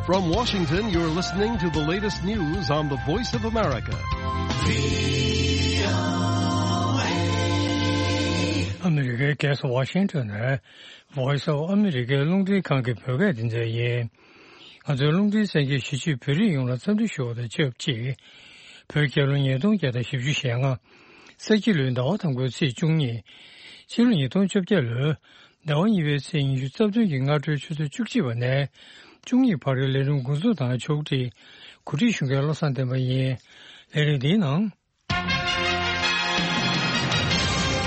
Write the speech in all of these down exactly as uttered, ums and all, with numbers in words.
From Washington, you're listening to the latest news on the Voice of America. ཨ་མི་རི་ཀའི་རྒྱལ་ས་ཝ་ཤིང་ཊོན་ནས་Voice of America རླུང་འཕྲིན་ཁང་གི་བོད་སྐད་སྡེ་ཚན་ཡིན། ང་ཚོའི་རླུང་འཕྲིན་གསན་མཁན་གཞིས་བྱེས་བོད་རིགས་ཡོངས་ལ་འཚམས་འདྲི་ཞུ་བ་དང་ཆབས་ཅིག་བོད་རྒྱལ་ལོ་ཉིས་སྟོང་བརྒྱ་དང་བཞི་བཅུ་ཞེ་ལྔ། ས་ཁྱི་ལོའི་ཟླ་བ་དང་པོའི་ཚེས་བཅུ་གཉིས། ཕྱི་ལོ་ཉིས་སྟོང་བཅོ་བརྒྱད་ལོའི་ཟླ་བ་གཉིས་པའི་ཚེས་ཉི་ཤུ་རྩ་བདུན་གྱི་སྔ་དྲོའི་ཆུ་ཚོད་བཅུ་གཅིག་པ་ནས་བཅུ་གཉིས་བར་གྱི་ལས་རིམ་འགོ་འཛུགས་དང་ཕྱོགས་སྒྲིག་གོ་སྒྲིག་ཞུ་མཁན་བློ་བཟང་བསྟན་པ་ཡིན། ལས་རིམ་འདིའི་ནང་།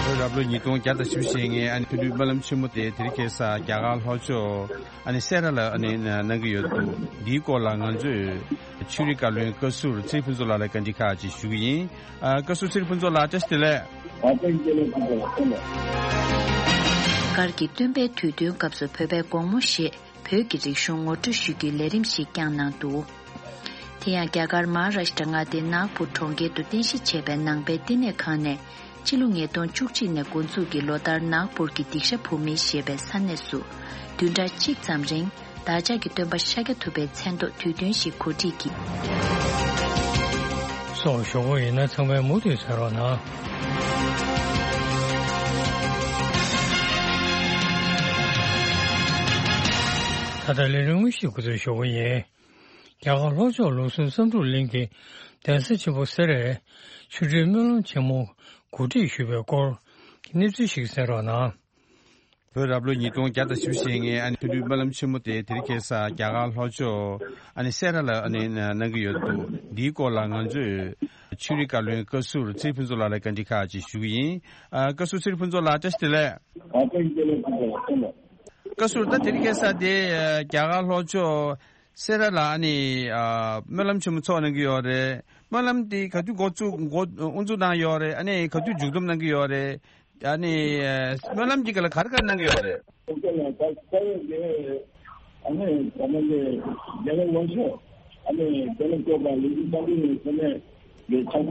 བོད་རབ་ལོ་ཉིས་སྟོང་བརྒྱ་དང་བཞི་བཅུ་ཞེ་ལྔའི་ཨ་ནི་ཕུལ་བུའི་སྨོན་ལམ་ཆེན་མོ་དེ་དེ་རིང་ཁ་སང་རྒྱ་གར་ལྷོ་ཕྱོགས་ཨ་ནི་སེ་ར་ལ་ཨ་ནི་གནང་གི་ཡོད་འདུག་འདིའི་སྐོར་ལ་ང་ཚོས་ཆོས་རིག་བཀའ་བློན་བཀའ་ཟུར་ཚེ་རིང་ཕུན་ཚོགས་ལགས་ལ་བཀའ་འདྲི་ཁག་ཅིག་ཞུ་གི་ཡིན། ཨ། བཀའ་ཟུར་ཚེ་རིང་ཕུན་ཚོགས་ལགས། བཀྲ་ཤིས་བདེ་ལེགས། ཨ། བཀྲ་ཤིས་བདེ་ལེགས། ཕུན་ཚོགས་ལགས། ལྷག་དཀར་གྱི་སྟོན་པའི་དུས་སྟོན་སྐབས་སུ་བོད་པའི་དགོང་མོ་ཞེས་བོད་ཀྱི་རིག་གཞུང་ངོ་སྤྲོད་ཞུ་རྒྱུའི་ལས་རིམ་ཞིག་བསྐྱངས་གནང་འདུག་དེ་ཡང་རྒྱ་གར་མ་ཧཱ་རཱཤ་ཏྲ་མངའ་སྡེའི་ནཱག་པུར་གྲོང་ཁྱེར་དུ་རྟེན་གཞི་བྱས་པའི་ནང་པའི་བསྟི་གནས་ཁང་ནས་ཕྱི་ལོ་ཉིས་སྟོང་བཅུ་གཅིག་ནས་འགོ་འཛུགས་ཀྱིས་ལོ་ལྟར་ནཱག་པུར་གྱི་དིག་ཤ་བུ་མི་ཞེས་པའི་ས་གནས་སུ་བདུན་ཕྲག་གཅིག་ཙམ་རིང་བདག་ཅག་གི་སྟོན་པ་ཤཱཀྱ་ཐུབ་པའི་མཚན་ཐོག་དུས་སྟོན་ཞིག་གོ་སྒྲིག་གིས། སོགས་ཞོགས་པ་ཡིན་ན་ཚང་མས་མུ་མཐུད་གསན་རོགས་གནང་། ད་ལྟ་ལས་རིམ་དངོས་གཞི་འགོ་འཛུགས་ཞུ་གི་ཡིན། རྒྱ་གར་ལྷོ་ཕྱོགས་ལུགས་སྲོལ་བསམ་འགྲུབ་གླིང་གི་གདན་ས་ཆེན་པོ་སེ་རའི་ཆོ་འཕྲུལ་སྨོན་ལམ་ཆེན་མོ་གོ་སྒྲིག་ཞུས་པའི་སྐོར་གྱི་གནས་ཚུལ་ཞིག་གསན་རོགས་གནང་། བོད་རབ་ལོ་ཉིས་སྟོང་བརྒྱ་དང་བཞི་བཅུ་ཞེ་ལྔའི་ཨ་ནི་ཕུལ་བུའི་སྨོན་ལམ་ཆེན་མོ་དེ་དེ་རིང་ཁ་སང་རྒྱ་གར་ལྷོ་ཕྱོགས་ཨ་ནི་སེ་ར་ལ་ཨ་ནི་གནང་གི་ཡོད་འདུག་འདིའི་སྐོར་ལ་ང་ཚོས་ཆོས་རིག་བཀའ་བློན་བཀའ་ཟུར་ཚེ་རིང་ཕུན་ཚོགས་ལགས་ལ་བཀའ་འདྲི་ཁག་ཅིག་ཞུ་གི་ཡིན། ཨ། བཀའ་ཟུར་ཚེ་རིང་ཕུན་ཚོགས་ལགས། བཀྲ་ཤིས་བདེ་ལེགས། ཨ། བཀྲ་ཤིས་བདེ་ལེགས། ཕུན་ཚོགས་ལགས། བཀའ་ཟུར། ད་དེ་རིང་ཁ་སང་དེ་རྒྱ་གར་ལྷོ་ཕྱོགས་སེ་ར་ལ་ཨ་ནི་ཨ་སྨོན་ལམ་ཆེན་མོ་ཚོགས་གནང་གི་ཡོད་རེད། སྨོན་ལམ་དེ་ག་དུས་འགོ་བཙུགས་འགོ་དབུ་འཛུགས་གནང་ཡོད་རེད། ཨ་ནི་ག་དུས་མཇུག་བསྡོམས་གནང་གི་ཡོད་རེད། ཨ་ནི་ཨ་སྨོན་ལམ་གྱི་སྐབས་ལ་ག་རེ་ག་རེ་གནང་གི་ཡོད་རེད། ཨ་ནི་ད་ལྟ་དེ་ཨ་ནི་ད་ལྟ་དེ་རྒྱ་གར་ལྷོ་ཕྱོགས་ཨ་ནི་རྒྱ་ནག་སྐྱོབ་པ་ལས་འགུལ་གསར་འགོད་ནས་ཚང་མས་ལས་ཆ་ཚང་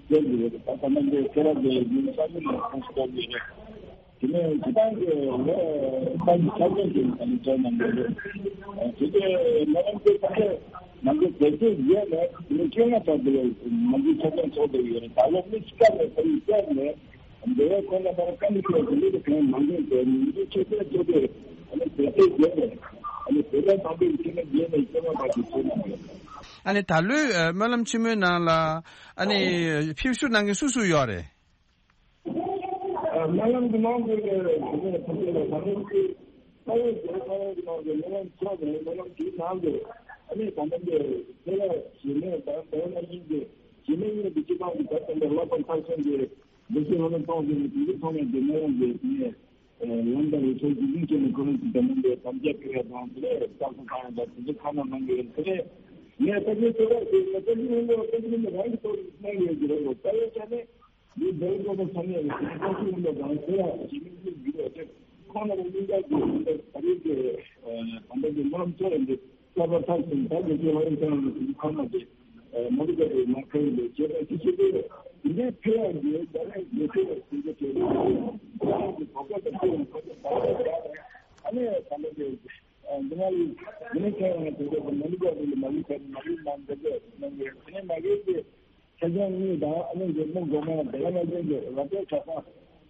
བསྡད་ཡོད་རེད། ད་ལྟ་དེ་སེ་ར་དེ་ལས་འགུལ་གསར་འགོད་ནས་ཁོང་ཚོ་བསྡད་ཡོད་རེད། དེ་ནས་སྤྱི་བཏང་གི་ལོ་ལྟར་གྱི་འཆར་ཅན་ཅིག་ཨ་ནི་བྱས་གནང་གི་རེད། དེ་གའི་སྨོན་ལམ་དེ་ད་ལྟ་ནང་ཆོས་དེ་ཚོའི་རྗེས་ནས་དེ་ནས་བཅོ་ལྔ་ཙམ་དེ་ནང་ཆོས་འཆར་ཅན་ཚོགས་བསྡད་ཡོད་རེད། ད་ལོ་མི་ཆིག་ཁ་ནས་ད་རེས་བཅར་ནས་འདི་བའི་ཁོང་ལ་ལྟར་བཀའ་འདྲི་ཞུ་བ་དེ་འདྲ་དེ་གང་མང་པོ་བྱས་ནས་ནང་ཆོས་འཆར་ཅན་ཚོགས་ཏེ་ཨ་ནི་དེ་ཚོའི་རྗེས་ནས་ཨ་ནི་བོད་པ་དམ་པའི་ཆོས་ལ་རྗེས་ནས་བཅོ་ལྔ་ཙམ་ཞིག་ཚོགས་གནང་ཡོད། ཨ་ནི་ད་ལོའི་སྨོན་ལམ་ཆེན་མོའི་ནང་ལ་ཨ་ནི་ཕེབས་བསུ་གནང་མཁན་སུ་སུ་ཡོད་རེད། སྨོན་ལམ་གྱི་ནང་དུ་ལས་དེ་ནས་ཐུགས་རྗེ་ལ་ད་ལན་གྱི་ས་ཡོད་ཟེར། ས་ཡོད་ཀྱི་ནང་དུ་སྨོན་ལམ་ཚོགས་ནས་སྨོན་ལམ་དེའི་ནང་དུ་ཨ་ནི་ད་ལྟ་འདི་སེ་ར་གཞི་མེད་དང་ཟླ་བ་ན་ཡིན་གྱི་གཞི་མེད་གཉིས་ཀྱི་སྤྱི་བཏང་གི་ད་ལྟ་འདི་བསླབ་པ་མཐར་སོན་གྱི་བདེ་སྐྱིད་ལྷ་མོ་ཚོགས་ཀྱི་དེ་ཚོ་ཚང་མས་འདི་སྨོན་ལམ་གྱི་དེ་ནས་ལམ་དང་རེ་ཚོགས་ཀྱི་གླིང་ཆེན་ནས་ཁོ་རང་ཚོ་ད་ལྟ་འདི་དམ་བཅའ་ཕུལ་ཡ་དང་དེ་ནས་བསླབ་པ་བཏང་ཡ་དང་དེ་ཚོ་ཁ་ནང་གནང་གི་ཡོད། དེ་ནས་ངས་ད་ལྟ་སེ་ར་གཞི་མེད་ད་ལྟ་ཡིན་ལོ་ད་ལྟ་ཡིན་ལོ་རང་གི་ཐོག་ནས་གནང་གི་ཡོད་ཀྱི་རེད་ལོ། ད་ཡོད་ཆ་ནས། འདི་ལྟར་སློབ་གྲྭ་ཚང་མས་ཀྱི་བཀའ་ཁྲིད་ཡིན་པ་དང་དེ་ཡང་ཞིག་མི་ཞིག་འགྱུར་བ་དེ་ཁོང་རྣམ་པ་གཉིས་ཀ་གི་ད་རེས་ཀྱི་ད་ལྟ་གི་སྨོན་ལམ་ཚོགས་ཡིན་ཏེ་བསླབ་པ་མཐར་ཕྱིན་ད་ལྟ་གི་ལྷ་ཡུལ་ཚང་རིང་གི་ཁོང་རྣམ་པས་མ་འདི་ག་རེ་མ་ཁ་ཡིན་པའི་བྱེད་པ་ཅི་ཞིག་དེ་འདི་འདྲའི་ཕེ་ཡག་གི་ད་རེས་ཡོད་ཚད་ལ་ཟིན་རྒྱུ་དེ་ཁོང་གི་གོ་སྐབས་དང་ཁོང་གི་གོ་སྐབས་ད་རེས་ད་རེས་ཨ་ནེ་ད་ལྟ་གི་འདི་ང་ཡི་འདི་ནས་ཁྱེད་རང་དེ་འདྲ་གི་མ་ལུས་པ་རེད། མ་ལུས་པ་མ་ལུས་ན་འདི་འདྲ་ནང་གི་དེ་ནས་མ་གི་གི་ཆ་རྐྱེན་གཉིས་དང་ཨ་ནི་འདི་མི་འགོ་མ་དེ་ག་ནང་བཞིན་གྱི་ར་སྤྲོད་ཆ་ཚང་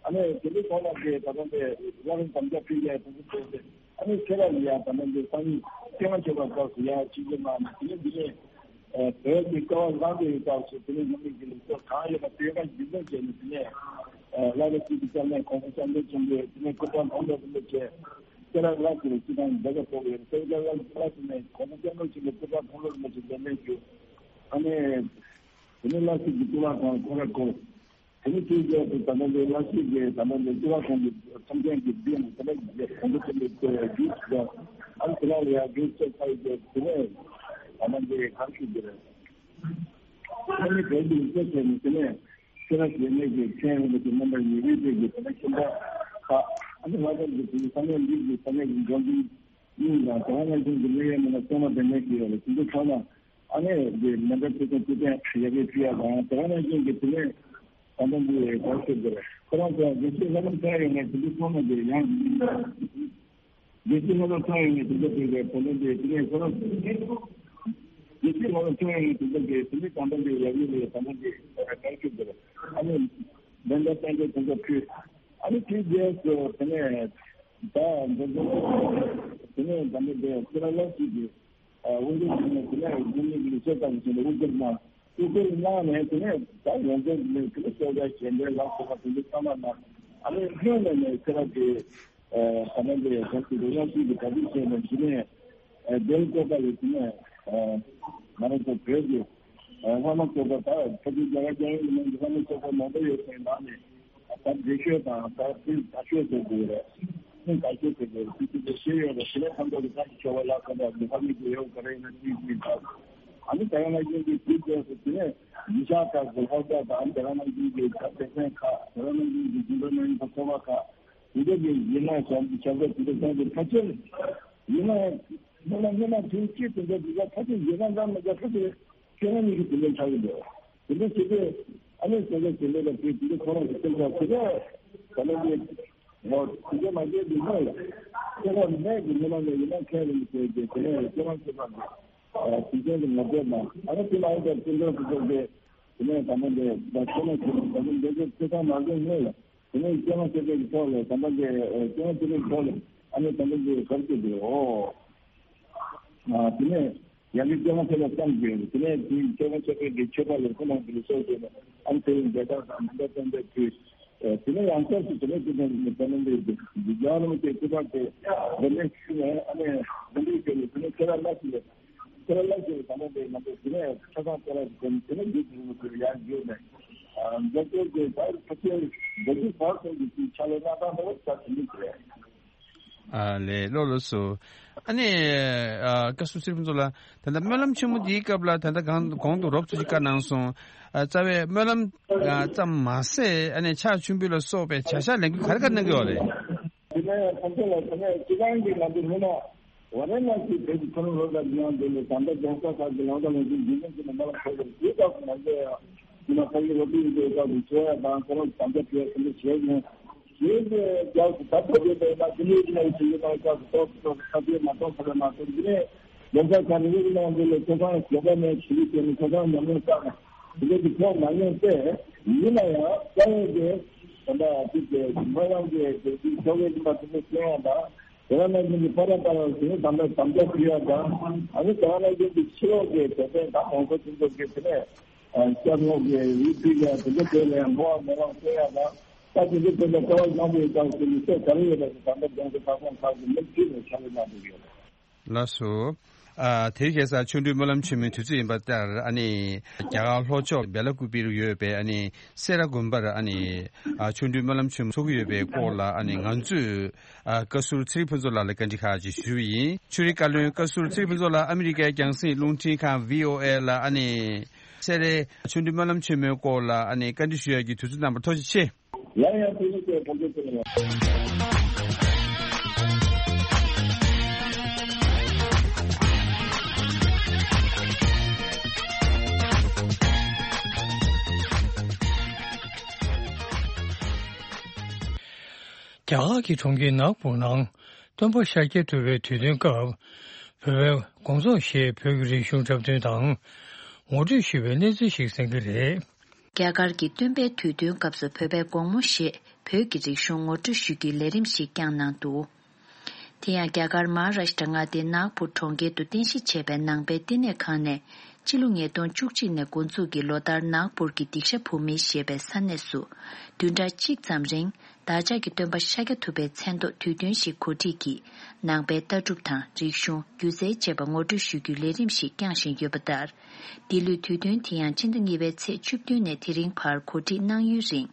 ཨ་ནི་དེ་འདྲའི་ཐོག་ལ་གི་ད་ལྟ་འདི་བླ་རུང་དམ་བཅའ་ཕུལ་ཡ་དེ་འདྲ་བྱས་ཏེ་ཨ་ནི་ཁྱེད་རང་ལ་ཡ་ད་ལྟ་འདི་སང་ཉིན་སྐྱེ་བ་བཅོ་ལྔ་སྐབས་སུ་ཡ་ཆིག་སྒྲིལ་གནང་ནས་དེ་ནས་འདི་ནས་བོད་ཀྱི་སྐལ་བ་བཟང་པོའི་སྐབས་སུ་དེ་ནས་སྔོན་མའི་གི་ལུགས་སྲོལ་གང་ཡོད་པ་དེ་ག་རྒྱུན་འཁྱོངས་བྱས་ནས་དེ་ནས་བླ་རུང་སྐྱིད་ཀྱི་སྐྱབས་གནས་གོང་ས་སྐྱབས་མགོན་ཆེན་པོས་དེ་ནས་སྐུ་ཕྲེང་མཐོན་པོ་རིན་པོ་ཆེ་སེ་ར་ལྷ་སའི་སྤྱི་བཏང་བདག་པོ་ཡོད། སེ་ར་ལྷ་སའི་གོང་ས་སྐྱབས་མགོན་ཆེན་པོས་སྐུ་ཕྲེང་མཐོན་པོ་རིན་པོ་ཆེ་མཛད་མེད་རྒྱུ། ཨ་ནི། དེ་ནས་བླ་སྲིད་ཀྱི་གཙུག་ལག་ཁང་ཁོ་ར་ཁོ། དེ་ནས་དེའི་རྗེས་སུ་ད་ལྟ་འདི་བླ་སྲིད་ཀྱི་ད་ལྟ་འདི་གཙུག་ལག་ཁང་གི་ཁྲིམས་མཁན་གྱི་འདི་ཡང་ད་ལྟ་འདི་གོང་དུ་ཐོན་པའི་རྒྱུད་ཞིག་ལ་ཨ་ནི་དེ་ལ་ཡ་རྒྱུད་ཚོ་ཁ་ཡི་དེ་ནས་ད་ལྟ་འདི་གར་ཞུ་རྒྱུ་རེད། ཨ་ནི་བོད་ཀྱི་ཡིག་ཆ་བྱས་ནས་དེ་ནས་སེ་ར་བྱེས་སྨད་ཀྱི་མཁན་རིན་པོ་ཆེ་རྣམ་པ་ཉེ་བའི་སྟེང་གི་དེ་ནས་ཁྱིམ་བདག་ཁག་ཨ་ནི་ལྷ་ས་གི་དེ་ནས་ས་གནས་འདི་གི་ས་གནས་ཀྱི་འགྲོ་འདུག་གཉིས་དང་དེ་ག་ནང་བཞིན་གྱི་གནས་ཡུལ་མི་སྣ་གཙང་མ་དེ་ནས་ཀྱི་ཡོད་ལ་དེ་ཚོ་ཚང་མ་ཨ་ནེ་འདི་མེ་མདའ་ཕུལ་ཚོགས་ཕུལ་ཏེ་ཡ་གི་ཕུལ་ཡ་དང་དེ་ག་ནང་བཞིན་གྱི་དེ་ནས་ད་ལྟ་འདི་ག་ཟེར་དགོས་རེད། ཁོ་རང་ཚོ་དགེ་བཤེས་ལྷ་ལམ་ཁ་ཡོད་ནས་དེ་ཚོ་ཚང་མ་འདི་ཡང་། རྒྱལ་སྤྱིའི་སློབ་གྲྭ་ཁྲོད་ཡོང་བའི་དེ་འདྲ་དེ་གའི་བུ་ལོན་དེ་དེ་ནས་ཁོ་རང་། རྒྱལ་སྤྱིའི་སློབ་གྲྭ་ཁྲོད་ཡོང་བའི་དེ་འདྲ་དེ་དེ་ནས་ད་ལྟ་དེ་ཡག་ཡོད་རེད། ད་ལྟ་དེ་ག་རེ་ཞུ་དགོས་རེད། ཨ་ནི་ལན་ད་ཏན་ཏན་དེ་འདྲ་ཕུལ། ཨ་ནི་དེ་རྗེས་སུ་དེ་ནས་ད་འདི་འདི་དེ་ནས་ད་ལྟ་དེ་ཁོ་རང་ལ་ཞིག་གི་དབུ་འཛིན་ཞུས་ནས་དེ་ནས་རྒྱུན་ལས་ཀྱི་ལས་བྱེད་དང་བྱས་ནས་དབུ་འཛིན་གནང་། དབུ་འཛིན་གནང་ནས་དེ་ནས་ད་ཡོངས་འཛིན་ནས་དེ་ནས་གསོལ་ཇ་ཞལ་འདོན་ལ་སོགས་པ་དེ་ཚོ་ཚང་མ་གནང་། ཨ་ནི་སྔོན་ནས་ནས་ཁྱེད་རང་གི་ད་ལྟ་འདི་ག་ཚོད་རེ་རང་ཞིག་གི་ག་ཚོད་བྱས་ནས་དེ་ནས་རྒྱལ་བཀོད་པ་ཡོད་དེ་ནས་ང་རང་ཚོ་བོད་ཀྱི་ལྷ་མོ་བཀོད་པ་ད་ཕ་གི་རྒྱ་གར་རྒྱལ་ཡོངས་ཀྱི་ནང་གི་ལྷ་མོ་བཀོད་པ་མང་པོ་ཡོད་པའི་ནང་ནས། ད་འདི་ཤོད་དང་ད་ཕུལ་ད་ཤོད་ཟེར་དགོས་རེད། ཕུལ་ད་ཤོད་ཟེར་དགོས་རེད། ཕུལ་ཕུལ་དེ་ཤེས་ཡོད་རེད། དེ་ནས་ཁམས་ཐོག་གི་ད་ཀྱི་ཆོ་ག་ལ་ཁ་འདྲ་དགེ་ཕ་མི་དགེ་ཡོད་ག་རེ་ཡིན་ན་ཅིག་ཅིག་ད། ཨ་ནི་དེ་རང་ན་ཡིན་གྱི་དུས་དེ་སུ་དེ་ནས་ཡིན་ཤག་ཁ་དགེ་ཕ་ད་དང་དེ་རང་ན་ཡིན་གྱི་ད་དེ་ཚན་ཁ་དེ་རང་ན་ཡིན་གྱི་རྒྱུན་དུ་ན་ཡིན་པ་ཚོ་བ་ཁ་དེ་འདྲ་གི་ཡིན་ན་བྱམས་ཀྱི་ཆབ་ས་དེ་འདྲ་ཚན་གྱི་ཕ་ཆེར་ཡིན་ན་སྔོན་མ་སྔོན་མ་དུས་གཅིག་དེ་འདྲ་དེ་འདྲ་ཕ་ཆེར་ཡིན་ན་འདྲ་མི་འདྲ་ཕ་ཆེར་ཁྱེད་རང་གཉིས་ཀྱི་དེ་འདྲ་ཆགས་ཀྱི་འདུག་དེ་འདྲ་བྱེད་དུས་ཨ་ནི་ཟེར་བའི་དེ་འདྲ་ལ་དེ་དེ་འདྲ་ཁོ་རང་གི་སེམས་ཁྲལ་དེ་འདྲ་ག་ལ་འདི་ངོ་དེ་འདྲ་མ་བྱས་དུས་ནས་ཁྱེད་རང་མེད་ཀྱི་མི་ལ་ནས་ཡིན་ན་ཁྱེད་རང་གི་དེ་དེ་དེ་ནས་ཁྱེད་རང་ཁྱེད་རང་གི་དེ་ཚོ་གི་ངོ་དེབ་ནང་ཨ་ནི་དེ་ལ་ཡིན་པའི་སེམས་ཁྲལ་དེ་ཚོ་གི་དེ་ནས་ད་ནི་འདི་ད་ཁྱེད་རང་ཁྱེད་རང་ད་ནི་འདི་ཚོ་ཁྱེད་རང་མ་བྱས་ནས་ལ་དེ་ནས་ཁྱེད་རང་ཁྱེད་རང་གི་ཐོག་ལ་ད་ནི་འདི་ཁྱེད་རང་ཁྱེད་རང་གི་ཐོག་ལ་ཨ་ནི་ད་ནི་འདི་གར་གྱི་འདུག་ཨོ། དེ་ནས་ཡང་ན་སྐྱེ་བ་ཚེ་ལ་བསམ་དགོས། དེ་ནས་དེའི་སྐྱེ་བ་ཚེ་པའི་གི་མཆོད་པ་ལ་ཁོ་རང་གི་ལུས་སྲོག་བཅོལ་ནས་ཨ་ནི་དེ་རིང་འབྲས་དཀར་དང་མི་འདྲ་བསྟན་པའི་དུས། དེ་ནས་ཡང་སྐྱབས་སུ་དེ་ནས་དེ་ནས་དེ་ནས་འདི་འདི་རྒྱ་རོང་གི་སྐུ་པར་དེ་དེ་ནས་ཞུས་ནས་ཨ་ནི་དེ་འདྲའི་སྐྱེ་བའི་དེ་ནས་ཁྱེད་རང་ལ་ཞིག་ལས་ཁྱེད་རང་ལ་ཞིག་ལས་དང་པོ་དེ་ང་ཚོ་དེ་ནས་ཆ་ཚང་ཁྱེད་རང་གི་དེ་ནས་དེ་ནས་འདི་དེ་ནས་ཡང་བརྗོད་ནས་འདི་ཚོ་དེ་ད་ཕ་ཆེན་འདི་ཚོ་བར་སོང་གི་ཕྱག་ལས་གནང་སྟངས་དེ་བ་ཆ་དེ་འདྲ་རེད། ཨ་ལས་ལོ་ལོ་སོ། ཨ་ནི་ཨ་བཀའ་ཟུར་ཚེ་རིང་ཕུན་ཚོགས་ལགས། ད་ལྟ་སྨོན་ལམ་ཆེན་མོ་འདིའི་སྐབས་ལ་ད་ལྟ་གང་གོང་དུ་རོབ་ཙམ་ཞིག་བཀའ་གནང་སོང་། ཨ་རྩ་བའི་སྨོན་ལམ་ཨ་ཙམ་མ་ཟད་ཨ་ནི་ཕྱག་མཆོད་འབུལ་ལ་སོགས་པའི་བྱ་བཞག་ལས་འགུལ་ག་རེ་ག་རེ་གནང་གི་ཡོད་རེད། དེ་ནས་ཁོང་ཚོ་ལ་དེ་ནས་སྤྱི་བཏང་གི་ང་ཚོ་སྔོན་མ་ཝཱ་ར་ཎ་སི་བོད་ཀྱི་མཐོ་རིམ་སློབ་གྲྭ་འདི་ཡང་འདི་ལས་ད་ལྟ་རྫོང་ས་ཁག་གི་ལམ་ཁ་ལ་འཛིན་འཛིན་སྐྱོང་གི་མི་མང་ལ་ཁོ་ཚོ་དེ་སྐབས་སུ་ང་ཚོ་ཡང་དེ་ནས་ཕ་གི་སློབ་ཕྲུག་ཡིན་པའི་སྐབས་སུ་འཚོ་ཡ་དང་ཁོ་རང་དམ་བཅའ་ཕུལ་ཡ་དེ་འདྲ་བྱས་ནས། ཡིན་ཏེ་རྒྱལ་སུ་ད་ལྟ་བརྒྱུད་པའི་ན་དེ་ནས་ཡིན་ན་ཡིན་ཞིག་ཡིན་ན་རྒྱལ་སུ་ཏོག་ཙམ་ཁ་གཏད་མ་གཏོགས་ཁ་གཏད་མ་གཏོགས་འདི་ནས་ལོ་ཙཱ་ག་རེ་ཡིན་ན་འདི་ལས་ཚོ་ཁང་ཞོགས་པ་ནས་ཆུ་ཚོད་བཅུ་ནས་ཚོ་ཁང་ཉམས་མྱོང་བསགས་ནས་འདི་འདྲ་གི་ཐོག་མ་ཡོང་སྟེ། ཡིན་ན་ཡང་རྩ་བའི་གི་ད་ལྟ་དེ་གི་མ་ཡང་གི་དེ་གི་ཆོ་གའི་རིམ་པ་དེ་ཚོ་སྐྱོང་ཡ་དང་དེ་ལ་ན་ཡིན་གི་ཕ་ར་པ་ར་དེ་ནས་དམ་པའི་དམ་བཅའ་ཕུལ་ཡ་དང་ཨ་ནི་དེ་ལ་ན་ཡིན་གི་ཕྱི་ལོགས་གི་དད་པའི་དང་ངོ་མཚར་ཅན་ཚོ་གི་དེ་ནས། ཨ་སྐྱབས་མགོན་གྱི་ཡིག་ཚིག་ཡང་དེ་ཚོ་དེ་ལས་མོ་བ་མོ་རང་བསྟན་ཡག་དང་ད་དེ་ཚོ་དེ་ལས་ཀ་བ་བཟང་པོའི་སྐབས་སུ་མི་ཚེ་ག་རེ་ཡོད་པ་ཞིག་ད་ལྟ་རྒྱང་ཚོ་ཁ་སང་ཁག་གི་མི་བཅུ་ནས་ཕྱག་ལས་གནང་བསྡད་ཡོད། ལགས་སོ། ཨ་དེ་རིང་ཁ་སང་ཆོ་འཕྲུལ་སྨོན་ལམ་ཆེན་མོའི་དུས་ཚོད་ཡིན་པ་ལྟར་ཨ་ནི་རྒྱ་གར་ལྷོ་ཕྱོགས་སྦེ་ལ་ཀུ་པེ་རུ་ཡོད་པའི་ཨ་ནི་སེ་ར་དགོན་པར་ཨ་ནི་ཨ་ཆོ་འཕྲུལ་སྨོན་ལམ་ཆེན་མོ་ཚོགས་ཀྱི་ཡོད་པའི་སྐོར་ལ་ཨ་ནི་ང་ཚོས་ཨ་བཀའ་ཟུར་ཚེ་རིང་ཕུན་ཚོགས་ལགས་ལ་བཀའ་འདྲི་ཁག་ཅིག་ཞུས་པ་ཡིན། ཆོས་རིག་བཀའ་བློན་བཀའ་ཟུར་ཚེ་རིང་ཕུན་ཚོགས་ལགས་ཨ་མི་རི་ཀའི་རྒྱང་སྲིང་རླུང་འཕྲིན་ཁང་བྷི་ཨོ་ཨེ་ལ་ཨ་ནི་སེ་རའི་ཆོ་འཕྲུལ་སྨོན་ལམ་ཆེན་མོའི་སྐོར་ལ་ཨ་ནི་བཀའ་འདྲི་ཞུ་ཡག་གི་དུས་ཚོད་གནང་བར་ཐུགས་རྗེ་ཆེ། ཡང་ཡང་ཐུགས་རྗེ་ཆེ། ཐུགས་རྗེ་ཆེ། རྒྱ་གར་གྱི་གྲོང་ཁྱེར་ནཱག་པུར་ནང་སྟོན་པ་ཤཱཀྱ་ཐུབ་པའི་དུས་སྟོན་སྐབས། བོད་པའི་དགོང་ཚོགས་ཞེས་བོད་ཀྱི་རིག་གཞུང་འཁྲབ་སྟོན་དང་ངོ་སྤྲོད་ཞུས་པའི་གནས་ཚུལ་ཞིག་གསན་གྱི་རེད། རྒྱ་གར་གྱི་སྟོན་པའི་དུས་སྟོན་སྐབས་སུ་བོད་པའི་དགོང་མོ་ཞེས་བོད་ཀྱི་རིག་གཞུང་ངོ་སྤྲོད་ཞུ་རྒྱུའི་ལས་རིམ་ཞིག་བསྐྱངས་གནང་འདུག་དེ་ཡང་རྒྱ་གར་མ་ཧཱ་རཱཤ་ཏྲ་མངའ་སྡེའི་ནཱག་པུར་གྲོང་ཁྱེར་དུ་རྟེན་གཞི་བྱས་པའི་ནང་པའི་བསྟི་གནས་ཁང་ནས་སྤྱི་ལོ་ཉིས་སྟོང་བཅུ་གཅིག་ནས་འགོ་འཛུགས་ཀྱིས་ལོ་ལྟར་ནཱག་པུར་གྱི་སྡིག་བཤགས་བུ་མེད་ཞེས་པའི་ས་གནས་སུ་བདུན་ཕྲག་གཅིག་ཙམ་རིང་བདག་ཅག་གི་སྟོན་པ་ཤཱཀྱ་ཐུབ་པའི་མཚན་ཐོག་དུས་སྟོན་ཞིག་གོ་སྒྲིག་གིས་ནང་པའི་ལྟ་གྲུབ་དང་རིག་གཞུང་སྒྱུ་རྩལ་བཅས་པ་ངོ་སྤྲོད་ཞུ་རྒྱུའི་ལས་རིམ་ཞིག་བསྐྱངས་བཞིན་ཡོད་པ་ལྟར། འདི་ལོའི་དུས་སྟོན་དེ་ཡང་སྤྱི་ཟླ་གཉིས་པའི་ཚེས་བཅུ་བདུན་ནས་དེ་རིང་བར་གོ་སྒྲིག་གནང་ཡུན་རིང་།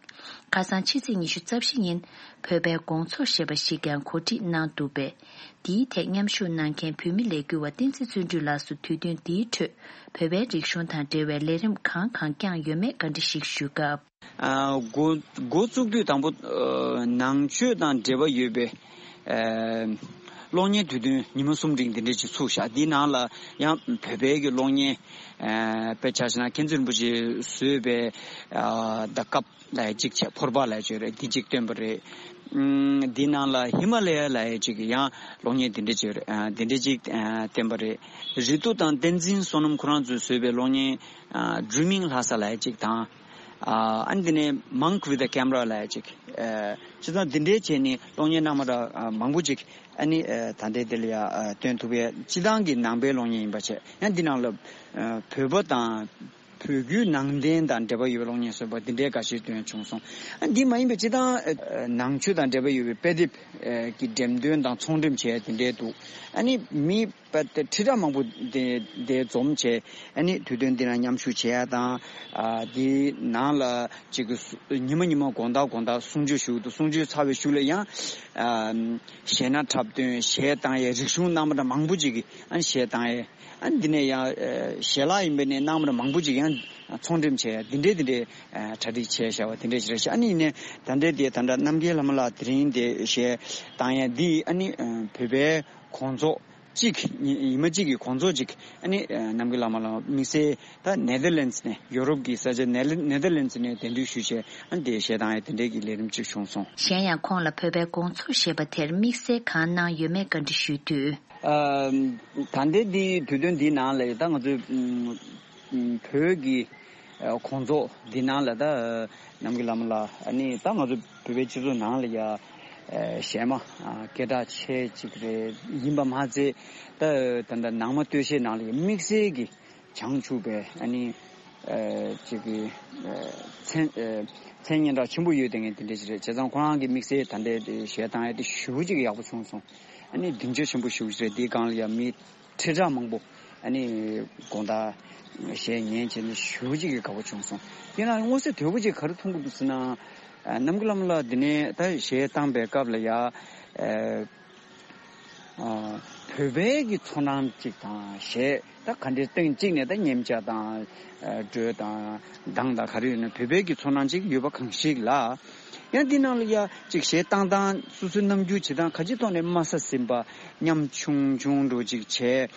ཁ་སང་ཕྱི་ཚེས་ཉི་ཤུ་རྩ་བཞི་ཉིན་བོད་པའི་དགོང་ཚོགས་ཞེས་པ་ཞིག་ཀྱང་གོ་སྒྲིག་གནང་འདུག་པས། འདིའི་ཐད་མཉམ་ཞུགས་གནང་མཁན་བོད་མི་ལས་འགུལ་བ་བསྟན་འཛིན་བརྩོན་འགྲུས་ལགས་སུ་དུས་སྟོན་འདིའི་ཁྲོད་བོད་པའི་རིག་གཞུང་དང་འབྲེལ་བའི་ལས་རིམ་གང་གང་བསྐྱངས་ཡོད་མེད་བཀའ་འདྲི་ཞིག་ཞུས་སྐབས། ཨ་འགོ་འགོ་བཙུགས་དུས་དང་པོ་ཨ་ནང་ཆོས་དང་འབྲེལ་བ་ཡོད་པའི་ཨ་ གློག་བརྙན་དུས་སྟོན་ཉི་མ་གསུམ་རིང་འདི་འདྲས་ཅིག་ཚུགས་ཤག་འདིའི་ནང་ལ་ཡང་བོད་པའི་གི་གློག་བརྙན། ཨ། དཔེ་ཆ་བཞག་ན་མཁྱེན་བརྩེ་རིན་པོ་ཆེས་བཟོས་པའི། ཨ། ད་སྐབས་ལ་ཡ་གཅིག་བྱས། ཕོར་པ་ལ་ཡ་བྱས་རེད། འདི་གཅིག་བཏོན་པ་རེད། ཨུམ། འདིའི་ནང་ལ་ཧི་མ་ལ་ཡ་ལ་ཡ་གཅིག་ཡང་གློག་བརྙན་འདི་འདྲས་བྱས་རེད། ཨ། འདི་འདྲས་གཅིག་ཨ། བཏོན་པ་རེད། རི་ཏུ་དང་བསྟན་འཛིན་བསོད་ནམས་ཁོ་རང་ཚོས་བཟོས་པའི་གློག་བརྙན། ཨ། Dreaming Lhasa ལ་ཡ་གཅིག་དང་། ཨ། ཨ་ནི་དེ་ནས་Monk with a Camera ལ་ཡ་གཅིག་ཨ། སྤྱིར་བཏང་འདི་འདྲའི་བྱས་ནས་གློག་བརྙན་སྣ་མང་དྲགས། ཨ། མང་པོ་ཅིག་ཨ་ནི། ཨ། ད་ལྟའི་འདི་ལ་ཡ། ཨ། སྟོན་ཐུབ་པའི་སྤྱིར་བཏང་གི་ནང་པའི་གློག་བརྙན་ཡིན་པ་བྱས། ཡང་འདི་ནང་ལ། ཨ། བོད་པ་དང་བོད་བརྒྱུད་ནང་བསྟན་དང་འབྲེལ་བ་ཡོད་པའི་གློག་བརྙན་བཟོས་པ་འདི་འདྲའི་འགའ་ཤས་སྟོན་བྱུང་སོང་། ཨ། འདི་མ་ཡིན་པའི་སྤྱིར་བཏང་། ཨ། ནང་ཆོས་དང་འབྲེལ་བ་ཡོད་པའི་དཔེ་དེབ། ཨ། གི་འགྲེམས་སྟོན་དང་ཚོང་འགྲེམས་བྱས་དེ་འདྲའི་འདུག་ཨ་ནི་མི་དཔེ་དེབ་ཁྲི་ཕྲག་མང་པོ་དེ་དེ་འཛོམས་བྱས། ཨ་ནི་དུས་སྟོན་འདི་ན་མཉམ་ཞུགས་བྱས་ཡ་དང་། ཨ། འདི་ནང་ལ་ཅིག་གི་ཉི་མ་ཉི་མ་དགོང་དག་དགོང་དག་གསུང་ཆོས་ཞུ་འདུག་གསུང་ཆོས་ཚར་བའི་གཞུག་ལ་ཡང་། ཨ། གཞས་སྣ་འཁྲབ་སྟོན། གཞས་བཏང་ཡས། རིག་གཞུང་སྣ་མང་དྲགས་མང་པོ་ཅིག་གིས་ཨ་ནི་གཞས་བཏང་ཡས། ཨ་ནི་འདི་ནས་ཡང་། ཨ། ཞལ་ལག་ཡིན་པ་ནས་སྣ་མང་དྲགས་མང་པོ་ཅིག་ཡང་ཚོང་འགྲེམས་བྱས་ཡ་འདི་འདྲའི་འདི་འདྲའི། ཨ། གྲ་སྒྲིག་བྱས་བཞག་པ་འདི་འདྲའི་ཞིག་རེད་ཤག་ཨ་ནི་ཡིན་ནའི་ད་ལྟའི་དེ་ད་ལྟ་རྣམ་རྒྱལ་ལྷ་མོ་ལགས་དེ་རིང་དེ་གཞས་བཏང་ཡ་འདི་ཨ་ནི། ཨ། བོད་པའི་དགོང་ཚོགས་གཅིག་ཉི་ཉི་མ་གཅིག་གི་དགོང་ཚོགས་གཅིག་ཨ་ནི། ཨ། རྣམ་རྒྱལ་ལྷ་མོ་ལགས་དམིགས་བསལ་ད་ནེ་དར་ལེན་ཙི་ནས། ཡོ་རོབ་ཀྱི་ས་ཆ་ནེ་ནེ་དར་ལེན་ཙི་ནས་གདན་འདྲེན་ཞུས་བྱས། ཨ་ནི་དེ་གཞས་བཏང་ཡ་དེ་འདྲའི་གི་ལས་རིམ་གཅིག་བྱུང་སོང་། གཞན་ཡང་ཁོང་ལ་བོད་པའི་དགོང་ཚོགས་ཞེས་པ་དེར་དམིགས་བསལ་གང་གནང་ཡོད་མེད་བཀའ་འདྲི་ཞུས་དུས། ཨ། ད་ལྟའི་འདི་དུས་སྟོན་འདིའི་ནང་ལ་ད་ང་ཚོའི། ཨུམ། ཨུམ། བོད་ཀྱི། ཨ། དགོང་ཚོགས་འདི་ནང་ལ་ད། ཨ། རྣམ་རྒྱལ་ལྷ་མོ་ལགས་ཨ་ནི་ད་ང་ཚོ་བོད་པའི་སྤྱི་ཚོགས་ནང་ལ་ཡ། ཨ། གཞས་མ། ཨ། སྐད་གྲགས་ཆེ་ཅིག་རེད། ཡིན་པ་མ་ཚད་ད་ད་ད་ནང་མ་སྟོད་གཞས་ནང་ལ་ཡ་དམིགས་བསལ་གྱི་བྱང་ཆུབ་པའི་ཨ་ནི། ཨ། ཅིག་གི། ཨ། མཚན། ཨ། མཚན་སྙན་གྲགས་ཆེན་པོ་ཡོད་དེ་ངས་དེ་འདྲ་ཞིག་རེད། བྱས་ཙང་ཁོ་རང་གི་དམིགས་བསལ་ད་ལྟའི་དེ་གཞས་བཏང་ཡ་དེ་ཞེ་པོ་ཅིག་ཡག་པོ་བྱུང་སོང་། ཨ་ནི་སྡིངས་ཆ་ཆེན་པོ་ཞེ་པོ་ཅིག་རེད། དེའི་སྒང་ལ་ཡ་མི་ཁྲི་ཕྲག་མང་པོ་ཨ་ནི་དགོང་དག་གཞས་ཉན་བྱས་ནས་ཞེ་པོ་ཅིག་གི་དགའ་པོ་བྱུང་སོང་། དེ་ན་མངོན་གསལ་དོད་པོ་ཅིག་ག་རེ་མཐོང་གི་འདུག་ཟེར་ན། ཨ། རྣམ་རྒྱལ་བླ་མ་ལགས་འདི་ནས་ད་གཞས་བཏང་པའི་སྐབས་ལ་ཡ། ཨ། ཨ། བོད་པའི་གི་ཚོར་སྣང་གཅིག་དང་། གཞས་ད་ག་འདྲའི་སྟེང་གཅིག་ནས་ད་ཉམས་ཆག་དང་། ཨ། འགྲོས་དང་གདངས་དང་ག་རེ་ཡོད་ན་བོད་པའི་གི་ཚོར་སྣང་གཅིག་ཡོད་པ་གང་ཞིག་ལ། ཡང་འདི་ནང་ལ་ཡ་གཅིག་གཞས་བཏང་སྟངས། སོ་སོའི་རྣམ་འགྱུར་བྱེད་སྟངས། ག་ཅིའི་ཐོག་ནས་དམའ་ས་ཟིན་པ། ཉམས་ཆུང་ཆུང་འདྲ་བོ་ཅིག་བྱས།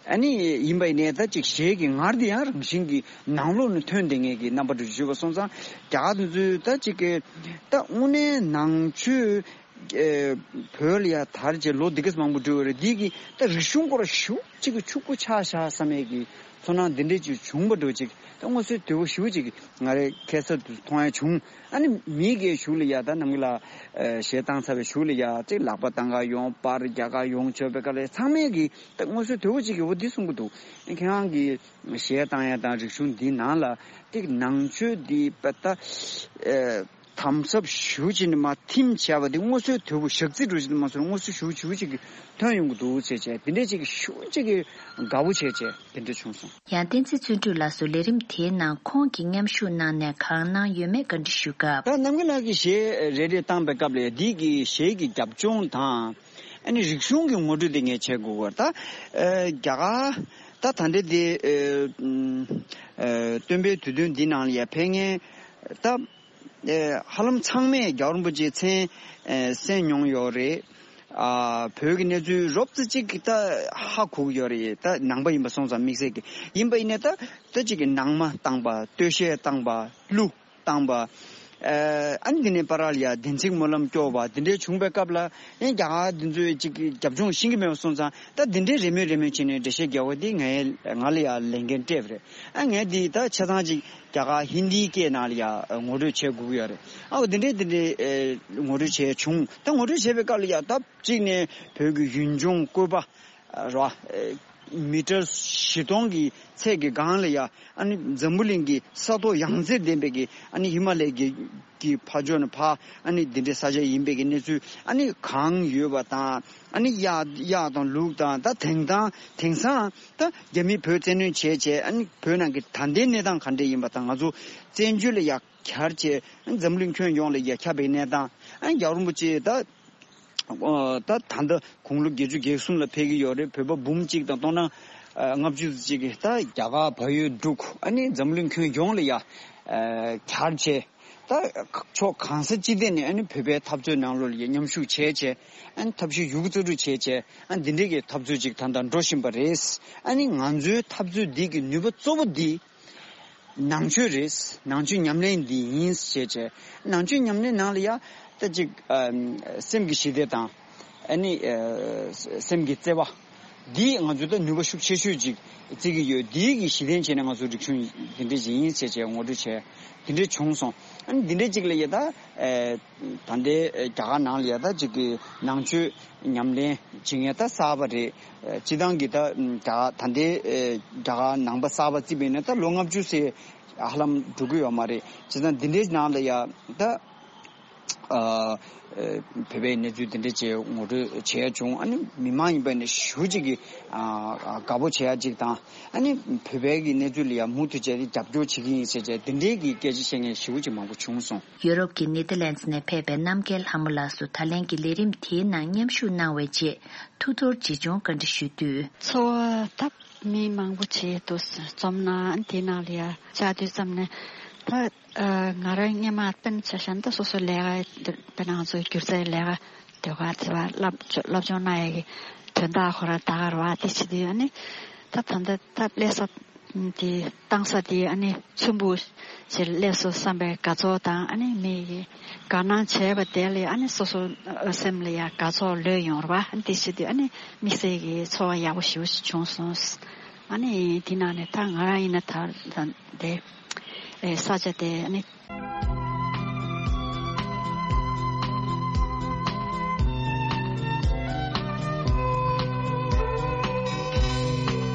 ཨ་ནི་ཡིན་པ་ཡིན་ནའི་ད་ཅིག་གཞས་ཀྱི་ངར་དེ་ཡང་རང་བཞིན་གྱིས་ནང་ལོགས་ནས་ཐོན་བསྡད་མཁན་གྱི་རྣམ་པ་འདྲ་བོ་ཅིག་ཡོད་པ་སོང་ཙང་། རྒྱ་གར་དེ་ཚོས་ད་ཅིག་གི་ད་དངོས་གནས་ནང་ཆོས། ཨེ། བོད་ལ་ཡ་དར་རྗེས་ལོ་འདི་གས་མང་པོ་འགྲོ་བ་རེད། འདི་གི་ད་རིག་གཞུང་སྐོར་ཞེ་པོ་ཅིག་གི་ཕྱུག་པོ་ཆགས་ཤག་བསམ་ཡས་ཀྱི་ཚོར་སྣང་འདི་འདྲས་ཅིག་བྱུང་བ་འདྲ་བོ་ཅིག་ད་མངོན་གསལ་དོད་པོ་ཞེ་པོ་ཅིག་ང་རའི་ཁ་ཐུག་ཏུ་མཐོང་ཡ་བྱུང་། ཨ་ནི་མི་གི་གཞུག་ལ་ཡ་ད་རྣམ་རྒྱལ་ལགས། ཨེ། གཞས་བཏང་ཚར་བའི་གཞུག་ལ་ཡ་ཅིག་ལག་པ་བཏང་ག་ཡོང་། པར་རྒྱག་ག་ཡོང་བྱས་པའི་སྐབས་ལ་ཚང་མས་གི་ད་མངོན་གསལ་དོད་པོ་ཅིག་གི་འོ་འདི་གསུང་གི་འདུག་ཁྱེད་རང་གི་གཞས་བཏང་ཡ་དང་རིག་གཞུང་འདི་ནང་ལ་ཏིག་ནང་ཆོས་འདི་དཔེ་ད། ཨེ། དམ་ཟབ་ཞེ་པོ་ཅིག་ནས་མར་ཐིམ་བྱས་པ་འདི་མངོན་གསལ་དོད་པོ་ཞག་རྩི་འདྲ་བོ་ཅིག་མ་སོང་། མངོན་གསལ་ཞེ་པོ་ཞེ་པོ་ཅིག་གི་ཐོན་ཡོང་གི་འདུག་ཟེར་བྱས། དེ་འདྲས་ཅིག་ཞེ་པོ་ཅིག་གི་དགའ་པོ་བྱས་བྱས་དེ་འདྲས་བྱུང་སོང་། ཡང་བསྟན་འཛིན་བརྩོན་འགྲུས་ལགས་སུ་ལས་རིམ་དེའི་ནང་ཁོང་གིས་མཉམ་ཞུགས་གནང་ནས་གང་གནང་ཡོད་མེད་བཀའ་འདྲི་ཞུས་སྐབས། ད་རྣམ་རྒྱལ་ལགས་ཀྱིས་གཞས་རེ་རེ་བཏང་པའི་སྐབས་ལ་འདི་གི་གཞས་ཀྱི་རྒྱབ་ལྗོངས་དང་། ཨ་ནི་རིག་གཞུང་གི་ངོ་སྤྲོད་དེ་ངས་བྱེད་དགོས་པ། ད། ཨ། རྒྱ་གར་ད་ད་ལྟའི་དེ། ཨ། ཨ། སྟོན་པའི་དུས་སྟོན་འདི་ནང་ལ་ཡ་ཕེབས་མཁན་ད། ཨེ། ཧ་ལམ་ཚང་མས་རྒྱལ་བ་རིན་པོ་ཆེའི་མཚན། ཨེ། གསན་མྱོང་ཡོད་རེད། ཨ། བོད་ཀྱི་གནས་ཚུལ་རོབ་ཙམ་ཅིག་གི་ད་ཧ་གོ་གི་ཡོད་རེད། ད་ནང་པ་ཡིན་པ་སོང་ཙང་དམིགས་བསལ་གྱི། ཡིན་པ་ཡིན་ནའི་ད་ད་ཅིག་གི་ནང་མ་བཏང་པ། སྟོད་གཞས་བཏང་པ། གླུ་བཏང་པ། ཨེ། ཨ་ནི་དེ་ནས་བར་ལ་ཡ་བདེན་ཚིག་སྨོན་ལམ་སྐྱོར་བ་དེ་འདྲའི་བྱུང་བའི་སྐབས་ལ། ཨེ། རྒྱ་གར་འདི་ཚོའི་ཅིག་གི་རྒྱབ་ལྗོངས་ཤེས་ཀྱི་མེད་པ་སོང་ཙང་། ད་འདི་འདྲའི་རེ་མོས་རེ་མོས་བྱས་ནས་འགྲེལ་བཤད་རྒྱག་པ་འདི་ངའི་ང་ལ་ཡ་ལས་འགན་སྤྲད་པ་རེད། ཨ། ངས་འདི་ད་ཆ་ཚང་ཅིག་རྒྱ་གར་ཧིན་དིའི་སྐད་ནང་ལ་ཡ་ངོ་སྤྲོད་བྱེད་དགོས་ཀྱི་ཡོད་རེད། ཨ། འོ་འདི་འདྲའི་འདི་འདྲའི། ཨེ། ངོ་སྤྲོད་བྱས་བྱུང་། ད་ངོ་སྤྲོད་བྱས་པའི་སྐབས་ལ་ཡ་ད་གཅིག་ནས་བོད་ཀྱི་ཡུལ་ལྗོངས་བཀོད་པ་ར། ཨེ། མི་ཊར་བཞི་སྟོང་གི་ཚད་ཀྱི་སྒང་ལ་ཡ། ཨ་ནི་འཛམ་བུ་གླིང་གི་ས་ཐོག་ཡང་རྩེ་ལྡན་པའི་གི། ཨ་ནི་ཧི་མ་ལའི་གི་གི་ཕ་ཕྱོགས་ནས་ཕར། ཨ་ནི་འདི་འདྲའི་ས་ཆ་ཡིན་པའི་གི་གནས་ཚུལ། ཨ་ནི་གངས་ཡོད་པ་དང་། ཨ་ནི་གཡག་གཡག་དང་ལུག་དང་། ད་དེང་དང་དེང་སང་ད་རྒྱ་མིས་བོད་བཙན་གནོན་བྱས་བྱས། ཨ་ནི་བོད་ནང་གི་ད་ལྟའི་གནས་སྟངས་ག་འདྲ་ཡིན་པ་དང་། ང་ཚོ་བཙན་བྱོལ་ལ་ཡ་གྱར་བྱས། ཨ་ནི་འཛམ་གླིང་ཁྱོན་ཡོངས་ལ་ཡ་ཁྱབ་པའི་གནས་སྟངས། ཨ་ནི་རྒྱལ་བ་རིན་པོ་ཆེ་ད། ཨོ། ད་ད་ལྟ་དགུང་ལོ་བརྒྱད་ཅུ་གྱ་གསུམ་ལ་ཕེབས་ཀྱི་ཡོད་རེད། བོད་པ་འབུམ་གཅིག་དང་སྟོང་ཕྲག་ལྔ་བཅུ་ཙམ་ཅིག་གིས་ད་རྒྱ་གར་བལ་ཡུལ་འབྲུག་ཨ་ནི་འཛམ་གླིང་ཁྱོན་ཡོངས་ལ་ཡ། ཨ། གྱར་བྱས། ད་ཕྱོགས་གང་ས་ཅི་ཐད་ནས་ཨ་ནི་བོད་པའི་འཐབ་རྩོད་ནང་ལོགས་ལ་མཉམ་ཞུགས་བྱས་བྱས། ཨ་ནི་ཐབས་ཤེས་ཡོད་རྒུ་རྩལ་སྤྲུགས་བྱས་བྱས། ཨ་ནི་འདི་འདྲའི་གི་འཐབ་རྩོད་ཅིག་ད་ལྟ་འགྲོ་བཞིན་པ་རེད། ཨ་ནི་ང་ཚོའི་འཐབ་རྩོད་འདི་གི་ནུས་པ་གཙོ་བོ་འདི་ནང་ཆོས་རེད། ནང་ཆོས་ཉམས་ལེན་འདི་ཡིན་ཞེས་བྱས། ནང་ཆོས་ཉམས་ལེན་ནང་ལ་ཡ་ད་ཅིག་ཨ་སེམས་ཀྱི་ཞི་བདེ་དང་། ཨ་ནི་ཨ་སེམས་ཀྱི་བརྩེ་བ་འདི་ང་ཚོ་ད་ནུས་པ་ཤུགས་ཆེ་ཤོས་ཅིག་བརྩི་གི་ཡོད། འདི་གི་གཞི་རྟེན་བྱས་ནས་ང་ཚོ་རིག་གཞུང་འདི་འདྲ་ཅིག་ཡིན་ཞེས་བྱས་ངོ་སྤྲོད་བྱས། འདི་འདྲ་བྱུང་སོང་། ཨ་ནི་འདི་འདྲ་ཅིག་ལ་ཡ་ད་ཨ་ད་ལྟའི་རྒྱ་གར་ནང་ལ་ཡ་ད་ཅིག་གི་ནང་ཆོས་ཉམས་ལེན་བྱེད་མཁན་ད་གསར་པ་རེད། སྤྱི་བཏང་གི་ད་རྒྱ་ད་ལྟའི་རྒྱ་གར་ནང་པ་གསར་པ་བརྩིས་པ་ཡིན་ན་ད་ལོ་ལྔ་བཅུ་ཙམ་ཧ་ལམ་འགྲོ་གི་ཡོད་མ་རེད། བྱས་ཙང་འདི་འདྲའི་ནང་ལ་ཡ་ད་ཨ་བོད་པའི་གནས་ཚུལ་འདི་འདྲ་ཅིག་ངོ་སྤྲོད་བྱས་བྱུང་། ཨ་ནི་མི་མང་ཡིན་པ་ནི་ཞེ་པོ་ཅིག་གི་ཨ་དགའ་པོ་བྱེད་ཡ་ཅིག་དང་། ཨ་ནི་བོད་པའི་གི་གནས་ཚུལ་ལ་ཡ་མུ་མཐུད་བྱས་ཏེ་རྒྱབ་སྐྱོར་བྱེད་ཀྱི་ཡིན་ཟེར་བྱས་འདི་འདྲའི་གི་སྐད་ཆ་བཤད་མཁན་ཞེ་པོ་ཅིག་མང་པོ་བྱུང་སོང་། ཡུ་རོབ་ཀྱི་ནེ་ཐར་ལན་ཌི་ནས་ཕེབས་པའི་རྣམ་རྒྱལ་ལྷ་མོ་ལགས་སུ་ད་ལན་གྱི་ལས་རིམ་དེའི་ནང་མཉམ་ཞུགས་གནང་བའི་ཆེད་ཐུགས་གཏོར་ཆེ་ཆུང་བཀའ་འདྲི་ཞུས་དུས། ཚོར་བ་ད་མི་མང་པོ་བྱས་འདུག་རྩོམ་ན་དེ་ནང་ལ་ཡ་བཅར་དུས་ཙམ་ནས་ད་ང་རང་སྔོན་མ་དཔེར་ན་ཆ་བཞག་ན་ད་སོ་སོ་ལས་ཀ་དཔེར་ན་ང་ཚོ་སྒྱུ་རྩལ་ལས་ཀ་ཟློས་གར་བྱེད་པ་སློབ་སློབ་སྦྱོང་གནང་ཡས་ཀྱི་དོན་དག་ཁོ་རང་ད་ག་རེ་བ་དེ་བྱེད་དུས་ཨ་ནི་ད་ད་ལྟ་ད་སླེབས་ས་དེ་བཏང་ས་དེ་ཨ་ནི་ཚོམ་བུ་ཞིག་སླེབས་སོང་བསམ་པའི་དགའ་ཚོར་དང་ཨ་ནི་མི་ཡི་དགའ་སྣང་བྱས་པ་དེ་ལས་ཨ་ནི་སོ་སོ་སེམས་ལ་ཡང་དགའ་ཚོར་ལོས་ཡོང་རེད་བ། ཨ་ནི་དེ་བྱེད་དུས་ཨ་ནི་དམིགས་བསལ་གྱི་ཚོར་བ་ཡག་པོ་ཞེ་པོ་ཞིག་བྱུང་སོང་། ཨ་ནི་དེ་ནང་ནས་ད་ང་རང་ཡིན་ན་ད་ད་དེ་ཨེ་ས་ཆ་དེ་ཨ་ནི།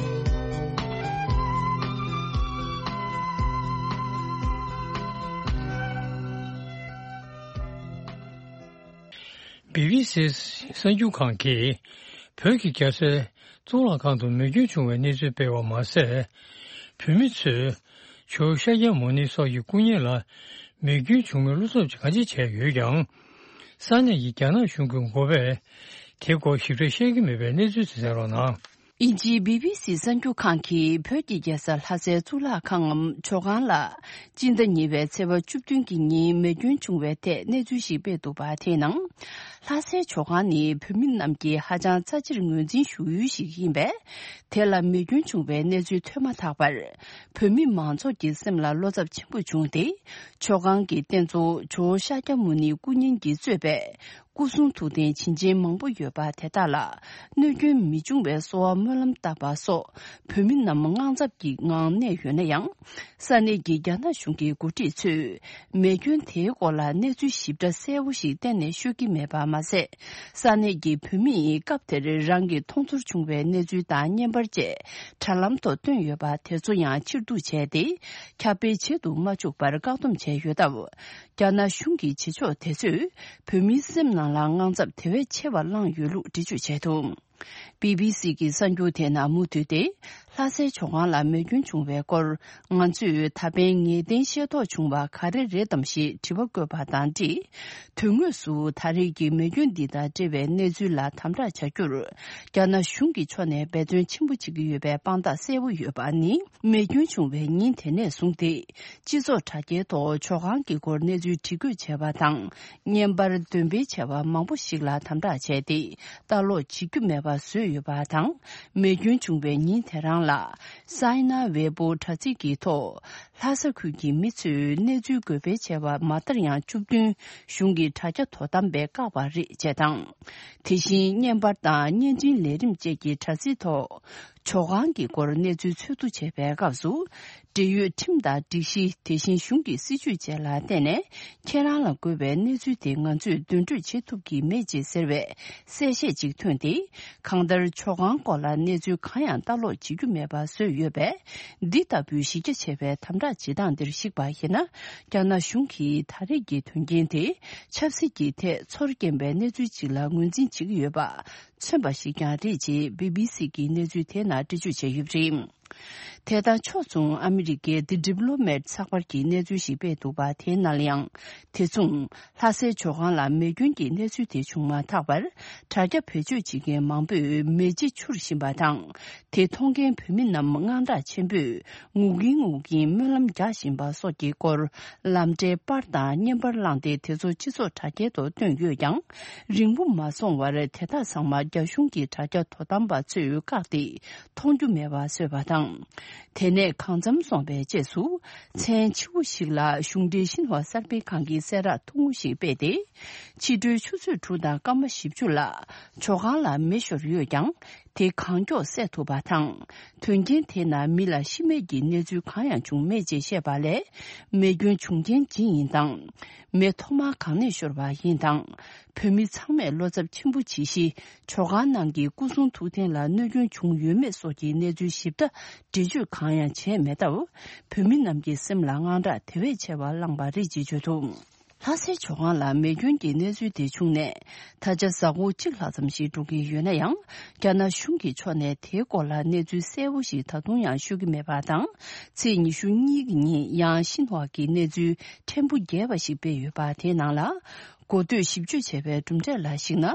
བི་བི་སི་གསར་འགྱུར་ཁང་གིས་བོད་ཀྱི་རྒྱལ་སའི་གཙུག་ལག་ཁང་དུ་མེ་སྐྱོན་བྱུང་བའི་གནས་ཚུལ་སྤེལ་བ་མ་ཟད། བོད་མི་ཚོས་ཇོ་བོ་ཤཱཀྱ་མུ་ནེ་སོགས་ཀྱི་སྐུ་བརྙན་ལ་མེ་སྐྱོན་བྱུང་བའི་བློ་འཚབ་གང་ཅི་བྱས་ཡོད་ཀྱང་། ས་གནས་ཀྱི་རྒྱ་ནག་གཞུང་གི་འགོ་པས་དེའི་སྐོར་ཞིབ་ཕྲ་བཤད་ཀྱི་མེད་པའི་གནས་ཚུལ་དེ་གསན་རོགས་གནང་། དབྱིན་ཇིའི་བི་བི་སི་གསར་འགྱུར་ཁང་གིས་བོད་ཀྱི་རྒྱལ་ས་ལྷ་སའི་གཙུག་ལག་ཁང་ངམ་ཇོ་ཁང་ལ་སྤྱི་ཟླ་གཉིས་པའི་ཚེས་པ་བཅུ་བདུན་གྱི་ཉིན་མེ་སྐྱོན་བྱུང་བའི་ཐད་གནས་ཚུལ་ཞིག་སྤེལ་འདུག་པ། དེའི་ནང་། ལྷ་སའི་ཇོ་ཁང་ནི་བོད་མི་རྣམས་ཀྱིས་ཧ་ཅང་རྩ་ཆེར་ངོས་འཛིན་ཞུ་ཡུལ་ཞིག་ཡིན་པས། དེ་ལ་མེ་སྐྱོན་བྱུང་བའི་གནས་ཚུལ་ཐོན་མ་ཐག་པར། བོད་མི་མང་ཚོགས་ཀྱི་སེམས་ལ་བློ་འཚབ་ཆེན་པོ་བྱུང་སྟེ། ཇོ་ཁང་གི་རྟེན་གཙོ་ཇོ་བོ་ཤཱཀྱ་མུ་ནེའི་སྐུ་བརྙན་གྱིས་གཙོས་པའི་སྐུ་གསུང་ཐུགས་རྟེན་བྱིན་ཅན་མང་པོ་ཡོད་པ་དེ་དག་ལ་གནོད་སྐྱོན་མི་འབྱུང་བའི་གསོལ་བ་སྨོན་ལམ་བཏབ་པ་སོགས་བོད་མི་རྣམས་དངངས་འཚབ་ཀྱི་ངང་གནས་ཡོད་ན་ཡང་། ས་གནས་ཀྱི་རྒྱ་ནག་གཞུང་གི་འགོ་ཁྲིད་ཚོས་མེ་སྐྱོན་དེའི་སྐོར་ལ་གནས་ཚུལ་ཞིབ་ཕྲ་གསལ་པོ་ཞིག་གཏན་ནས་ཤོད་ཀྱི་མེད་པ་མ་ཟད། ས་གནས་ཀྱི་བོད་མིས་སྐབས་དེར་རང་གི་མཐོང་ཚོར་བྱུང་བའི་གནས་ཚུལ་དང་བརྙན་པར་བཅས་དྲ་ལམ་ཐོག་བཏོན་ཡོད་པ་དེ་ཚོ་ཡང་ཕྱིར་བསྡུ་བྱས་ཏེ། ཁྱབ་སྤེལ་བྱེད་དུ་མ་བཅུག་པར་བཀག་སྡོམ་བྱས་ཡོད་སྟབས། རྒྱ་ནག་གཞུང་གི་བྱེད་ཕྱོགས་དེ་ཚོས་བོད་མིའི་སེམས་ནང་ལ་དངངས་འཚབ་དེ་བས་ཆེ་བ་བསླངས་ཡོད་ལུགས་འགྲེལ་བརྗོད་བྱས་འདུག། བི་བི་སི་གི་གསར་འགྱུར་དེ་ནང་མུ་མཐུད་དེ། ལྷ་སའི་ཇོ་ཁང་ལ་མེ་སྐྱོན་བྱུང་བའི་སྐོར། ང་ཚོས་ད་ཕན་ངེས་གཏན་ཤེས་རྟོགས་བྱུང་བ་ག་རེ་རེད་དམ་ཞེས་དྲི་བ་བཀོད་པ་དང་འབྲེལ། དོན་དངོས་སུ་ད་རེས་ཀྱི་མེ་སྐྱོན་འདི་དང་འབྲེལ་བའི་གནས་ཚུལ་ལ་དམ་དྲག་བྱ་རྒྱུར། རྒྱ་ནག་གཞུང་གི་ཕྱོགས་ནས་འབད་བརྩོན་ཆེན་པོ་བྱེད་ཀྱི་ཡོད་པའི་དཔང་རྟགས་གསལ་པོ་ཡོད་པ་ནི། མེ་སྐྱོན་བྱུང་བའི་ཉིན་དེ་ནས་བཟུང་སྟེ། སྤྱི་ཚོགས་དྲ་རྒྱའི་ཐོག་ཇོ་ཁང་གི་སྐོར་གནས་ཚུལ་བྲིས་འགོད་བྱས་པ་དང་། བརྙན་པར་འདོན་སྤེལ་བྱས་པ་མང་པོ་ཞིག་ལ་དམ་དྲག་བྱས་ཏེ། ལྟ་ཀློག་བྱེད་རྒྱུ་མེད་པ་བཟོས་ཡོད་པ་དང་། མེ་སྐྱོན་བྱུང་བའི་ཉིན་དེ་རང་ལ། སའི་ན་ཝེ་པོ་དྲ་ཚིགས་ཀྱི་ཐོག་ལྷ་ས་ཁུལ་གྱི་མི་ཚོས་གནས་ཚུལ་འགོད་སྤེལ་བྱས་པ་མ་ལྟར་ཡང་བཅུ་བདུན་གཞུང་གི་དྲ་རྒྱ་དོ་དམ་པས་བཀག་པ་རེད་ཅེས་དང་། དེ་བཞིན་བརྙན་པར་དང་བརྙན་འཕྲིན་ལས་རིམ་བཅས་ཀྱི་དྲ་ཚིགས་ཐོག་ཇོ་ཁང་གི་སྐོར་གནས་ཚུལ་འཚོལ་བསྡུ་བྱེད་པའི་སྐབས་སུ། འབྲེལ་ཡོད་ཁྲིམས་དང་སྒྲིག་གཞི། དེ་བཞིན་གཞུང་གི་སྲིད་ཇུས་བཅས་ལ་བརྟེན་ནས། ཁྱེད་རང་ལ་དགོས་པའི་གནས་ཚུལ་དེ་ང་ཚོས་འདོན་སྤྲོད་བྱེད་ཐུབ་ཀྱི་མེད་ཅེས་ཟེར་བའི་གསལ་བཤད་ཅིག་ཐོན་ཏེ། གང་ལྟར་ཇོ་ཁང་སྐོར་ལ་གནས་ཚུལ་གང་ཡང་ལྟ་ཀློག་བྱེད་རྒྱུ་མེད་པ་བཟོས་ཡོད་པས། འདི་ལྟ་བུའི་གཞི་རྒྱ་ཆེ་བའི་དམ་དྲག་བྱེད་སྟངས་འདིར་གཞིགས་པ་ཡིན་ན། རྒྱ་ནག་གཞུང་གིས་ད་རེས་ཀྱི་དོན་རྐྱེན་དེ་ཆབ་སྲིད་ཀྱི་ཐད་ཚོར་སྐྱེན་པའི་གནས་ཚུལ་ཅིག་ལ་ངོས་འཛིན་བྱེད་ཀྱི་ཡོད་པ། མཚོན་པ་ཞིག་ཀྱང་རེད་ཅེས་བི་བི་སི་གིས་གནས་ཚུལ་དེའི་ནང་འགྲེལ་བརྗོད་བྱས་ཡོད་པ་རེད། དེ་དང་ཕྱོགས་མཚུངས་ཨ་མི་རི་ཀའི་The Diplomat་ཚགས་པར་གྱིས་གནས་ཚུལ་ཞིག་སྤེལ་འདུག་པ། དེའི་ནང་ལ་ཡང་། དེ་མཚུངས། ལྷ་སའི་ཇོ་ཁང་ལ་མེ་སྐྱོན་གྱི་གནས་ཚུལ་དེ་བྱུང་མ་ཐག་པར། དྲ་རྒྱ་བེད་སྤྱོད་བྱེད་མཁན་མང་པོས་མེ་ལྕེ་འཕྱུར་བཞིན་པ་དང་། དེ་མཐོང་མཁན་བོད་མི་རྣམས་དངངས་སྐྲག་ཆེན་པོས་ངུ་གིན་ངུ་གིན་སྨོན་ལམ་རྒྱག་བཞིན་པ་སོགས་ཀྱི་སྐོར། ལམ་འབྲས་པར་དང་བརྙན་པར་བླངས་ཏེ། དེ་ཚོ་སྤྱི་ཚོགས་དྲ་རྒྱའི་ཐོག་བཏོན་ཡོད་ཀྱང་། རིང་པོ་མ་སོང་བར་དེ་དག་ཚང་མ་རྒྱ་གཞུང་གི་དྲ་རྒྱ་དོ་དམ་པ་ཚོས་བཀག་སྟེ། མཐོང་རྒྱུ་མེད་པ་བཟོས་པ་དང་། དེ་ནས་གང་འཚམ་སོང་བའི་རྗེས་སུ། མཚན་ཕྱི་པོ་ཞིག་ལ་གཞུང་འབྲེལ་ཤིན་ཧྭ་གསར་སྤེལ་ཁང་གིས་གསལ་བསྒྲགས་ཐུང་ངུ་ཞིག་སྤེལ་ཏེ། ཕྱི་དྲོའི་ཆུ་ཚོད་དྲུག་དང་སྐར་མ་བཞི་བཅུ་ལ། ཇོ་ཁང་ལ་མེ་ཤོར་ཡོད་ཀྱང་། དེ་གང་མགྱོགས་བསལ་ཐུབ་པ་དང་། དོན་རྐྱེན་དེ་ན་མི་ལ་ཤི་རྨས་ཀྱི་གནས་ཚུལ་གང་ཡང་བྱུང་མེད་ཅེས་བཤད་པ་ལས། མེ་སྐྱོན་བྱུང་རྐྱེན་ཇི་ཡིན་དང་། མེ་ཐོག་མར་གང་ནས་ཤོར་བ་ཡིན་དང་། བོད་མི་ཚང་མས་བློ་འཚབ་ཆེན་པོ་བྱེད་གཞི། ཇོ་ཁང་ནང་གི་སྐུ་གསུང་ཐུགས་རྟེན་ལ་གནོད་སྐྱོན་བྱུང་ཡོད་མེད་སོགས་ཀྱི་གནས་ཚུལ་ཞིབ་ཕྲ་འགྲེལ་བརྗོད་གང་ཡང་བྱས་མེད་སྟབས། བོད་མི་རྣམས་ཀྱི་སེམས་ལ་དངངས་སྐྲག་དེ་བས་ཆེ་བ་བསླངས་པ་རེད་ཅེས་བརྗོད་འདུག། ལྷ་སའི་ཇོ་ཁང་ལ་མེ་སྐྱོན་གྱི་གནས་ཚུལ་དེ་བྱུང་ནས། ད་ཆ་གཟའ་འཁོར་གཅིག་ལྷག་ཙམ་ཞིག་འགྲོ་གི་ཡོད་ན་ཡང་། རྒྱ་ནག་གཞུང་གི་ཕྱོགས་ནས་དེའི་སྐོར་ལ་གནས་ཚུལ་གསལ་པོ་ཞིག་ད་དུང་ཡང་ཤོད་ཀྱི་མེད་པ་དང་། ཚེས་ཉི་ཤུ་གཉིས་ཀྱི་ཉིན་ཡང་ཤིན་ཧྭ་གི་གནས་ཚུལ་ཕྲན་བུ་རྒྱས་པ་ཞིག་སྤེལ་ཡོད་པ། དེའི་ནང་ལ། གོ་ཐོས་ཞིབ་དཔྱོད་བྱས་པའི་གྲུབ་འབྲས་ལ་གཞིགས་ན།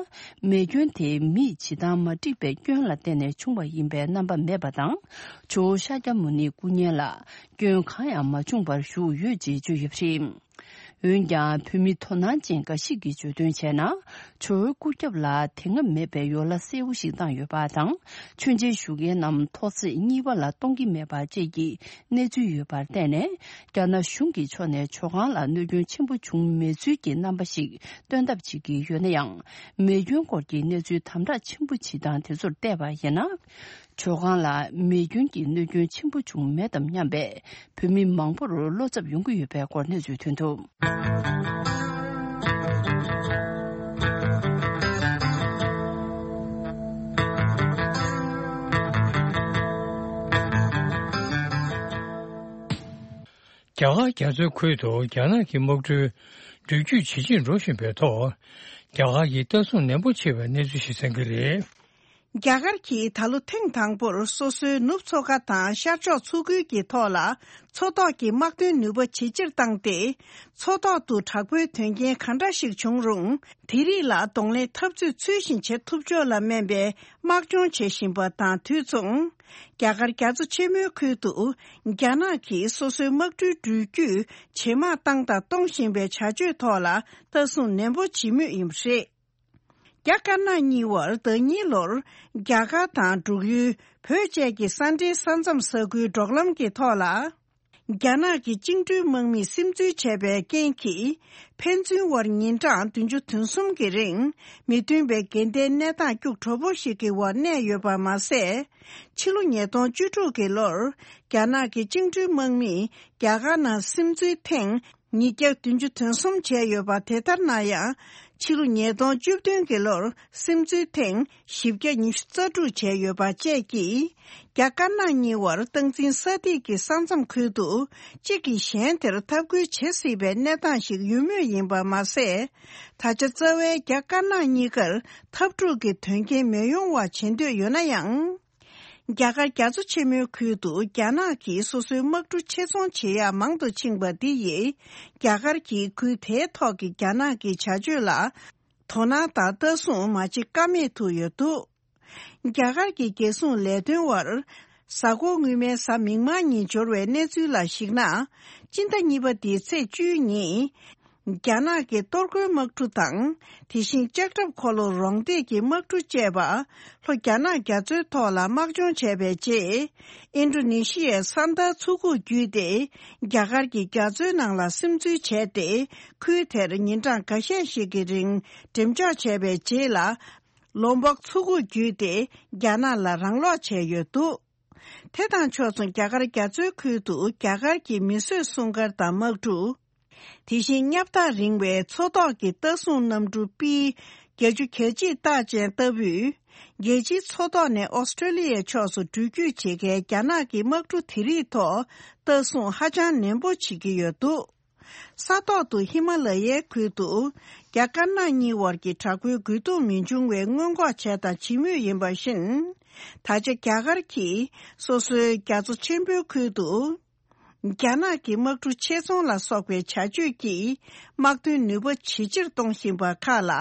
མེ་སྐྱོན་དེ་མིས་བྱེད་སྟངས་མ་འགྲིག་པའི་སྐྱོན་ལ་བརྟེན་ནས་བྱུང་བ་ཡིན་པའི་རྣམ་པ་མེད་པ་དང་། ཇོ་བོ་ཤཱཀྱ་མུ་ནེའི་སྐུ་བརྙན་ལ་སྐྱོན་གང་ཡང་མ་བྱུང་བར་བཞུགས་ཡོད་ཅེས་བརྗོད་ཡོད་པ་རེད། འོན་ཀྱང་། བོད་མི་དོ་སྣང་ཅན་འགའ་ཞིག་གིས་བརྗོད་དོན་བྱས་ན། ཇོ་བོའི་སྐུ་རྒྱབ་ལ་དེ་སྔ་མེད་པའི་ཡོ་ལ་གསལ་པོ་ཞིག་བཏང་ཡོད་པ་དང་། མཆོད་མཇལ་ཞུ་མཁན་རྣམས་ཐོག་བརྩེགས་གཉིས་པ་ལ་གཏོང་གི་མེད་པ་བཅས་ཀྱི་གནས་ཚུལ་ཡོད་པར་བརྟེན་ནས། རྒྱ་ནག་གཞུང་གི་ཕྱོགས་ནས་ཇོ་ཁང་ལ་གནོད་སྐྱོན་ཆེན་པོ་བྱུང་མེད་ཚུལ་གྱི་རྣམ་པ་ཞིག་སྟོན་ཐབས་བྱེད་ཀྱི་ཡོད་ན་ཡང་། མེ་སྐྱོན་སྐོར་གྱི་གནས་ཚུལ་དམ་དྲག་ཆེན་པོ་ཇི་ལྟར་དེ་ཚོར་བལྟས་པ་ཡིན་ན། ཇོ་ཁང་ལ་མེ་སྐྱོན་གྱི་གནོད་སྐྱོན་ཆེན་པོ་བྱུང་མེད་དམ་སྙམ་པའི་བོད་མི་མང་པོར་བློ་འཚབ་ཡོང་གི་ཡོད་པའི་སྐོར་གནས་ཚུལ་ཐོན་འདུག། རྒྱ་གར་རྒྱ་མཚོའི་ཁུལ་དུ་རྒྱ་ནག་གི་དམག་གྲུའི་འགྲུལ་སྐྱོད་ཇེ་ཆེར་འགྲོ་བཞིན་པའི་ཐོག། རྒྱ་གར་གྱིས་ལྟ་སྲུང་ནན་པོ་བྱེད་པའི་གནས་ཚུལ་ཞིག་གསན་གྱི་རེད། རྒྱ་གར་གྱིས་ད་ལོ་ཐེངས་དང་པོར་སོ་སོའི་ནུབ་མཚོ་ཁ་དང་ཤར་ཕྱོགས་མཚོ་ཁུལ་གྱི་ཐོག་ལ་མཚོ་ཐོག་གི་དམག་དོན་ནུས་པ་ཇེ་ཆེར་བཏང་སྟེ། མཚོ་ཐོག་ཏུ་དྲག་པོའི་དོན་རྐྱེན་གང་འདྲ་ཞིག་བྱུང་རུང་། དེ་རིགས་ལ་གདོང་ལེན་འཐབ་རྩོད་ཚུལ་བཞིན་བྱེད་ཐུབ་ཕྱོགས་ལ་སྨན་པའི་དམག་སྦྱོང་བྱེད་བཞིན་པ་དང་དུས་མཚུངས། རྒྱ་གར་རྒྱ་མཚོ་ཆེན་མོའི་ཁུལ་དུ་རྒྱ་ནག་གིས་སོ་སོའི་དམག་གྲུའི་འགྲུལ་སྐྱོད་ཇེ་མང་བཏང་དང་གཏོང་བཞིན་པའི་བྱ་སྤྱོད་ཐོག་ལ་ལྟ་སྲུང་ནན་པོ་བྱེད་མུས་ཡིན་པ་རེད། རྒྱ་དཀར་ནག་གཉིས་བར་ཟླ་གཉིས་ལོར་རྒྱ་གར་དང་འབྲུག་ཡུལ་བོད་བཅས་ཀྱི་ས་འབྲེལ་ས་མཚམས་ས་ཁུལ་འབྲོག་ལམ་གྱི་ཐོག་ལ། རྒྱ་ནག་གི་བཅིངས་འགྲོལ་དམག་མིས་སིམ་འཛུལ་བྱས་པའི་རྐྱེན་གྱིས། ཕན་ཚུན་དབར་ཉིན་གྲངས་བདུན་ཅུ་དོན་གསུམ་གྱི་རིང་མི་མཐུན་པའི་འགལ་ཟླའི་གནས་སྟངས་སྐྱུག་བྲོ་པོ་ཞིག་གི་འོག་གནས་ཡོད་པ་མ་ཟད། ཕྱི་ལོ་ཉིས་སྟོང་བཅུ་དྲུག་གི་ལོར་རྒྱ་ནག་གི་བཅིངས་འགྲོལ་དམག་མིས་རྒྱ་གར་ནང་སིམ་འཛུལ་ཐེངས་ཉིས་བརྒྱ་བདུན་ཅུ་དོན་གསུམ་བྱས་ཡོད་པ་དེ་ལྟར་ན་ཡང་། ཕྱི་ལོ་ཉིས་སྟོང་བཅུ་བདུན་གྱི་ལོར་སིམ་འཛུལ་ཐེངས་བཞི་བརྒྱ་ཉི་ཤུ་རྩ་དྲུག་བྱས་ཡོད་པ་བཅས་ཀྱིས། རྒྱ་དཀར་ནག་གཉིས་བར་སྟངས་འཛིན་ས་ཐིག་གི་ས་མཚམས་ཁུལ་དུ་གཅིག་གིས་གཞན་དེར་འཐབ་རྒོལ་བྱེད་སྲིད་པའི་གནས་སྟངས་ཤིག་ཡོད་མུས་ཡིན་པ་མ་ཟད། ད་ཆ་རྩ་བའི་རྒྱ་དཀར་ནག་གཉིས་ཀར་འཐབ་འཁྲུག་གི་དོན་རྐྱེན་མི་ཡོང་བ་བྱེད་འདོད་ཡོད་ན་ཡང་། རྒྱ་གར་རྒྱ་མཚོ་ཆེན་མོའི་ཁུལ་དུ་རྒྱ་ནག་གིས་སོ་སོའི་དམག་གྲུ་ཆེད་ཚོང་བྱེད་ཡག་མང་དུ་ཕྱིན་པ་འདི་ཡིས། རྒྱ་གར་གྱིས་ཁུལ་དེའི་ཐོག་གི་རྒྱ་ནག་གི་བྱ་སྤྱོད་ལ་དོ་སྣང་དང་ལྟ་སྲུང་མ་བྱེད་ཀ་མེད་དུ་ཡོད་འདུག། རྒྱ་གར་གྱི་རྒྱལ་སྲུང་ལས་དོན་བར། གཟའ་འཁོར་སྔོན་མའི་གཟའ་མིག་དམར་ཉིན་འབྱོར་བའི་གནས་ཚུལ་ལ་གཞིགས་ན། སྤྱི་ཟླ་གཉིས་པ་འདིའི་ཚེས་བཅུའི་ཉིན། རྒྱ་ནག་གི་གཏོར་རྒོལ་དམག་གྲུ་དང་། དེ་བཞིན་ལྕགས་ཁྲབ་འཁོར་ལོ་རོང་འདེགས་ཀྱི་དམག་གྲུ་བཅས་པ། ལྷོ་རྒྱ་ནག་རྒྱ་མཚོའི་ཐོག་ལ་དམག་སྦྱོང་བྱས་པའི་རྗེས། ཨིན་ཌོ་ནེ་ཤི་ཡའི་ས་མཐར་མཚོ་ཁུག་བརྒྱུད་དེ། རྒྱ་གར་གྱི་རྒྱ་མཚོའི་ནང་ལ་སིམ་འཛུལ་བྱས་ཏེ། ཁུལ་དེར་ཉིན་གྲངས་འགའ་ཤས་ཤིག་གི་རིང་འགྲེམས་འཇོག་བྱས་པའི་རྗེས་ལ། ལོམ་བོག་མཚོ་ཁུག་བརྒྱུད་དེ། རྒྱ་ནག་ལ་རང་སློག་བྱས་ཡོད་འདུག། དེ་དང་ཕྱོགས་མཚུངས་རྒྱ་གར་རྒྱ་མཚོའི་ཁུལ་དུ་རྒྱ་གར་གྱི་མིས་བཟོས་སྲུང་སྐར་དང་དམག་གྲུ། དེ་བཞིན་བསྙབ་ཐག་རིང་བའི་མཚོ་ཐོག་གི་ལྟ་སྲུང་གནམ་གྲུ་པི་བརྒྱད་ཅུ་གྱ་གཅིག་རྟགས་ཅན་ལྟ་བུས། རྒྱལ་སྤྱིའི་མཚོ་ཐོག་ནས་ཨོ་སི་ཀྲོ་ལི་ཡའི་ཕྱོགས་སུ་འགྲུལ་སྐྱོད་བྱེད་མཁན་རྒྱ་ནག་གི་དམག་གྲུ་དེ་རིགས་ཐོག་ལྟ་སྲུང་ཧ་ཅང་ནན་པོ་བྱེད་ཀྱི་ཡོད་འདུག། ས་ཐོག་ཏུ་ཧི་མ་ལ་ཡའི་ཁུལ་དུ་རྒྱ་དཀར་ནག་གཉིས་བར་གྱི་དྲག་པོའི་རྒོལ་རྡུང་མི་འབྱུང་བའི་སྔོན་འགོག་བྱས་དང་བྱེད་མུས་ཡིན་པ་བཞིན། ད་ཆ་རྒྱ་གར་གྱིས་སོ་སོའི་རྒྱ་མཚོ་ཆེན་པོའི་ཁུལ་དུ། རྒྱ་ནག་གི་དམག་གྲུ་ཆེད་ཚོང་ལ་སོགས་པའི་བྱ་སྤྱོད་ཀྱིས་དམག་དོན་ནུས་པ་ཇེ་ཆེར་གཏོང་བཞིན་པ་ཁག་ལ།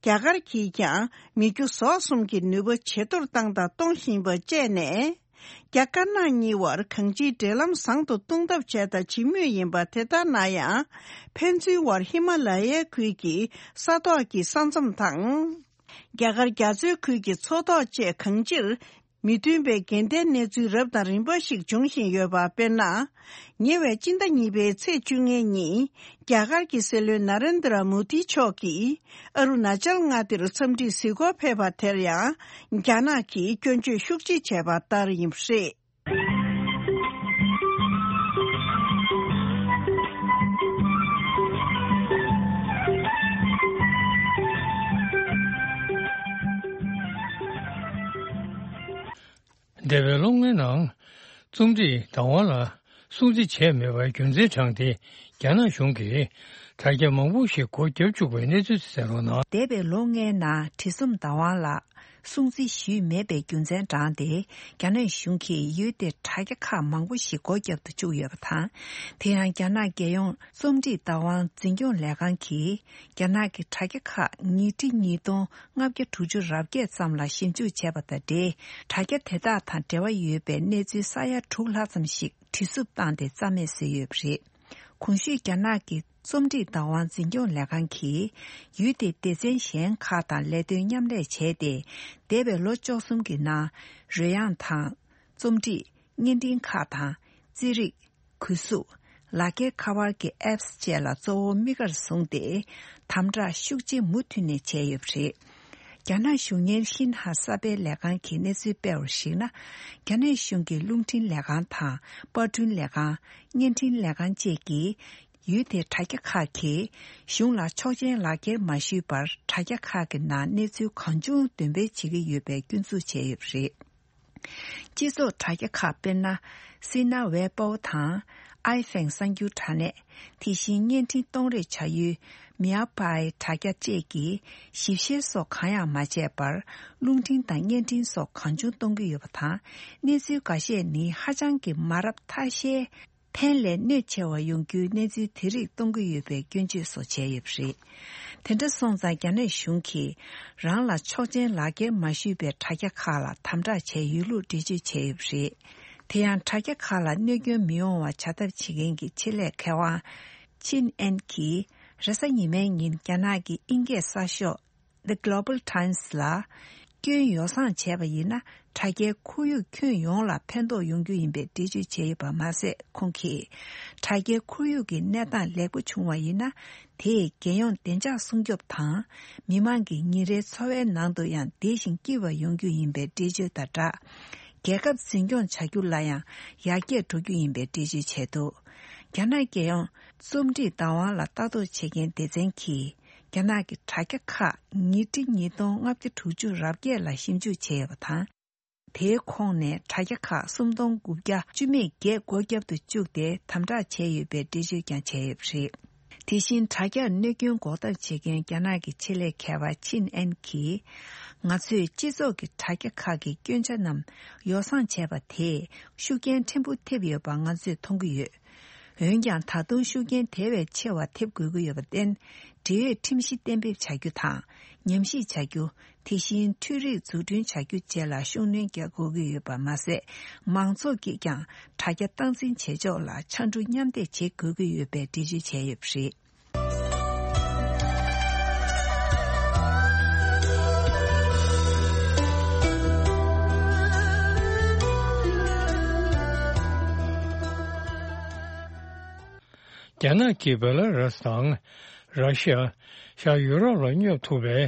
རྒྱ་གར་གྱིས་ཀྱང་མི་རྒྱུ་ཟོག་གསུམ་གྱི་ནུས་པ་ཇེ་མཐོར་བཏང་དང་གཏོང་བཞིན་པ་བཅས་ནས། རྒྱ་དཀར་ནག་གཉིས་བར་གང་ཅིའི་འབྲེལ་ལམ་བཟང་དུ་གཏོང་ཐབས་བྱས་དང་བྱེད་མུས་ཡིན་པ། དེ་ལྟར་ན་ཡང་། ཕན་ཚུན་བར་ཧི་མ་ལ་ཡའི་ཁུལ་གྱི་ས་ཐོག་གི་ས་མཚམས་དང་། རྒྱ་གར་རྒྱ་མཚོའི་ཁུལ་གྱི་མཚོ་ཐོག་བཅས་གང་ཅིར་མི་མཐུན་པའི་འགལ་ཟླའི་གནས་ཚུལ་རབ་དང་རིམ་པ་ཞིག་འབྱུང་བཞིན་ཡོད་པ། དཔེར་ན། ཉེ་བའི་སྤྱི་ཟླ་གཉིས་པའི་ཚེས་བཅོ་ལྔའི་ཉིན། རྒྱ་གར་གྱི་སྲིད་བློན་ན་རེན་དྲ་མོ་དི་མཆོག་གིས་ཨ་རུ་ན་ཅལ་མངའ་སྡེར་འཚམས་འདྲིར་གཟིགས་སྐོར་ཕེབས་པ་དེར་ཡང་། རྒྱ་ནག་གིས་སྐྱོན་བརྗོད་ཤུགས་ཆེ་བྱས་པ་ལྟར་ཡིན་པ་རེད། འདས་པའི་ལོ་ལྔའི་ནང་། རྩོམ་སྒྲིག་བདག་དབང་ལ་སྲུང་བརྩི་བྱས་མེད་པའི་རྒྱུ་མཚན་དྲངས་ཏེ། རྒྱ་ནག་གཞུང་གིས་དྲ་རྒྱ་མང་པོ་ཞིག་སྒོ་བརྒྱབ་བཅུག་པའི་གནས་ཚུལ་དེ་གསན་རོགས་གནང་། འདས་པའི་ལོ་ལྔའི་ནང་། བྲིས་རྩོམ་བདག་དབང་ལ་སྲུང་བརྩི་ཞུས་མེད་པའི་རྒྱུ་མཚན་དྲངས་ཏེ། རྒྱ་ནག་གཞུང་གིས་ཡུལ་དེའི་དྲ་རྒྱ་ཁག་མང་པོ་ཞིག་སྒོ་བརྒྱབ་ཏུ་བཅུག་ཡོད་པ་དང་། དེ་ཡང་། རྒྱ་ནག་རྒྱལ་ཡོངས་རྩོམ་སྒྲིག་བདག་དབང་འཛིན་སྐྱོང་ལས་ཁང་གིས། རྒྱ་ནག་གི་དྲ་རྒྱ་ཁག་ཉིས་ཁྲི་ཉིས་སྟོང་ལྔ་བརྒྱ་དྲུག་ཅུ་རེ་བརྒྱད་ཙམ་ལ་ཞིབ་འཇུག་བྱས་པ་དང་འབྲེལ། དྲ་རྒྱ་དེ་དག་དང་འབྲེལ་བ་ཡོད་པའི་གནས་ཚུལ་ས་ཡ་དྲུག་ལྷག་ཙམ་ཞིག་བྲིས་གསུབ་བཏང་སྟེ་རྩ་མེད་བཟོས་ཡོད་པ་རེད། གོང་ཞུས་རྒྱ་ནག་གི་རྩོམ་སྒྲིག་བདག་དབང་འཛིན་སྐྱོང་ལས་ཁང་གིས། ཡུལ་དེའི་སྡེ་ཚན་གཞན་ཁག་དང་ལས་དོན་མཉམ་ལས་བྱས་ཏེ། འདས་པའི་ལོ་བཅུ་གསུམ་གྱི་ནང་། རོལ་དབྱངས་དང་། རྩོམ་སྒྲིག་བརྙན་འཕྲིན་ཁག་དང་། རྩེད་རིགས། གོས་གཟུགས། ལག་འཁྱེར་ཁ་པར་གྱི་ཨེབ་སི་བཅས་ལ་གཙོ་བོ་དམིགས་ཀར་བཟུང་སྟེ། དམ་དྲག་ཤུགས་ཆེ་མུ་མཐུད་ནས་བྱས་ཡོད་པ་རེད། རྒྱ་ནག་གཞུང་གཉེར་ཤིན་ཧྭ་གསར་སྤེལ་ལས་ཁང་གིས་གནས་ཚུལ་སྤེལ་བར་གཞིགས་ན། རྒྱ་ནག་གཞུང་གི་རླུང་འཕྲིན་ལས་ཁང་དང་། པར་སྐྲུན་ལས་ཁང་། བརྙན་འཕྲིན་ལས་ཁང་བཅས་ཀྱིས། ཡུལ་དེའི་དྲ་རྒྱ་ཁག་གིས། གཞུང་ལ་ཆོག་མཆན་ལག་འཁྱེར་མ་ཞུས་པར། དྲ་རྒྱ་ཁག་གི་ནང་གནས་ཚུལ་གང་བྱུང་འདོན་སྤེལ་བྱེད་ཀྱི་ཡོད་པའི་སྐྱོན་འཛུགས་བྱས་ཡོད་པ་རེད། སྤྱི་ཚོགས་དྲ་རྒྱ་ཁག་དཔེར་ན། སི་ན་ཝེ་པོ་དང་། ཨའི་ཧྥེང་གསར་འགྱུར་དྲ་གནས། དེ་བཞིན་བརྙན་འཕྲིན་གཏོང་རེས་བྱ་ཡུལ། མིའ་པའི་དྲ་རྒྱ་བཅས་ཀྱིས་ཞིབ་བཤེར་སོགས་གང་ཡང་མ་བྱས་པར། རླུང་འཕྲིན་དང་བརྙན་འཕྲིན་སོགས་གང་བྱུང་གཏོང་གི་ཡོད་པ་དང་། གནས་ཚུལ་འགའ་ཤས་ནི་ཧ་ཅང་གི་མ་རབས་ཐ་ཤལ། ཕན་ལས་གནོད་ཆེ་བ་ཡོང་རྒྱུའི་གནས་ཚུལ་དེ་རིགས་གཏོང་གི་ཡོད་པའི་སྐྱོན་བརྗོད་སོགས་བྱས་ཡོད་པ་རེད། དེ་འདྲ་སོང་ཙང་། རྒྱ་ནག་གཞུང་གིས་རང་ལ་ཆོག་མཆན་ལག་འཁྱེར་མ་ཞུས་པའི་དྲ་རྒྱ་ཁག་ལ་དམ་དྲག་བྱས་ཡོད་ལུགས་འགྲེལ་བརྗོད་བྱས་ཡོད་པ་རེད། དེ་ཡང་། དྲ་རྒྱ་ཁག་ལ་གནོད་སྐྱོན་མི་ཡོང་བ་བྱ་ཐབས་བྱེད་མཁན་གྱི་ཆེད་ལས་མཁས་དབང་ཆིན་ཨན་གྱིས། རེས་གཟའ་ཉི་མའི་ཉིན། རྒྱ་ནག་གི་དབྱིན་སྐད་གསར་ཤོག The Global Times ལ། སྐྱོན་ཡོ་བསྲང་བྱས་པ་ཡིན་ན། དྲ་རྒྱའི་ཁོར་ཡུག་ཁྱོན་ཡོངས་ལ་ཕན་ཐོགས་ཡོང་རྒྱུ་ཡིན་པའི་འགྲེལ་བརྗོད་བྱས་ཡོད་པ་མ་ཟད། ཁོང་གིས། དྲ་རྒྱའི་ཁོར་ཡུག་གི་གནས་སྟངས་ལེགས་པོ་བྱུང་བ་ཡིན་ན། དེས་རྒྱལ་ཡོངས་བདེ་འཇགས་སྲུང་སྐྱོབ་དང་། མི་མང་གི་ཉིན་རེའི་འཚོ་བའི་ནང་དུ་ཡང་བདེ་ཞིང་སྐྱིད་པ་ཡོང་རྒྱུ་ཡིན་པའི་འགྲེལ་བརྗོད་དང་སྦྲགས། རྒྱལ་ཁབ་འཛིན་སྐྱོང་བྱ་རྒྱུ་ལ་ཡང་ཡར་རྒྱས་འགྲོ་རྒྱུ་ཡིན་པའི་འགྲེལ་བརྗོད་བྱས་འདུག་རྒྱ་ནག་རྒྱལ་ཡོངས་རྩོམ་སྒྲིག་བདག་དབང་ལ་ལྟ་རྟོག་བྱེད་མཁན་སྡེ་ཚན་གྱིས། རྒྱ་ནག་གི་དྲ་རྒྱ་ཁག་ཉིས་ཁྲི་ཉིས་སྟོང་ལྔ་བརྒྱ་དྲུག་ཅུ་རེ་བརྒྱད་ལ་ཞིབ་འཇུག་བྱས་ཡོད་པ་དང་། དེའི་ཁོངས་ནས་དྲ་རྒྱ་ཁག་སུམ་སྟོང་དགུ་བརྒྱ་བཅུ་མེད་བརྒྱད་སྒོ་བརྒྱབ་ཏུ་བཅུག་སྟེ་དམ་དྲག་བྱས་ཡོད་པའི་འགྲེལ་བརྗོད་ཀྱང་བྱས་ཡོད་པ་རེད། དེ་བཞིན། དྲ་རྒྱར་གནོད་སྐྱོན་འགོག་ཐབས་བྱེད་མཁན་རྒྱ་ནག་གི་ཆེད་ལས་མཁས་པ་ཆིན་ཨན་གྱིས། ང་ཚོས་སྤྱི་ཚོགས་ཀྱི་དྲ་རྒྱ་ཁག་གི་སྐྱོན་ཆ་རྣམས་ཡོ་བསྲང་བྱས་པ་དེས་ཤུགས་རྐྱེན་ཕྲན་བུ་ཐེབས་ཡོད་པ་ང་ཚོས་མཐོང་གི་ཡོད། འོན་ཀྱང་། ད་དུང་ཤུགས་རྐྱེན་དེ་བས་ཆེ་བ་ཐེབས་དགོས་ཀྱི་ཡོད་པར་བརྟེན། འབྲེལ་ཡོད་ཁྲིམས་གཞི་གཏན་འབེབས་བྱ་རྒྱུ་དང་། ཉམས་ཞིབ་བྱ་རྒྱུ། དེ་བཞིན་འཕྲུལ་རིག་འཛུགས་སྐྲུན་བྱ་རྒྱུ་བཅས་ལ་ཤུགས་སྣོན་རྒྱག་དགོས་ཀྱི་ཡོད་པ་མ་ཟད། མང་ཚོགས་ཀྱིས་ཀྱང་དྲ་རྒྱ་སྟངས་འཛིན་བྱེད་ཕྱོགས་ལ་ཕྱར་གྲུ་མཉམ་འདེགས་བྱེད་དགོས་ཀྱི་ཡོད་པའི་འགྲེལ་བརྗོད་བྱས་ཡོད་པ་རེད། རྒྱ་ནག་གིས་བེ་ལ་རུ་སི་དང་། ར་ཤི་ཡ། ཤར་ཡུ་རོབ་ལ་སྙོབ་ཐུབ་པའི་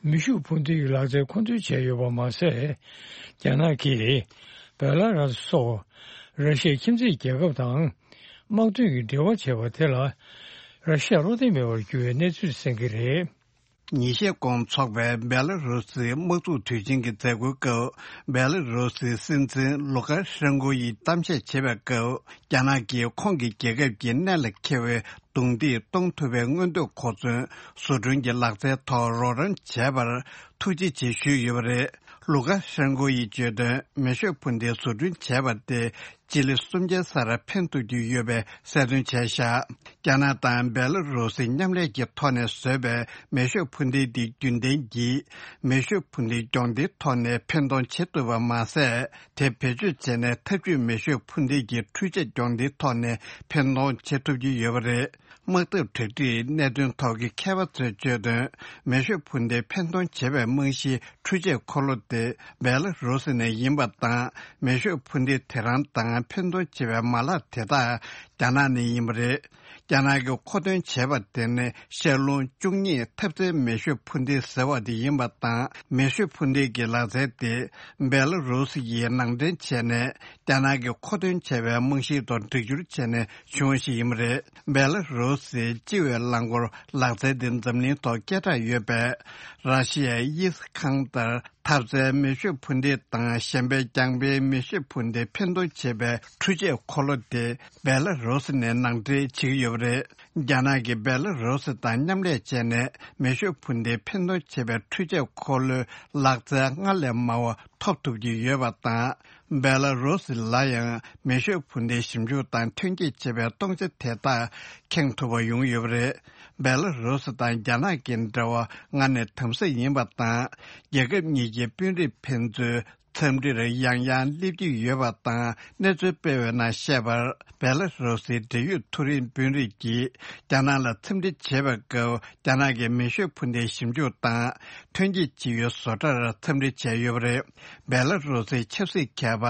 མེ་ཤུགས་འཕུར་མདེལ་གྱི་ལག་རྩལ་མཁོ་འདོན་བྱས་ཡོད་པ་མ་ཟད། རྒྱ་ནག་གིས་བེ་ལ་རུ་སི་སོགས་ར་ཤི་ཡའི་ཁྱིམ་མཚེས་རྒྱལ་ཁབ་དང་དམག་དོན་གྱི་འབྲེལ་བ་བྱས་པ་དེ་ལ་ར་ཤི་ཡ་བློ་བདེ་མེད་པར་གྱུར་བའི་གནས་ཚུལ་གསན་གྱི་རེད། ཉིན་ཤས་གོང་འཚོགས་པའི་བེ་ལ་རུ་སིའི་དམག་འཛུགས་དུས་ཆེན་གྱི་མཛད་སྒོའི་སྐབས། བེ་ལ་རུ་སིའི་སྲིད་འཛིན་ལུ་ཀ་ཤན་ཀོ་ཡིས་གཏམ་བཤད་བྱེད་པའི་སྐབས། རྒྱ་ནག་གིས་ཁོང་གི་རྒྱལ་ཁབ་ཀྱི་གནད་ལ་འཁེལ་བའི་རྡུང་རྡེག་གཏོང་ཐུབ་པའི་མངོན་འདོད་གོ་མཚོན་བཟོ་སྐྲུན་གྱི་ལག་རྩལ་ཐོག་རོགས་རམ་བྱས་པར་ཐུགས་རྗེ་ཆེ་ཞུས་ཡོད་པ་རེད། ལུ་ཀ་ཤན་ཀོ་ཡིས་བརྗོད་དོན། མེ་ཤོད་འཕུར་མདེལ་བཟོ་སྐྲུན་བྱས་པ་དེ་སྤྱི་ལེ་སུམ་བརྒྱའི་སར་ཕན་ཐོགས་ཀྱི་ཡོད་པའི་གསལ་སྟོན་བྱས་བཞག་རྒྱ་ནག་དང་སྦེ་ལ་རུ་སིས་མཉམ་ལས་ཀྱི་ཐོག་ནས་བཟོས་པའི་མེ་ཤོད་འཕུར་མདེལ་འདི་རྒྱུན་ལྡན་གྱི་མེ་ཤོད་འཕུར་མདེལ་སྦྱོང་བརྡར་ཐོག་ནས་འཕེན་གཏོང་བྱེད་ཐུབ་པ་མ་ཟད། དེ་བེད་སྤྱོད་བྱས་ནས་འཐབ་ཇུས་མེ་ཤོད་འཕུར་མདེལ་གྱི་འཕྲུལ་ཆས་སྦྱོང་བརྡར་ཐོག་ནས་འཕེན་གཏོང་བྱེད་ཐུབ་ཀྱི་ཡོད་པ་རེད། དམག་འཐབ་གྲ་སྒྲིག་གནད་དོན་ཐོག་གི་མཁས་པ་ཚོས་བརྗོད་དོན། མེ་ཤོད་འཕུར་མདེལ་འཕེན་གཏོང་བྱེད་པའི་རྨང་གཞིའི་འཕྲུལ་ཆས་འཁོར་ལོ་དེ་སྦེ་ལ་རུ་སི་ནས་ཡིན་པ་དང་། མེ་ཤོད་འཕུར་མདེལ་དེ་རང་དང་འཕེན་གཏོང་བྱེད་པའི་མ་ལག་དེ་དག་རྒྱ་ནག་ནས་ཡིན་པ་རེད། རྒྱ་ནག་གིས་མཁོ་འདོན་བྱས་པ་དེ་ནི་ཤར་རླུང་བཅུ་གཉིས་འཐབ་རྩལ་མེ་ཤོད་འཕུར་མདེལ་ཟེར་བ་དེ་ཡིན་པ་དང་། མེ་ཤོད་འཕུར་མདེལ་གྱི་ལག་རྩལ་དེ་སྦེ་ལ་རུ་སི་ཡིས་ནང་འདྲེན་བྱས་ནས། རྒྱ་ནག་གིས་མཁོ་འདོན་བྱས་པའི་རྨང་གཞིའི་ཐོག་སྒྲིག་སྦྱོར་བྱས་ནས་བྱུང་བ་ཞིག་ཡིན་པ་རེད། སྦེ་ལ་རུ་སིའི་སྤྱི་བའི་རླངས་འཁོར་ལག་རྩལ་དེ་འཛམ་གླིང་ཐོག་སྐད་གྲགས་ཡོད་པའི་ར་ཤི་ཡའི་ཨིས་ཁང་ཏར་འཐབ་རྩལ་མེ་ཤོད་འཕུར་མདེལ་དང་། གཞན་པའི་རྒྱང་འཕེན་མེ་ཤོད་འཕུར་མདེལ་འཕེན་གཏོང་བྱེད་པའི་འཕྲུལ་ཆས་འཁོར་ལོ་དེ་སྦེ་ལ་རུ་སི་ནས་ནང་འདྲེན་བྱེད་ཀྱི་ཡོད་པ་རེད། རྒྱ་ནག་གིས་སྦེ་ལ་རུ་སི་དང་མཉམ་ལས་བྱས་ནས་མེ་ཤོད་འཕུར་མདེལ་འཕེན་གཏོང་བྱེད་པའི་འཕྲུལ་ཆས་འཁོར་ལོའི་ལག་རྩལ་སྔར་ལས་མང་བ་ཐོབ་ཐུབ་ཀྱི་ཡོད་པ་དང་། སྦེ་ལ་རུ་སི་ལ་ཡང་མེ་ཤོད་འཕུར་མདེལ་ཞིབ་འཇུག་དང་ཐོན་སྐྱེད་བྱེད་པའི་གཏོང་ཆ་དེ་དག་ཁེངས་ཐུབ་པ་ཡོང་ཡོད་པ་རེད། སྦེ་ལ་རུ་སི་དང་རྒྱ་ནག་གི་འབྲེལ་བ་སྔར་ནས་དམ་ཟབ་ཡིན་པ་དང་། རྒྱལ་ཁབ་གཉིས་ཀྱི་དཔོན་རིགས་ཕན་ཚུན་འཚམས་འདྲིར་ཡང་ཡང་སླེབས་ཀྱི་ཡོད་པ་དང་། གནས་ཚུལ་སྤེལ་བའི་ནང་བཤད་པར། སྦེ་ལ་རུ་སིའི་འབྲེལ་ཡོད་མཐོ་རིམ་དཔོན་རིགས་ཀྱིས་རྒྱ་ནག་ལ་འཚམས་འདྲི་བྱེད་པའི་སྐབས། རྒྱ་ནག་གི་མེ་ཤོད་འཕུར་མདེལ་ཞིབ་འཇུག་དང་ཐོན་སྐྱེད་བྱེད་ཡུལ་བཟོ་གྲྭར་འཚམས་འདྲི་བྱས་ཡོད་པ་རེད། སྦེ་ལ་རུ་སིའི་ཆབ་སྲིད་མཁས་པ་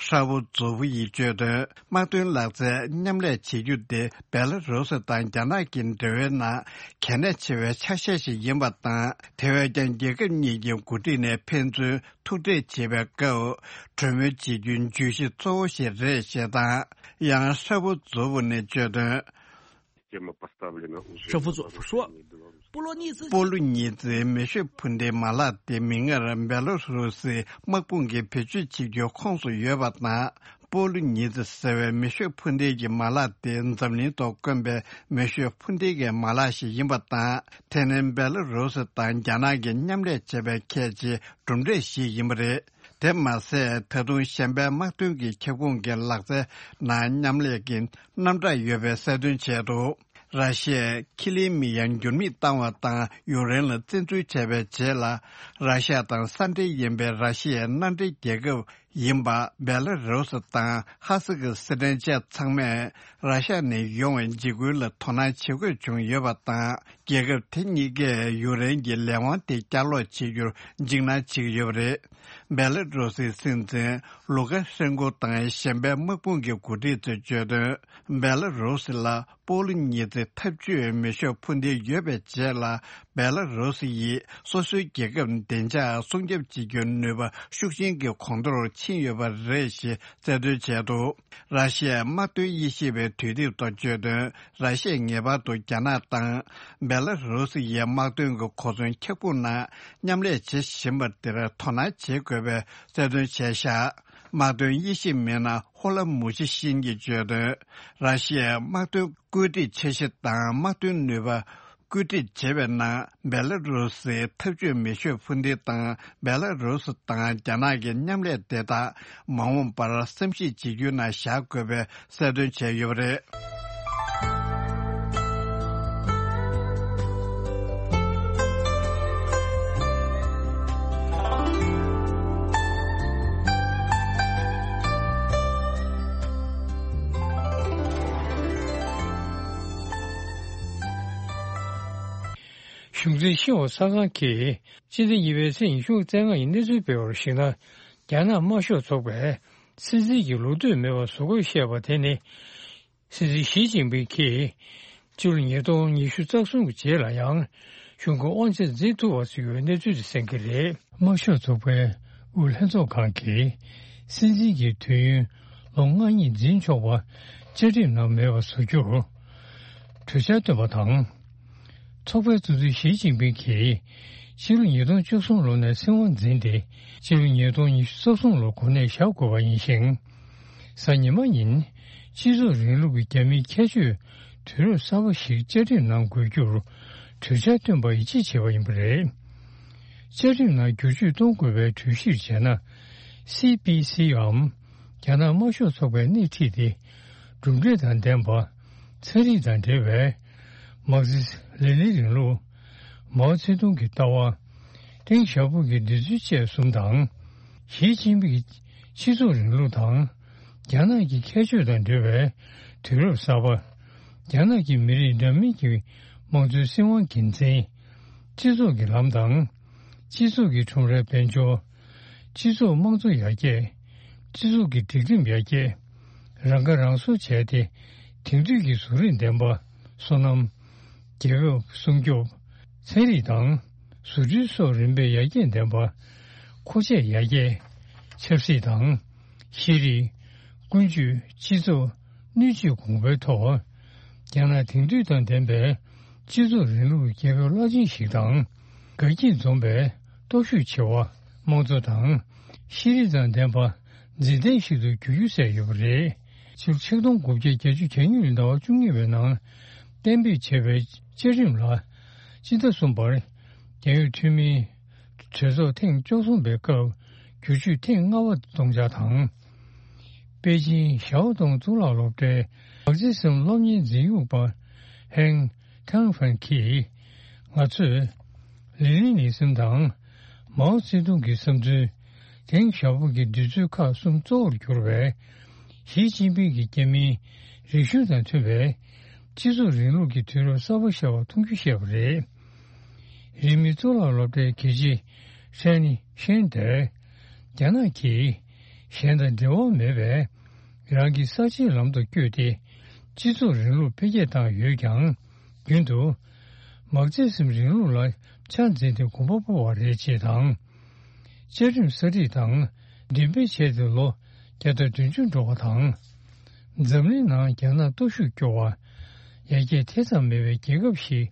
ཧྲ་བུ་ཛུ་བུ་ཡིས་བརྗོད་དོན། དམག་དོན་ལག་རྩལ་མཉམ་ལས་བྱེད་རྒྱུ་དེ་སྦེ་ལ་རུ་སི་དང་རྒྱ་ནག་གི་འབྲེལ་བའི་ནང་གལ་གནད་ཆེ་བའི་ཆ་ཤས་ཤིག་ཡིན་པ་དང་། དེ་བས་ཀྱང་རྒྱལ་ཁབ་གཉིས་ཀྱི་འགོ་ཁྲིད་ནས་ཕན་ཚུན་ཐུག་འཕྲད་བྱེད་པའི་སྐབས། གྲོས་མོལ་བྱེད་རྒྱུའི་བརྗོད་གཞི་གཙོ་བོ་ཞིག་རེད་ཞེས་དང་། ཡང་ཧྲ་བུ་ཛུ་བུ་ནས་བརྗོད་དོན། Тема поставлена уже. Шафуцу Франсуа. Полонийцы. སྤོ་ལོ་ཉི་ཚེའི་མེ་ཤོད་འཕུར་མདེལ་མ་ལག་དེ་མིག་སྔར་སྦེ་ལ་རུ་སིའི་དམག་དཔུང་གིས་བེད་སྤྱོད་བྱེད་རྒྱུའི་ཁོངས་སུ་ཡོད་པ་དང་། སྤོ་ལོ་ཉི་ཚེ་ཟེར་བའི་མེ་ཤོད་འཕུར་མདེལ་གྱི་མ་ལག་དེ་འཛམ་གླིང་ཐོག་དཀོན་པའི་མེ་ཤོད་འཕུར་མདེལ་གྱི་མ་ལག་ཞིག་ཡིན་པ་དང་། དེ་ནི་སྦེ་ལ་རུ་སི་དང་རྒྱ་ནག་གིས་མཉམ་ལས་བྱས་པའི་གལ་ཆེའི་གྲུབ་འབྲས་ཤིག་ཡིན་པ་རེད། དེ་མ་ཟད། ད་དུང་གཞན་པའི་དམག་དོན་གྱི་ཁྱབ་ཁོངས་ཀྱི་ལག་རྩལ་ནང་མཉམ་ལས་ཀྱི་རྣམ་གྲངས་ཡོད་པའི་གསལ་སྟོན་བྱས་འདུག་ར་ཤི་ཡས་ཁི་ལིན་མི་ཡ་འགྱུར་མེད་བཏང་བ་དང་། ཡུཀ་རེན་ལ་བཙན་འཛུལ་བྱས་པའི་རྗེས་ལ། ར་ཤི་ཡ་དང་ས་འབྲེལ་ཡིན་པའི་ར་ཤི་ཡའི་མནའ་འབྲེལ་རྒྱལ་ཁབ་ཡིན་པ་སྦེ་ལ་རུ་སི་དང་ཧ་སི་ཀི་སི་ཐན་བཅས་ཚང་མས་ར་ཤི་ཡ་ནས་ཡོང་བའི་འཇིགས་སྐུལ་ལ་དོ་སྣང་བྱེད་དགོས་བྱུང་ཡོད་པ་དང་། རྒྱལ་ཁབ་དེ་གཉིས་ཀས་ཡུཀ་རེན་གྱི་ལས་དབང་དེ་བསྐྱར་ལོག་བྱེད་རྒྱུར་འཇིགས་སྣང་བྱེད་ཀྱི་ཡོད་པ་རེད། སྦེ་ལ་རུ་སིའི་སྲིད་འཛིན་ལུ་ཀ་ཤན་ཀོ་དང་གཞན་པའི་དམག་དཔུང་གི་འགོ་ཁྲིད་ཚོས་བརྗོད་དོན། སྦེ་ལ་རུ་སི་ལ་སྤོ་ལོ་ཉི་ཚེ་འཐབ་ཇུས་མེ་ཤོད་འཕུར་མདེལ་ཡོད་པའི་རྗེས་ལ། སྦེ་ལ་རུ་སི་ཡིས་སོ་སོའི་རྒྱལ་ཁབ་བདེ་འཇགས་སྲུང་སྐྱོབ་བྱེད་རྒྱུའི་ནུས་པ་ཤུགས་ཆེན་གྱི་གོང་མཐོར་ཕྱིན་ཡོད་པ་རེད་ཞེས་གསལ་སྟོན་བྱས་འདུག་ར་ཤི་ཡའི་དམག་དོན་དབྱེ་ཞིབ་པའི་དུས་དེབ་ཐོག་བརྗོད་དོན། ར་ཤི་ཡས་ངེས་པར་དུ་རྒྱ་ནག་དང་སྦེ་ལ་རུ་སི་ཡའི་དམག་དོན་གྱི་གོ་མཚོན་ཁྱབ་ཁོངས་ནང་མཉམ་ལས་བྱེད་བཞིན་པ་དེར་དོ་སྣང་བྱེད་དགོས་པའི་གསལ་སྟོན་བྱས་བཞག་དམག་དོན་དབྱེ་ཞིབ་མི་སྣ་ཧོ་ལ་མུ་ཆི་ཤིན་གྱིས་བརྗོད་དོན། ར་ཤི་ཡའི་དམག་དོན་བཀོད་སྒྲིག་འཆར་གཞི་དང་དམག་དོན་ནུས་པ་བཀོད་སྒྲིག་བྱེད་པའི་ནང་སྦེ་ལ་རུ་སིའི་འཐབ་ཇུས་མེ་ཤོད་འཕུར་མདེལ་དང་སྦེ་ལ་རུ་སི་དང་རྒྱ་ནག་གི་མཉམ་ལས་དེ་དག་མ་འོངས་པར་བསམ་གཞིག་བྱེད་རྒྱུའི་ནང་བཞག་དགོས་པའི་གསལ་སྟོན་བྱས་ཡོད་པ་རེད། གཞུང་འཛིན་ཤེས་དབང་གསར་ཁང་གིས་སྤྱི་ཟླ་གཉིས་པའི་ཚེས་ཉི་ཤུ་རྩ་ལྔ་ཡི་གནས་ཚུལ་སྤེལ་བར་གཞིགས་ན། རྒྱ་ནག་དམར་ཤོག་ཚོགས་པས་སྲིད་འཛིན་གྱི་ལོ་ཐོས་མེད་པར་བཟོ་དགོས་བཤད་པ་དེ་ནི། སྲིད་འཛིན་ཞི་ཅིན་ཕིང་གིས་ཕྱི་ལོ་ཉིས་སྟོང་ཉི་ཤུ་རྩ་གསུམ་གྱི་རྗེས་ལ་ཡང་གཞུང་གི་དབང་ཆ་འཛིན་ཐུབ་པ་བཟོ་རྒྱུའི་གནས་ཚུལ་དེ་གསན་གྱི་རེད། དམར་ཤོག་ཚོགས་པའི་དབུས་ལྷན་ཚོགས་ཁང་གིས་སྲིད་འཛིན་གྱི་དུས་ཡུན་ལོ་ལྔ་གཉིས་འཛིན་ཆོག་པ་བཅའ་ཁྲིམས་ནང་མེད་པ་བཟོ་རྒྱུར་གྲོས་འཆར་བཏོན་པ་དང་། ཚོགས་པའི་གཙོ་འཛིན་ཞི་ཅིན་ཕིང་གིས་ཕྱི་ལོ་ཉིས་སྟོང་བཅུ་གསུམ་ལོ་ནས་སྲིད་དབང་འཛིན་ཏེ། ཕྱི་ལོ་ཉིས་སྟོང་ཉི་ཤུ་རྩ་གསུམ་ལོ་གོ་གནས་བཞག་དགོས་པ་ཡིན་ཞིང་། གཟའ་ཉི་མ་ཉིན་སྤྱི་ཚོགས་རིང་ལུགས་ཀྱི་རྒྱ་མིའི་ཁྱད་ཆོས་དུས་རབས་གསར་པ་ཞིག་བཅའ་ཁྲིམས་ནང་འགོད་རྒྱུར་གྲོས་འཆར་བཏོན་པ་ཡིད་ཆེས་བྱས་པ་ཡིན་པ་རེད། བཅའ་ཁྲིམས་ནང་བསྒྱུར་བཅོས་གཏོང་དགོས་པའི་གྲོས་གཞིར་བྱས་ན། སི་པི་སི་འམ་རྒྱ་ནག་དམར་ཤོག་ཚོགས་པས་སྣེ་ཁྲིད་དེ་གྲུབ་འབྲས་དང་ལྡན་པ། ཚན་རིག་དང་འབྲེལ་བའི་མར་ཁེ་སི་ལེ་ནིན་རིང་ལུགས། མའོ་ཙེ་ཏུང་གི་ལྟ་བ། ཏེང་ཞའོ་ཕིང་གི་འདོད་ཚུལ་བཅས་གསུམ་དང་། ཞི་ཅིན་ཕིང་གི་སྤྱི་ཚོགས་རིང་ལུགས་དང་། རྒྱ་ནག་གི་ཁྱད་ཆོས་དང་འབྲེལ་བའི་དུས་རབས་གསར་པ། རྒྱ་ནག་གི་མི་རིགས་འདྲ་མིན་གྱི་དམངས་གཙོའི་སྲིད་དབང་འགན་འཛིན། སྤྱི་ཚོགས་ཀྱི་ལམ་དང་། སྤྱི་ཚོགས་ཀྱི་ཁྲོམ་རའི་དཔལ་འབྱོར། སྤྱི་ཚོགས་དམངས་གཙོ་ཡར་རྒྱས། སྤྱི་ཚོགས་ཀྱི་སྒྲིག་ཁྲིམས་ཡར་རྒྱས། རང་ཁ་རང་གསོ་བྱས་ཏེ། དེང་དུས་ཀྱི་བཟོ་རིག་ལྡན་པ། སོ་ནམ། རྒྱལ་ཁབ་སྲུང་སྐྱོབ། ཚན་རིག་དང་། བཟོ་སྐྲུན་སོགས་རིམ་པས་ཡར་རྒྱས་ལྡན་པ། མཁོ་ཆས་ཡར་རྒྱས། ཆབ་སྲིད་དང་། ཤེས་རིག། ཀུན་སྤྱོད། སྤྱི་ཚོགས། སྣོད་བཅུད་གོང་འཕེལ་ཐོག་རྒྱ་ནག་དེང་དུས་དང་ལྡན་པའི་སྤྱི་ཚོགས་རིང་ལུགས་ཀྱི་རྒྱལ་ཁབ་རླབས་ཆེན་ཞིག་དང་། དགའ་སྐྱིད་འཛོམས་པའི་སྟོབས་ཤུགས་ཆེ་བ། དམངས་གཙོ་དང་། ཤེས་རིག་དང་ལྡན་པ། འཛིན་ལྡན་ཞིག་ཏུ་འགྱུར་རྒྱུ་གསལ་ཡོད་པ་རེད། ཕྱི་ལོ་ཆིག་སྟོང་དགུ་བརྒྱ་བརྒྱད་ཅུ་གྱ་གཉིས་ལོའི་ཟླ་བ་བཅུ་གཉིས་པའི་ནང་གཏན་འབེབས་བྱས་པའི་བཅའ་ཁྲིམས་ལ། སྤྱི་ཟླ་གསུམ་པར་རྒྱལ་ཡོངས་འཐུས་མིའི་གྲོས་ཚོགས་ཐེངས་བཅུ་གསུམ་པའི་སྐབས་བསྒྱུར་བཅོས་ཐེངས་ལྔ་པ་གཏོང་འཆར་དང་། པེ་ཅིང་ཞའོ་ཏུང་གཙུག་ལག་སློབ་གྲྭའི་མར་ཁེ་སི་ཟམ་སློབ་གཉེར་འཛིན་ཡིག་པ་ཧེང་ཐང་ཧྥན་གྱིས། ང་ཚོས་ལེ་ནིན་ནི་སིམ་དང་མའོ་ཙེ་ཏུང་གི་བསམ་ཚུལ། ཏེང་ཞའོ་ཕིང་གི་འདོད་ཚུལ་ཁག་གསུམ་གཙོ་བོར་གྱུར་བའི་ཞི་ཅིན་ཕིང་གི་རྒྱ་མིའི་རིག་གཞུང་དང་མཐུན་པའི་སྤྱི་ཚོགས་རིང་ལུགས་ཀྱི་དུས་རབས་གསར་པ་ཤར་བ་མཐོང་རྒྱུ་བཤད་པ་རེད། རིང་མིན་གཙུག་ལག་སློབ་གྲྭའི་དགེ་ཆེ་ཧྲན་ཤན་དེས། རྒྱ་ནག་གིས་གཞན་དང་འབྲེལ་བ་མེད་པའི་རང་གི་གསར་བརྗེའི་ལམ་དུ་བསྐྱོད་དེ། སྤྱི་ཚོགས་རིང་ལུགས་འཕེལ་རྒྱས་བཏང་ཡོད་ཀྱང་། རྒྱུན་དུ་མར་ཁེ་སི་ཟམ་རིང་ལུགས་ལ་ཆ་འཛིན་ཏེ་གོམ་པ་སྤོ་བ་རེད་ཅེས་དང་། བཅའ་ཁྲིམས་གསར་སྒྲིག་དང་འགྲེམས་སྤེལ་བྱས་ཏེ་ལོ་བརྒྱ་དང་བདུན་ཅུ་འགྲོ་བ་དང་། འཛམ་གླིང་ནང་རྒྱ་ནག་སྟོབས་ཤུགས་སྐྱོ་བ། ཡར་རྒྱས་དེ་ཙམ་མེད་པའི་རྒྱལ་ཁབ་ཞིག་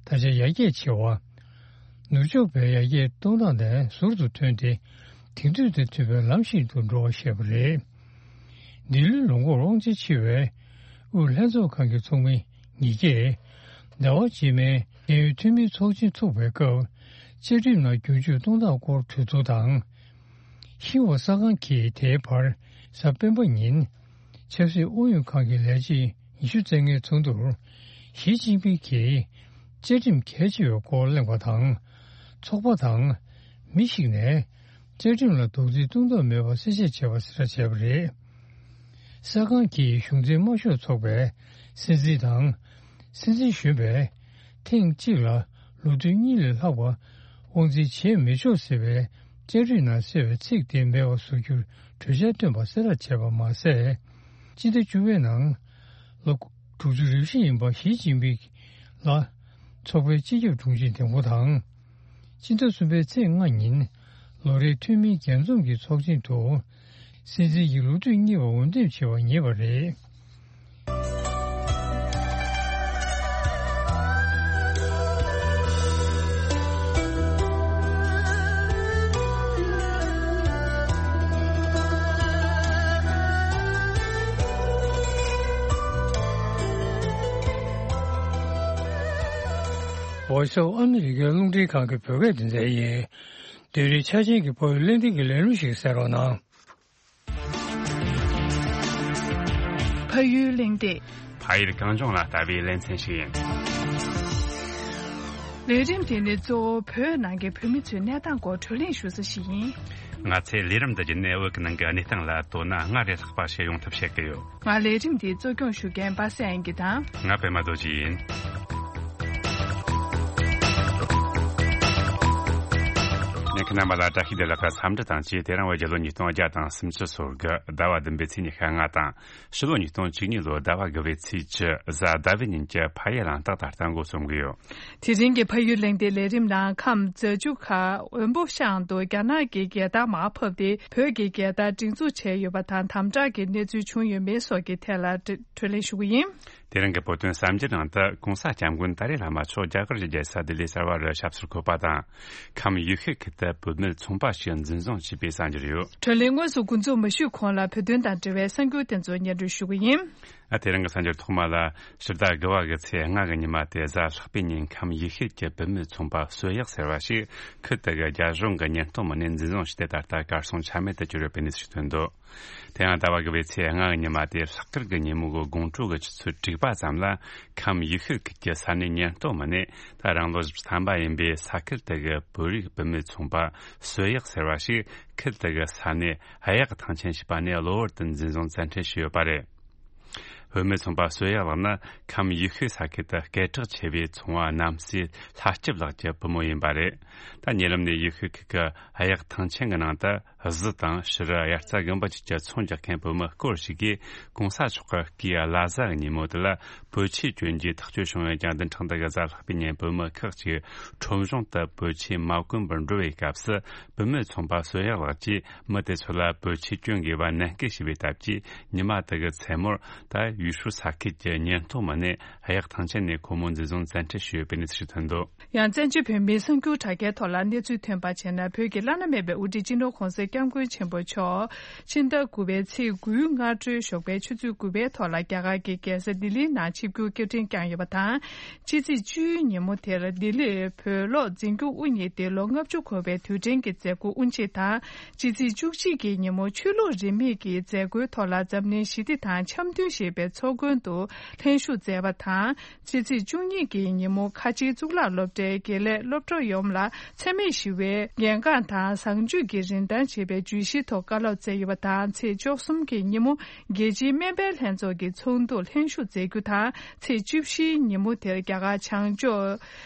ད་ཆ་ཡར་རྒྱས་ཆེ་བ། ནུབ་ཕྱོགས་པའི་ཡར་རྒྱས་གཏོང་སྟངས་དེ་ཟུར་དུ་ཐོན་ཏེ། དེང་དུས་དང་མཐུན་པའི་ལམ་ཞིག་ཏུ་འགྲོ་བ་ཞེས་པ་རེད། འདི་ལོའི་ལོ་འགོར་དབང་ཆ་ཆེ་བའི་དབུས་ལྷན་ཚོགས་ཁང་གི་ཚོགས་མི་ཉིས་ཀས་ཟླ་བ་རྗེས་མའི་རྒྱལ་ཡོངས་འཐུས་མིའི་ཚོགས་ཆེན་ཚུགས་པའི་སྐབས། བཅའ་ཁྲིམས་ནང་བསྒྱུར་བཅོས་གཏོང་སྟངས་སྐོར་གྲོས་བསྡུར་དང་། ཤིན་ཧྭ་གསར་ཁང་གིས་དེའི་བར་གཟའ་སྤེན་པ་ཉིན་ཆབ་སྲིད་ཨུ་ཡོན་ཁང་གི་ལས་བྱེད་ཉི་ཤུ་རྩ་ལྔའི་ཚོགས་འདུར་ཞི་ཅིན་ཕིང་གིས་བཅའ་ཁྲིམས་གལ་ཆེ་བའི་སྐོར་གླེང་བ་དང་། ཚོགས་པ་དང་མི་ཞིག་ནས་བཅའ་ཁྲིམས་ལ་རྡོག་རྫིས་གཏོང་ཐབས་མེད་པ་གསལ་བཤད་བྱས་པ་གསལ་བྱས་པ་རེད། གསར་ཁང་གིས་གཞུང་འཛིན་དམར་ཤོག་ཚོགས་པའི་སྲིད་འཛིན་དང་། སྲིད་འཛིན་གཞོན་པས་ཐེངས་གཅིག་ལ་ལོ་དུས་གཉིས་ལས་ལྷག་པ་དབང་འཛིན་བྱེད་མི་ཆོག་ཟེར་བའི་བཅའ་ཁྲིམས་ནང་གསལ་བའི་ཚིག་དེ་མེད་པ་བཟོ་རྒྱུར་གྲོས་འཆར་བཏོན་པ་གསལ་བསྒྲགས་བྱས་པ་མ་ཟད། སྤྱི་ཟླ་བཅུ་པའི་ནང་ལོ་དྲུག་ཅུ་རེ་བཞི་ཡིན་པ་ཞི་ཅིན་ཕིང་ལ་ཚོགས་པའི་སྤྱི་ཁྱབ་དྲུང་ཆེ་འདེམས་བསྐོ་དང་། སྤྱི་ཟླ་གསུམ་པའི་ཚེས་ལྔ་ཉིན་ལོ་རེའི་འཐུས་མིའི་རྒྱས་འཛོམས་ཀྱི་ཚོགས་ཆེན་དུ། སྲིད་འཛིན་གྱི་ལོ་དུས་གཉིས་པ་འོས་འདེམས་བྱས་པ་ངེས་པ་རེད། Voice of America་རླུང་འཕྲིན་ཁང་གི་བོད་སྐད་སྡེ་ཚན་ཡིན། དེ་རིང་ཆ་ཅན་གྱི་བོད་ཡིག་གླེང་སྟེགས་ཀྱི་ལས་རིམ་ཞིག་གསན་རོགས་གནང་། ཕ་ཡུལ་གླེང་སྟེགས། ཕ་ཡུལ་གངས་ལྗོངས་ལ་ལྟ་བའི་ལེ་ཚན་ཞིག་ཡིན། ལས་རིམ་དེ་ནི་གཙོ་བོ་བོད་ནང་གི་བོད་མི་ཚོའི་གནས་སྟངས་སྐོར་བགྲོ་གླེང་ཞུ་ས་ཞིག་ཡིན། ང་ཚོས་ལས་རིམ་འདི་བརྒྱུད་ནས་བོད་ཀྱི་ནང་གི་གནས་སྟངས་ལ་དོ་སྣང་སྔར་ལས་ལྷག་པ་བྱེད་ཡོང་ཐབས་བྱེད་ཀྱི་ཡོད། ང་ལས་རིམ་དེའི་གཙོ་སྐྱོང་ཞུ་མཁན་པ་སངས་དབྱངས་སྐྱིད་དང་། ང་པད་མ་རྡོ་རྗེ་ཡིན། ཉན་མཁན་རྣམ་པ་ལ་བཀྲ་ཤིས་བདེ་ལེགས། འཚམས་འདྲི་དང་བཅས། དེ་རིང་བོད་རྒྱལ་ལོ་ཉིས་སྟོང་བརྒྱ་དང་སུམ་ཅུ་སོ་དགུ་ཟླ་བ་བདུན་པའི་ཚེས་ཉི་ཤུ་ལྔ་དང་། ཕྱི་ལོ་ཉིས་སྟོང་བཅུ་གཉིས་ལོ་ཟླ་བ་དགུ་པའི་ཚེས་བཅུ་གཟའ་ཟླ་བའི་ཉིན་གྱི་ཕ་ཡུལ་གླེང་སྟེགས་ད་ལྟ་འགོ་རྩོམ་གྱི་ཡོད། དེ་རིང་གི་ཕ་ཡུལ་གླེང་སྟེགས་ལས་རིམ་ནང་ཁམས་རྫ་ཆུ་ཁ་འོན་པོ་ཤང་དུ་རྒྱ་ནག་གི་རྒྱལ་དར་མར་ཕབ་སྟེ་བོད་ཀྱི་རྒྱལ་དར་སྒྲེང་འཛུགས་བྱས་ཡོད་པ་དང་། དམ་དྲག་གི་གནས་ཚུལ་བྱུང་ཡོད་མེད་སོགས་ཀྱི་ཐད་ལ་བགྲོ་གླེང་ཞུ་གི་ཡིན། དེ་རིང་གི་བོད་དོན་གསར་འགྱུར་ནང་དུ་༸གོང་ས་༸སྐྱབས་མགོན་ཏཱ་ལའི་བླ་མ་མཆོག་རྒྱ་གར་གྱི་རྒྱལ་ས་ལྡི་ལི་གསར་པར་ཞབས་སོར་འཁོད་པ་དང་། ཁམས་ཡུལ་ཤུལ་ཁུལ་དུ་བུད་མེད་ཚོང་པ་ཞིག་འཛིན་བཟུང་བྱས་པའི་གསར་འགྱུར་ཡོད། བགྲོ་གླེང་དངོས་སུ་འགོ་འཛུགས་མི་ཞུས་གོང་ལ་བོད་དོན་དང་འབྲེལ་བའི་གསར་འགྱུར་དེ་ཚོ་སྙན་སྒྲོན་ཞུ་གི་ཡིན། ཨ། དེ་རིང་གི་གསར་འགྱུར་ཐོག་མ་ལ། ཕྱི་ཟླ་དགུ་བ་གི་ཚེས་ལྔ་གི་ཉི་མ་དེ་གཟའ་ལྷག་པའི་ཉིན་ཁམས་ཡེ་ཤུ་གྱི་བུད་མེད་ཚོང་པ་གསོད་ཡག་ཟེར་བ་ཞིག་ཁུལ་དེ་གི་རྒྱ་གཞུང་གི་ཉེན་རྟོག་མི་སྣས་འཛིན་བཟུང་བྱས་ཏེ། ད་ལྟ་གར་སོང་ཆ་མེད་དུ་གྱུར་ཡོད་པའི་གནས་ཚུལ་ཞིག་ཐོན་འདུག་དེ་ཡང་ཟླ་བ་དགུ་བའི་ཚེས་ལྔ་གི་ཉི་མ་དེ་ལྷག་དཀར་གྱི་ཉིན་མོ་གི་དགོང་དྲོ་གི་ཆུ་ཚོད་དྲུག་པ་ཙམ་ལ། ཁམས་ཡེ་ཤུ་ཁུལ་གྱི་ས་གནས་ཉེན་རྟོག་མི་སྣས་ད་རང་ལོ་བཞི་བཅུ་ཐམ་པ་ཡིན་པའི་ས་ཁུལ་དེ་གི་བོད་རིགས་བུད་མེད་ཚོང་པ་གསོད་ཡག་ཟེར་བ་ཞིག་ཁུལ་དེ་གི་ས་གནས་གཡག་ཐང་ཆེན་ཞེས་པ་ནས་གློ་བུར་དུ་འཛིན་བཟུང་བཙན་ཁྲིད་བྱས་ཡོད་པ་རེད། བུད་མེད་ཚོང་པ་གསོད་ཡག་ལགས་ནི་ཁམས་ཡེ་ཤུ་ས་ཁུལ་དུ་སྐད་གྲགས་ཆེ་བའི་ཚོང་བ་རྣམ་སྲས་ལྷ་སྐྱིབས་ལགས་ཀྱི་བུ་མོ་ཡིན་པ་རེད། ད་ཉེ་ལམ་ནས་ཡེ་ཤུ་ཁུལ་གྱི་གཡག་ཐང་ཆེན་གྱི་ནང་དུ་གཟི་དང་ཕྱུ་རུ། དབྱར་རྩྭ་དགུན་འབུ་བཅས་ཀྱི་ཚོང་རྒྱག་མཁན་བུ་མོ་སྐོར་ཞིག་གིས་གོང་ས་མཆོག་གི་སྐུའི་བླ་གཟའ་གི་ཉིན་མོ་དེ་ལ་བོད་ཆས་གྱོན་རྒྱུའི་ཐག་གཅོད་བྱུང་ཡོད་ཀྱང་། བདུན་ཕྲག་འདི་གི་གཟའ་ལྷག་པའི་ཉིན་བུ་མོ་ཁག་ཅིག་ཁྲོམ་གཞུང་དུ་བོད་ཆས་མ་གོན་པར་འགྲོ་བའི་སྐབས་སུ། བུད་མེད་ཚོང་པ་གསོད་ཡག་ལགས་ཀྱིས་མི་དེ་ཚོ་ལ་བོད་ཆས་གྱོན་དགོས་པ་ནན་སྐུལ་བྱས་པའི་སྟབས་ཀྱིས། ཉི་མ་དེ་གི་མཚན་མོར་ད་ཡུས་ཧྲུའུ་ས་ཁུལ་གྱི་ཉེན་རྟོག་མི་སྣས་གཡག་ཐང་ཆེན་ནས་ཁོ་མོ་འཛིན་བཟུང་བཙན་ཁྲིད་བྱས་ཡོད་པའི་གནས་ཚུལ་ཞིག་ཐོན་འདུག་ཡང་བཙན་བྱོལ་བོད་མིའི་གསར་འགྱུར་དྲ་རྒྱའི་ཐོག་ལ་གནས་ཚུལ་ཐོན་པ་བྱས་ན། བོད་ཀྱི་བླ་ན་མེད་པའི་དབུ་ཁྲིད་སྤྱི་ནོར་ྋགོང་ས་ྋསྐྱབས་མགོན་ཆེན་པོ་མཆོག་ཕྱི་ཟླ་དགུ་པའི་ཚེས་དགུའི་སྔ་དྲོའི་ཞོགས་པའི་ཆུ་ཚོད་དགུ་པའི་ཐོག་ལ་རྒྱ་གར་གྱི་རྒྱལ་ས་ལྡི་ལིའི་ནང་ཆིབས་བསྒྱུར་སྐྱེལ་འདྲེན་བསྐྱངས་ཡོད་པ་དང་། ཕྱི་ཚེས་བཅུའི་ཉིན་མོ་དེར་ལྡི་ལིར་བོད་གློག་འཛིན་སྐྱོང་དབུ་བརྙེས་ཏེ་ལོ་ལྔ་བཅུ་འཁོར་བའི་དུས་དྲན་གྱི་མཛད་སྒོ་དབུ་འབྱེད་དང་། ཕྱི་ཚེས་བཅུ་གཅིག་གི་ཉིན་མོ་ཆོས་ལུགས་རིས་མེད་ཀྱི་མཛད་སྒོའི་ཐོག་ལ་འཛམ་གླིང་ཞི་བདེ་དང་འཆམ་མཐུན་ཞེས་པའི་ཚོགས་མགོན་དུ་ལྷན་ཞུགས་མཛད་པ་དང་། ཕྱི་ཚེས་བཅུ་གཉིས་ཀྱི་ཉིན་མོ་ཁ་ཆེའི་གཙུག་ལག་སློབ་གྲྭའི་དགེ་ལས་སློབ་གྲོགས་ཡོངས་ལ་འཚེ་མེད་ཞི་བའི་གལ་འགངས་དང་བཟང་སྤྱོད་ཀྱི་རིན་ཐང་ཞེས་པའི་བརྗོད་གཞིའི་ཐོག་བཀའ་སློབ་སྩལ་ཡོད་པ་དང་། ཚེས་བཅུ་གསུམ་གྱི་ཉིན་མོ་རྒྱལ་སྤྱིའི་སྨན་པའི་ལྷན་ཚོགས་ཀྱི་ཚོགས་འདུར་ལྷན་ཞུགས་མཛད་རྒྱུ་དང་། ཚེས་བཅུ་བཞིའི་ཉིན་མོ་དེར་རྒྱ་གར་བྱང་ཕྱོགས་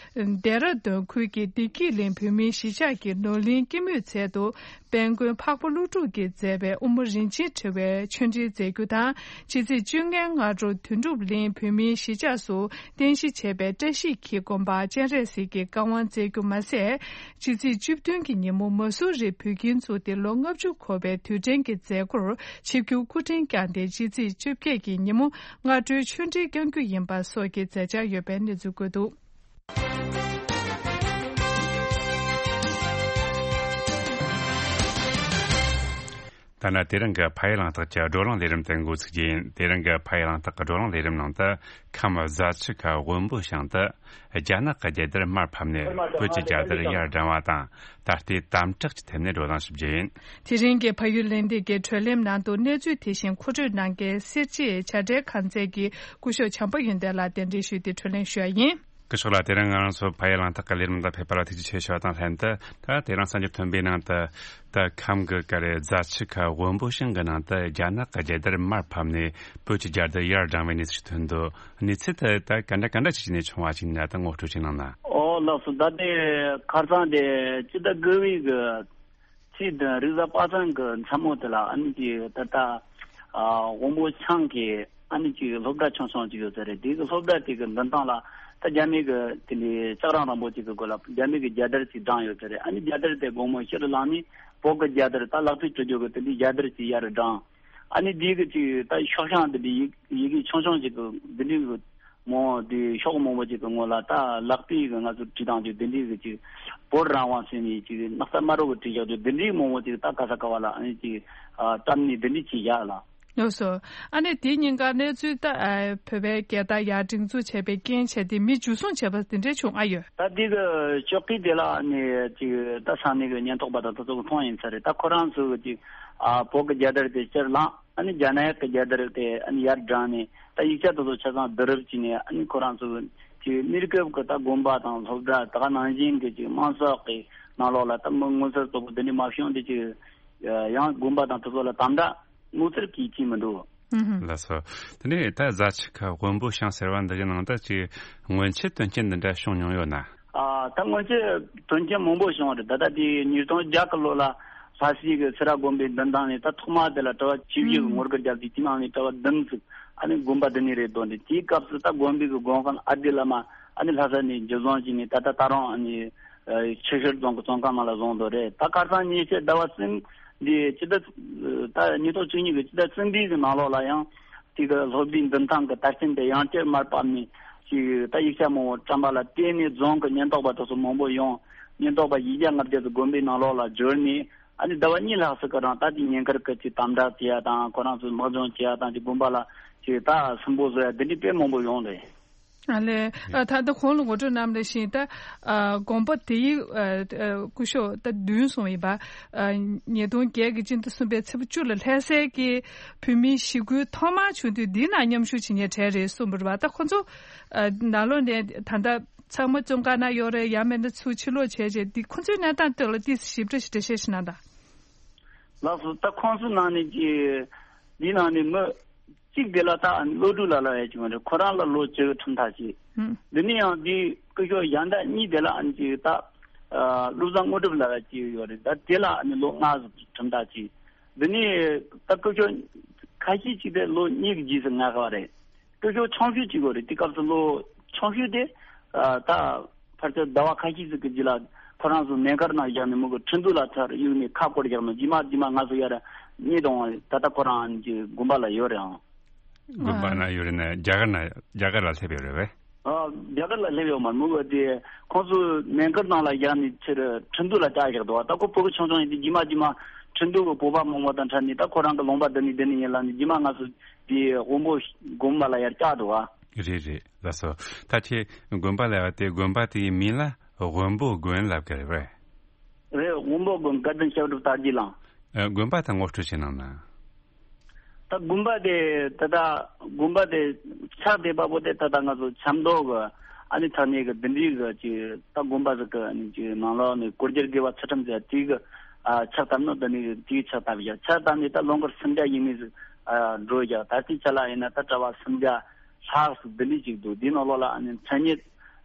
ལྡེ་ར་ལྡུན་ཁུལ་གྱི་བདེ་སྐྱིད་གླིང་བོད་མིའི་གཞིས་ཆགས་ཀྱི་ནོར་གླིང་སྐྱེད་མོས་ཚལ་དུ། དཔལ་མགོན་འཕགས་པ་ཀླུ་སྒྲུབ་ཀྱིས་མཛད་པའི་དབུ་མ་རིན་ཆེན་ཕྲེང་བའི་ཆོས་འབྲེལ་མཛད་རྒྱུ་དང་། ཕྱི་ཚེས་བཅོ་ལྔའི་སྔ་དྲོ་དོན་གྲུབ་གླིང་བོད་མིའི་གཞིས་ཆགས་སུ་རྟེན་གཞི་བྱས་པའི་བཀྲ་ཤིས་འཁྱིལ་དགོན་པར་སྤྱན་རས་གཟིགས་ཀྱི་བཀའ་དབང་སྩལ་རྒྱུ་མ་ཟད། ཕྱི་ཚེས་བཅུ་བདུན་གྱི་ཉིན་མོ་མ་སུ་རི་བོད་ཁྱིམ་བཙུགས་ཏེ་ལོ་ལྔ་བཅུ་འཁོར་བའི་དུས་དྲན་གྱི་མཛད་སྒོར་ཆིབས་བསྒྱུར་སྐུ་ཕྲེང་བསྐྱངས་ཏེ། ཕྱི་ཚེས་བཅོ་བརྒྱད་ཀྱི་ཉིན་མོ་སྔ་དྲོའི་ཆོས་འབྲེལ་བསྐྱང་རྒྱུ་ཡིན་པ་སོགས་ཀྱི་མཛད་འཆར་ཡོད་པའི་གནས་ཚུལ་བཀོད་འདུག་ད་ནི་དེ་རིང་གི་ཕ་ཡུལ་གླེང་སྟེགས་ཀྱི་བགྲོ་གླེང་ལས་རིམ་དེ་འགོ་ཚུགས་རྒྱུ་ཡིན། དེ་རིང་གི་ཕ་ཡུལ་གླེང་སྟེགས་ཀྱི་བགྲོ་གླེང་ལས་རིམ་ནང་དུ། ཁམས་རྫ་ཆུ་ཁ་དབོན་པོ་ཞང་དུ་རྒྱ་ནག་གི་རྒྱལ་དར་མར་ཕབ་ནས་བོད་ཀྱི་རྒྱལ་དར་ཡར་བསྒྲེངས་བ་དང་། ད་ལྟའི་དམ་དྲག་གི་ཐད་ནས་བགྲོ་གླེང་ཞིག་བྱས་ཡིན། དེ་རིང་གི་ཕ་ཡུལ་གླེང་སྟེགས་ཀྱི་བགྲོ་གླེང་ནང་དུ་གནས་ཚུལ་དེ་བཞིན་མཁོ་སྤྲོད་གནང་མཁན་སེར་བྱེས་བྱ་བྲལ་ཁང་ཚན་གྱི་སྐུ་ཞབས་བྱམས་པ་ཡོན་ཏན་ལགས་གདན་འདྲེན་ཞུས་ཏེ་བགྲོ་གླེང་ཞུ་བ་ཡིན། སྐུ་ཞབས་ལགས། དེ་རིང་ང་རང་ཚོ་ཕ་ཡུལ་གླེང་སྟེགས་ཀྱི་ལས་རིམ་དང་ཕེབས་པ་ལ་ཐུགས་རྗེ་ཆེ་ཞུ་བ་དང་ལྷན་དུ། ད་དེ་རིང་གསར་འགྱུར་ཐོན་པའི་ནང་དུ། ད་ཁམས་ཀྱི་ག་རེ་རྫ་ཆུ་ཁ་དབོན་པོ་ཞང་གི་ནང་དུ་རྒྱ་ནག་གི་རྒྱལ་དར་མར་ཕབ་ནས་བོད་ཀྱི་རྒྱལ་དར་ཡར་བསྒྲེངས་པའི་གནས་ཚུལ་ཞིག་ཐོན་འདུག་གནས་ཚུལ་དེ་ད་ག་འདྲ་ག་འདྲ་ཅིག་ནས་བྱུང་བ་ཞིག་ཡིན་ན། ད་ངོ་སྤྲོད་ཅིག་གནང་ན། ཨོ་ལགས་སོ། ད་དེ་ཁ་སང་དེ་སྤྱི་ཟླ་དགུ་པའི་གི་ཚེས་བདུན་རེས་གཟའ་པ་སངས་གི་མཚན་མོ་དེ་ལ། ཨ་ནི་ཅིག་ད་ལྟ་ཨ་དབོན་པོ་ཞང་གི་ཨ་ནི་ཅིག་སློབ་གྲྭ་ཆུང་ཆུང་ཅིག་ཡོད་ས་རེད། དེ་གི་སློབ་གྲྭ་དེ་གི་མདུན་ཐང་ལ་ད་རྒྱ་མི་གི་དེ་ལས་ལྕགས་རིང་རིང་པོ་ཅིག་གི་སྒོ་ལ་རྒྱ་མི་གི་རྒྱལ་དར་ཅིག་བསྒྲེངས་ཡོད་ས་རེད། ཨ་ནི་རྒྱལ་དར་དེ་དགོང་མོ་ཕྱི་རུ་ལངས་ནས་བོད་གི་རྒྱལ་དར་ད་ལག་བསྟར་བྱེད་རྒྱུ་གི་དེ་འདྲའི་རྒྱལ་དར་ཅིག་ཡར་བསྒྲེངས། ཨ་ནི་དེ་གི་ཅིག་ད་ཤོག་བྱང་དེ་འདྲའི་ཡི་ཡི་གེ་ཆུང་ཆུང་ཅིག་གི་དེ་འདྲའི་གི་མོ་དེ་ཤོག་མང་པོ་ཅིག་གི་ངོ་ལ་ད་ལག་པས་གི་ང་ཚོ་བྲིས་བཏང་རྒྱུ་དེ་འདྲའི་གི་ཅིག་བོད་རང་དབང་ཟེར་ནས་ཅིག་སྣག་ཚ་དམར་པོ་གི་བྲིས་བཞག་རྒྱུ་དེ་འདྲའི་མང་པོ་ཅིག་ད་ག་ས་ག་བ་ལ་ཨ་ནི་ཅིག་ཨ་བཀྲམ་ནས་དེ་འདྲའི་བྱས་བཞག་ལ། ལགས་སོ། ཨ་ནི་དེ་ཉིན་ཀ་གནས་ཚུལ་ད་ཨ་བོད་པའི་རྒྱལ་དར་ཡར་སྒྲེང་འཛུགས་བྱས་པའི་རྐྱེན་བྱས་ཏེ་མི་འཇུ་བཟུང་བྱས་པ་དེ་འདྲའི་བྱུང་ཨ་ཡོད། ད་དེ་གི་ཞོགས་ཀས་དེ་ལ་ནི་ཅིག་ད་ས་གནས་གི་ཉེན་རྟོག་པ་དང་དེ་ཚོ་གི་མཐོང་ཡིན་ས་རེད། ད་ཁོ་རང་ཚོ་གི་ཅིག་ཨ་བོད་གི་རྒྱལ་དར་དེ་ཕྱིར་བླངས། ཨ་ནི་རྒྱ་ནག་གི་རྒྱལ་དར་དེ་ཨ་ནི་ཡར་བསྒྲེངས་ནས་ད་ཡིག་ཆ་དེ་ཚོ་ཆ་ཚང་བསྡུ་རུབ་བྱས་ནས། ཨ་ནི་ཁོ་རང་ཚོ་གི་ཅིག་གནས་སྐབས་གི་ད་དགོན་པ་དང་སློབ་གྲྭ་དེ་ག་ནང་བཞིན་གི་ཅིག་དམངས་གསོག་གི་ནང་ལོགས་ལ་ད་མི་ངོ་སོ་དེ་ཚོ་འདི་འདྲའི་མ་བྱུང་དེ་ཅིག་ཡང་དགོན་པ་དང་དེ་ཚོ་ལ་དམ་དྲག་ངོ་མཚར་གྱིས་ཅི་མི་འདུག་ཨུ་ཧུ། ལགས་སོ། དེ་ནས་ད་རྫ་ཆུ་ཁ་དབོན་པོ་ཞང་ཟེར་བ་འདི་གི་ནང་དུ་ཅིག་སྔོན་ཆད་དོན་རྐྱེན་འདི་འདྲ་བྱུང་མྱོང་ཡོད་ན། ཨ་ད་སྔོན་ཆད་དོན་རྐྱེན་མང་པོ་བྱུང་བ་རེད། ད་ལྟ་དེ་ཉིས་སྟོང་བརྒྱད་གི་ལོ་ལ་ལྷ་སའི་གི་སེ་ར་དགོན་པའི་མདུན་ཐང་ནས་ད་ཐོག་མ་དེ་ལ་གྲྭ་པ་བཅུ་བཞི་གི་ངོ་རྒོལ་བརྒྱབ་དུས་དེའི་ནང་ནས་གྲྭ་པ་བདུན་ཙམ་ཨ་ནི་དགོན་པ་འདི་ནས་རེད་འདུག་འདི་དེའི་སྐབས་སུ་ད་དགོན་པའི་གི་དགོན་དཔོན་ཨ་ཏི་བླ་མ་ཨ་ནི་ལྷ་ས་ནས་འཇུ་བཟུང་བྱས་ནས་ད་ལྟ་ད་རུང་ཨ་ནི་ཆུ་ཤུར་རྫོང་གི་བཙོན་ཁང་ནང་ལ་བཟུང་འདུག་རེད། ད་ཁ་སང་ཉེ་ཆར་ཟླ་བ་གསུམ་འདི་སྤྱི་ཟླ་ད་ཉིས་སྟོང་བཅུ་གཉིས་ཀྱི་སྤྱི་ཟླ་གསུམ་པའི་གི་ནང་ལོགས་ལ་ཡང་དེ་གི་སློབ་གྲྭའི་མདུན་ཐང་གི་དར་ཆེན་དེ་ཡང་བསྐྱར་མར་ཕབ་ནས་ཅིག་ད་ཡིག་ཆ་མང་པོ་བཀྲམ་པ་ལ་བརྟེན་ནས་རྫོང་གི་ཉེན་རྟོག་པ་དེ་ཚོ་མང་པོ་ཡོང་། ཉེན་རྟོག་པ་བཞི་བརྒྱ་ལྔ་བརྒྱ་ཙམ་དགོན་པའི་ནང་ལོགས་ལ་འབྱོར་ནས་ ཨ་ནི་ཟླ་བ་གཉིས་ལྷག་ཙམ་གི་རིང་ད་དེ་ཉེན་ཁར་གི་ཅིག་དམ་དྲག་བྱེད་ཡ་དང་ཁོ་རང་ཚོའི་དམག་སྦྱོང་བྱེད་ཡ་དང་ཅིག་དགོན་པ་ལ་ཅིག་ད་སུན་པོ་བཟོ་ཡ་དེ་འདྲའི་དཔེ་མང་པོ་ཡོང་རེད། ཨ་ལས། ཨ་ད་ལྟ་གོང་ལ་ངོ་སྤྲོད་གནང་བ་ནང་བཞིན་ད་ཨ་དགོན་པ་དེའི་ཨ་ཨ་སྐུ་ཞབས་ད་བདུན་སོང་ཡིན་པ། ཨ་ཉིས་སྟོང་བརྒྱད་ཀྱི་སྤྱི་ཟླ་གསུམ་པའི་ཚེས་པ་བཅུ་ལ་ལྷ་སའི་གི་བོད་མིའི་ཞི་རྒོལ་ཐོག་མར་བྱུང་དུས་འདིའི་ནང་མཉམ་ཞུགས་བྱེད་མཁན་གྲས་རེད་གསུངས་པ་རེད་པ། ད་ཁོ་ཚོ་ཨ་ནང་ལོགས་ནས་ད་ལྟ་ཚང་མ་བཙོན་ཁང་ནང་ཡོད་རེད། ཡང་མིན་ན་ཚུར་ཕྱིར་ལོག་བྱས་རྗེས་འདི་ཁོ་ཚོའི་གནས་སྟངས་ཐད་ལ་ཏོག་ཙམ་ཞིབ་ཕྲ་ཞིག་འགྲེལ་བཤད་ཞིག་གནང་དང་། ལགས་སོ། ད་ཁོང་ཚོའི་ནང་ནས་ཀྱི་འདིའི་ནང་ནས་མི་གཅིག་དེ་ལ་ད་བློ་གྲོས་ལ་ལ་ཡ་ཅིག་མ་རེད། ཁོ་རང་ལ་ལོ་བཅུ་ཁྲིམས་ཐག་བཅད། ཧུམ། འདི་ནས་ཡང་འདིའི་སྐུ་ཞབས་གཞན་དག་གཉིས་དེ་ལ་ཨ་ནི་ཅིག་ད་ཨ་བློ་བཟང་དངོས་གྲུབ་ལ་ཡ་ཅིག་ཡོད་རེད། ད་དེ་ལ་ཨ་ནི་ལོ་ལྔ་ཙམ་ཁྲིམས་ཐག་བཅད། འདི་ནས་ད་སྐུ་ཞབས་ཁ་ཤས་ཅིག་དེ་ལོ་གཉིས་ཀྱི་རྗེས་སུ་ལྔ་ག་བ་རེད། སྐུ་ཞབས་ཆུང་ཤོས་གཅིག་པོ་རེད། དེ་སྐབས་སུ་ལོ་ཆུང་ཤོས་དེ་ཨ་ད་ཕལ་ཆེར་ཟླ་བ་ཁ་ཤས་ཤིག་གི་རྗེས་ལ་ཁོ་རང་ཚོ་མེ་མཁར་ནང་བཞག་ནས་མོ་གི་ཁྲིན་ཏུའུ་ལ་ཚུར་གཡུགས་ནས་ཁ་བསྐོར་བཞག་ནས་རྗེས་མ་རྗེས་མ་ང་ཚོ་ཡར་རྙེད་བཏང་བ་ད་ལྟ་ཁོ་རང་གི་དགོན་པ་ལ་ཡོད་རེད་ཨང་། དགོན་པ་ན་ཡོད་རེད་ན་རྒྱ་གར་ན་རྒྱ་གར་ལ་སླེབས་ཡོད་རེད་པས། ཨ་རྒྱ་གར་ལ་སླེབས་ཡོད་མ་རེད། མོ་གི་དེ་ཁོང་ཚོ་མེ་མཁར་ནང་ལ་བཞག་ནས་ཕྱིར་ཁྲིན་ཏུའུ་ལ་བཅར་བཞག་འདུག་ད་ཁོ་ཕྲུ་གུ་ཆུང་ཆུང་ཡིན་དུས་རྗེས་མ་རྗེས་མ་ཁྲིན་ཏུའུ་གི་བོད་པ་མང་པོ་དང་འཕྲད་ནས་ད་ཁོ་རང་གི་ལུང་པ་འདི་ནས་འདི་ནས་ཡིན་ལབ་ནས་རྗེས་མ་ང་ཚོ་དེའི་དབོན་པོ་དགོན་པ་ལ་ཡར་བཅར་འདུག་ཨ། རེད་རེད། ལགས་སོ། ད་ཁྱེད་དགོན་པ་ལ་ཡར་དེ་དགོན་པ་དེའི་མིང་ལ་དབོན་པོ་དགོན་ལབ་ཀྱི་རེད་པས། རེད། དབོན་པོ་དགོན་དགའ་ལྡན་སྐྱབས་འགྲོ་དར་རྒྱས་གླིང་། ཨ་དགོན་པ་དང་ངོ་སྤྲོད་བྱེད་གནང་ན། ད་དགོན་པ་དེ་ད་ལྟ་དགོན་པ་དེ་ཆགས་བསྡད་པ་པོ་དེ་ད་ལྟ་ང་ཚོ་ཆབ་མདོ་གི་ཨ་ནི་ཐག་ཉེ་གི་འདི་འདྲའི་གི་ཅིག་ད་དགོན་པ་ཟིག་གི་ཨ་ནི་ཅིག་ནང་ལོགས་ནས་སྒོ་རྒྱལ་དགེ་བ་ཚུལ་ཁྲིམས་ཟེར་དེའི་གི་ཨ་ཕྱག་བཏབ་ནོ་འདི་ནས་དེའི་ཕྱག་བཏབ་བཞག་ཕྱག་བཏབ་ནས་ད་ལོ་འཁོར་སུམ་བརྒྱ་ཡས་མས་ཟིག་ཨ་འགྲོ་བཞག་ད་ལྟའི་ཆ་ལ་ཡིན་ན་ད་གྲྭ་པ་སུམ་བརྒྱ་ལྷག་ཟིག་འདི་འདྲའི་ཅིག་འདུག་འདིའི་ནང་ལོགས་ལ་ཨ་ནི་མཚན་ཉིད་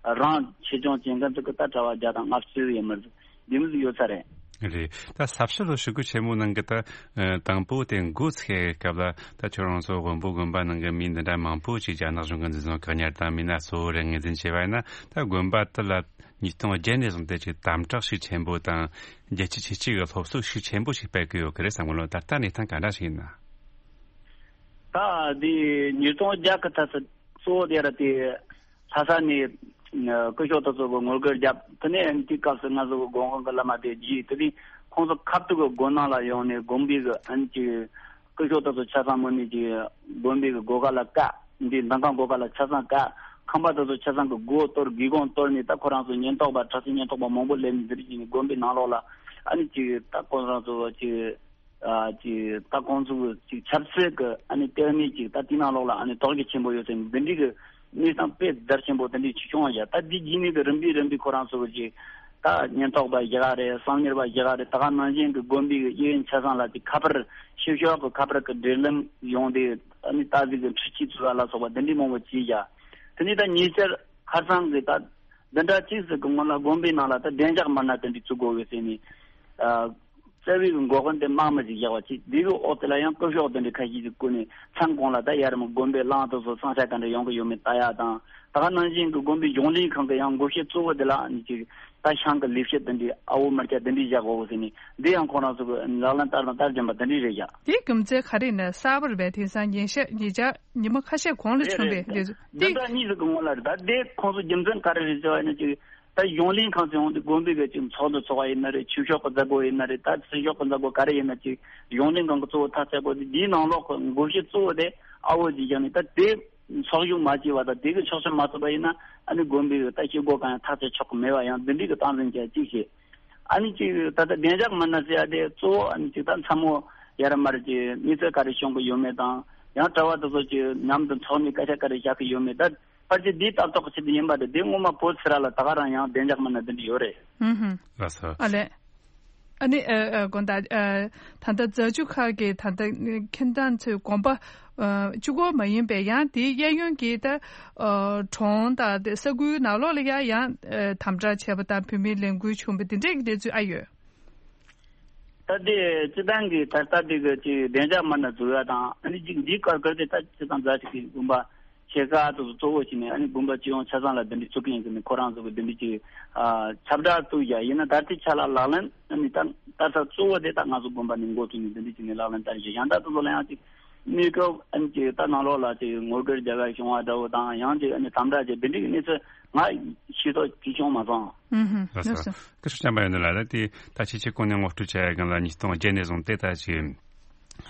རང་ཆེད་སྦྱོང་བྱེད་མཁན་ཚོ་གི་ད་གྲྭ་པ་བརྒྱ་དང་ལྔ་བཅུ་ཡས་མས་ཟིག་འདི་མོ་ཟིག་ཡོད་ས་རེད། རེད། ད་ས་བྱི་ལོ་ཞི་རྒོལ་ཆེན་མོ་ནང་གི་ད་ཨ་དང་པོ་དེ་འགོ་ཚུགས་སྐབས་ལ་ད་ཁྱོད་རང་ཚོ་དབོན་པོ་དགོན་པ་ནང་གི་མི་འདི་འདྲ་མང་པོ་ཅིག་རྒྱ་ནག་གཞུང་གི་འཛིན་བཟུང་བཀག་ཉར་དང་མི་སྣ་གཙོ་བོ་རེ་ངོས་འཛིན་བྱས་པ་ཡིན་ན། ད་དགོན་པ་དེ་ལ་ཉིས་སྟོང་བརྒྱད་ནས་བཟུང་སྟེ་ཅིག་དམ་དྲག་ཤུགས་ཆེན་པོ་དང་རྒྱལ་སྤྱི་ཆོས་སྤྱི་གི་སློབ་གསོ་ཤུགས་ཆེན་པོ་ཞིག་སྤེལ་གི་ཡོད་གི་རེད་བསམ་གི་ལོ། ད་ལྟ་གནས་སྟངས་ག་འདྲ་ཞིག་ཡིན་ན། ད་འདི་ཉིས་སྟོང་བརྒྱད་གི་ད་ཚོ་གཙོ་བོ་དེ་ར་དེ་ལྷ་ས་ནས་སྐུ་ཞབས་དེ་ཚོ་གི་ངོ་རྒོལ་བརྒྱབ། དེ་ནས་དེའི་སྐབས་སུ་ང་ཚོ་གི་དགོན་ཁང་གི་བླ་མ་དེ་རྗེས་དེ་དུས་ཁོང་ཚོ་ཁ་ཐུག་གི་དགོན་ནང་ལ་ཡོང་ནས་དགོན་པའི་གི་ཨ་ནི་ཅིག་སྐུ་ཞབས་དེ་ཚོ་ཆ་ཚང་མོ་ནས་ཀྱི་དགོན་པའི་གི་སྒོ་ཁ་ལ་བཀག་འདི་མདུན་ཁང་སྒོ་ཁ་ལ་ཆ་ཚང་བཀག་ཁང་པ་དེ་ཚོ་ཆ་ཚང་གི་སྒོ་གཏོར་སྒེའུ་ཁུང་གཏོར་ནས་ད་ཁོ་རང་ཚོ་ཉེན་རྟོག་པ་དྲག་ཤོས་ཉེན་རྟོག་པ་མང་པོ་སླེབས་ནས་འདིར་ཅིག་ནས་དགོན་པའི་ནང་ལོགས་ལ་ཨ་ནི་ཅིག་ད་ཁོ་རང་ཚོ་ཅིག་ཨ་ཅིག་ད་ཁོང་ཚོ་ཅིག་ཆབ་སྲིད་ཀྱི་ཨ་ནི་ལྟེ་གནས་ཅིག་ད་དེ་ནང་ལོགས་ལ་ཨ་ནི་དོགས་གཞི་ཆེན་པོ་ཡོད་ཟེར་ནས་འདི་འདྲའི་གི་གནས་སྟངས་དཔེ་རྒྱ་ཆེན་པོ་དེ་འདྲའི་ཅིག་བྱུང་བ་ཡ། ད་འདི་རྗེས་ནས་གི་རིམ་པས་རིམ་པས་ཁོ་རང་ཚོ་གི་ཅིག་ད་ཉེན་རྟོག་པ་བཞག་རེད། གསང་ཉུལ་བ་བཞག་རེད། ད་ག་ནང་བཞིན་གི་དགོན་པའི་གི་གཡས་གཡོན་ཆ་ཚང་ལ་ཅིག་ཁ་པར་ཕྱི་ཕྱོགས་གི་ཁ་པར་གི་འབྲེལ་ལམ་ཡོང་དེ་ཨ་ནི་ད་གཟིག་གི་འཕྲུལ་ཆས་བཙུགས་པ་ལ་སོགས་པ་འདི་འདྲའི་མང་པོ་བྱས་ཡ། དེ་ནས་ད་ཉེ་ཆར་ཁ་སང་གི་ད་འདི་འདྲ་ཅིག་ཟིག་གི་སྔོན་ལ་དགོན་པའི་ནང་ལ་ད་བདེ་འཇགས་མི་སྣ་དེ་འདྲ་བཙུགས་དགོས་ཡོད་ཟེར་ནས་ཨ། རྩ་བའི་གི་འགོག་མཁན་དེ་དམག་མི་ཞིག་བཞག་པ་ཅིག་འདི་གི་འོག་དེ་ལ་ཡང་སྐུ་ཞབས་དེ་འདྲ་ཁ་ཤས་ཤིག་བསྐོས་ནས་མཚམས་གང་ལ་ད་ཡར་མི་དགོན་པའི་གླང་དེ་ཚོ་བསང་ཆ་ག་འདྲ་ཡོང་གི་ཡོད་མེད་ལྟ་ཡ་དང་། ད་ག་ནང་བཞིན་གི་དགོན་པའི་གཞུང་ལས་ཁང་གི་ཡང་འགོ་བཤེར་གཙོ་བོ་དེ་ལ་ཨ་ནི་ཅིག་ད་ཤང་གི་ལས་བྱེད་དེ་འདྲའི་ཨ་བོ་མི་སྐྱ་དེ་འདྲའི་བཞག་དགོས་ཟེར་ནས་འདི་ཡང་ཁོང་རང་ཚོ་གི་ལག་ལེན་བསྟར་དང་བསྟར་བཞིན་པ་དེ་འདྲའི་རེད་བཞག་དེའི་རྒྱུ་མཚན་ག་རེ་ཡིན་ན་གསར་པ་རེད་པས། དེང་སང་ཉིན་ཤས་ཉིན་ཆ་ཉི་མ་ཁ་ཤས་གོང་ལ་རེད་བྱུང་རེད་བའི་རེད། གནས་ཚུལ་འདི་འདྲ་གཉིས་ཟིག་གི་སྔོན་ལ་རེད། ད་དེ་ཁོང་ཚོ་རྒྱུ་མཚན་ག་རེ་རེད་ཟེར་བ་ཡིན་ན་ཅིག་ད་གཞུང་ལས་ཁང་ཚོ་ཡོང་དུས་དགོན་པའི་གི་ཅིག་ཚོགས་འདུ་ཚོགས་པ་ཡིན་ན་རེད། ཆོས་ཕྱོགས་ཀྱི་མཛད་སྒོ་ཡིན་ན་རེད། ད་ཚེ་ཕྱོགས་ཀྱི་མཛད་སྒོ་ག་རེ་ཡིན་ན་ཅིག་གཞུང་ལས་ཁང་གི་གཙོ་བོ་ཐག་བཅད་དགོས་དུས་འདིའི་ནང་ལོགས་ཀྱི་འགོ་བཤེར་གཙོ་བོ་དེ་ཨ་བོ་ཅིག་བཞག་ནས་ད་དེ་ཚོགས་ཞུགས་མ་བྱས་པ་དང་དེ་གི་ཆོག་མཆན་མ་ཐོབ་པ་ཡིན་ན་ཨ་ནི་དགོན་པའི་གི་ད་བྱེད་སྒོ་གང་ཡང་ཐག་བཅད་ཆོག་གི་མེད་པ་ཡང་འདི་འདྲའི་གི་སྟངས་འཛིན་བྱས་ཅིག་བྱས། ཨ་ནི་ཅིག་ད་ལྟ་བདེ་འཇགས་མི་སྣ་ཟེར་ཡ་དེ་གཙོ་བོ་ཨ་ནི་ཅིག་ད་མཚན་མོ་ཡར་མར་གྱི་གནས་ཚུལ་ག་རེ་བྱུང་གི་ཡོད་མེད་དང་ཡང་གྲྭ་པ་དེ་ཚོ་ཅིག་མཉམ་དུ་འཚོགས་ནས་སྐད་ཆ་ག་རེ་བཤད་གི་ཡོད་མེད། ད་ཕལ་ཆེར་འདིའི་ལྟ་རྟོག་གི་ཆེད་དུ་ཡིན་པ་དེ་དེ་སྔོན་མ་བོད་སེ་ར་ལ་ད་ག་རང་ཡང་བདེ་འཇགས་མི་སྣ་འདི་འདྲ་ཡོད་རེད། ཧུམ་ཧུམ། ལགས་སོ། ཨ་ལས། ཨ་ནི་ཨ་ཨ་དགོན་བདག་ཨ་ད་ལྟ་རྫ་ཆུ་ཁ་གི་ད་ལྟ་ཁྱིམ་ཚང་ཚོའི་དགོན་པ་ཨ་གཅིག་པོ་མ་ཡིན་པའི་ཡང་དེའི་གཡས་གཡོན་གྱི་ད་ཨ་གྲོང་དང་དེ་ས་ཁུལ་ནང་ལོགས་ལ་ཡང་ཡང་ཨ་དམ་དྲག་བྱས་པ་དང་བོད་མིའི་ལས་འགུལ་བྱུང་བ་དེ་འདྲས་ཀྱི་གནས་ཚུལ་ཨ་ཡོད། ད་ལྟའི་སྤྱི་བཏང་གི་ད་ལྟ་འདི་གི་ཅིག་བདེ་འཇགས་མི་སྣ་འཛུལ་ཡ་དང་ཨ་ནི་ཅིག་འདིའི་སྐོར་སྐོར་དེ་ད་སྤྱི་བཏང་རྫ་ཆུ་གི་དགོན་པ་ཆེ་ཁག་དེ་ཚོ་གཙོ་བོ་བྱས་ནས་ཨ་ནི་དགོན་པ་སྤྱི་ཡོངས་ཆ་ཚང་ལ་འདི་འདྲའི་བཙུགས་མཁན་ཟེར་ནས་ཁོ་རང་ཚོ་གི་འདི་འདྲའི་ཅིག་ཨ་ཁྱབ་བསྒྲགས་བཙུགས་ཡ་ཡིན་ན་ད་ལྟའི་ཆ་ལ་ལག་ལེན་ཨ་ནི་ད་ལྟ་ས་གཙོ་བོ་དེ་ད་ང་ཚོ་དགོན་པ་ནས་འགོ་བཙུགས་ནས་འདི་འདྲའི་བྱས་ནས་ལག་ལེན་བསྟར་བཞིན་གཞན་དག་དེ་ཚོ་ལ་ཡང་ཅིག་ གནས་སྐབས་ཨ་ནི་ཅིག་ད་ནང་ལོགས་ལ་ཅིག་ངོ་རྒོལ་རྒྱག་ག་བྱུང་བ་འདྲ་བོ་དང་ཡང་ཅིག་ཨ་ནི་དམ་དྲག་ཅིག་འདི་འདྲའི་གནས་ཚུལ་ང་ཤེས་རྟོགས་ཅིག་བྱུང་མ་སོང་། ཨུ་ཧུམ། ལགས་སོ། ལགས་སོ། སྐུ་ཞབས་བྱམས་པ་ཡོན་ཏན་ལགས། ད་དེ་ད་ཕྱི་ཕྱི་གོང་ནས་ངོ་སྤྲོད་བྱ་ཡ་གང་ལ་ཉིས་སྟོང་བརྒྱད་ནས་བཟུང་སྟེ་ད་ཅིག་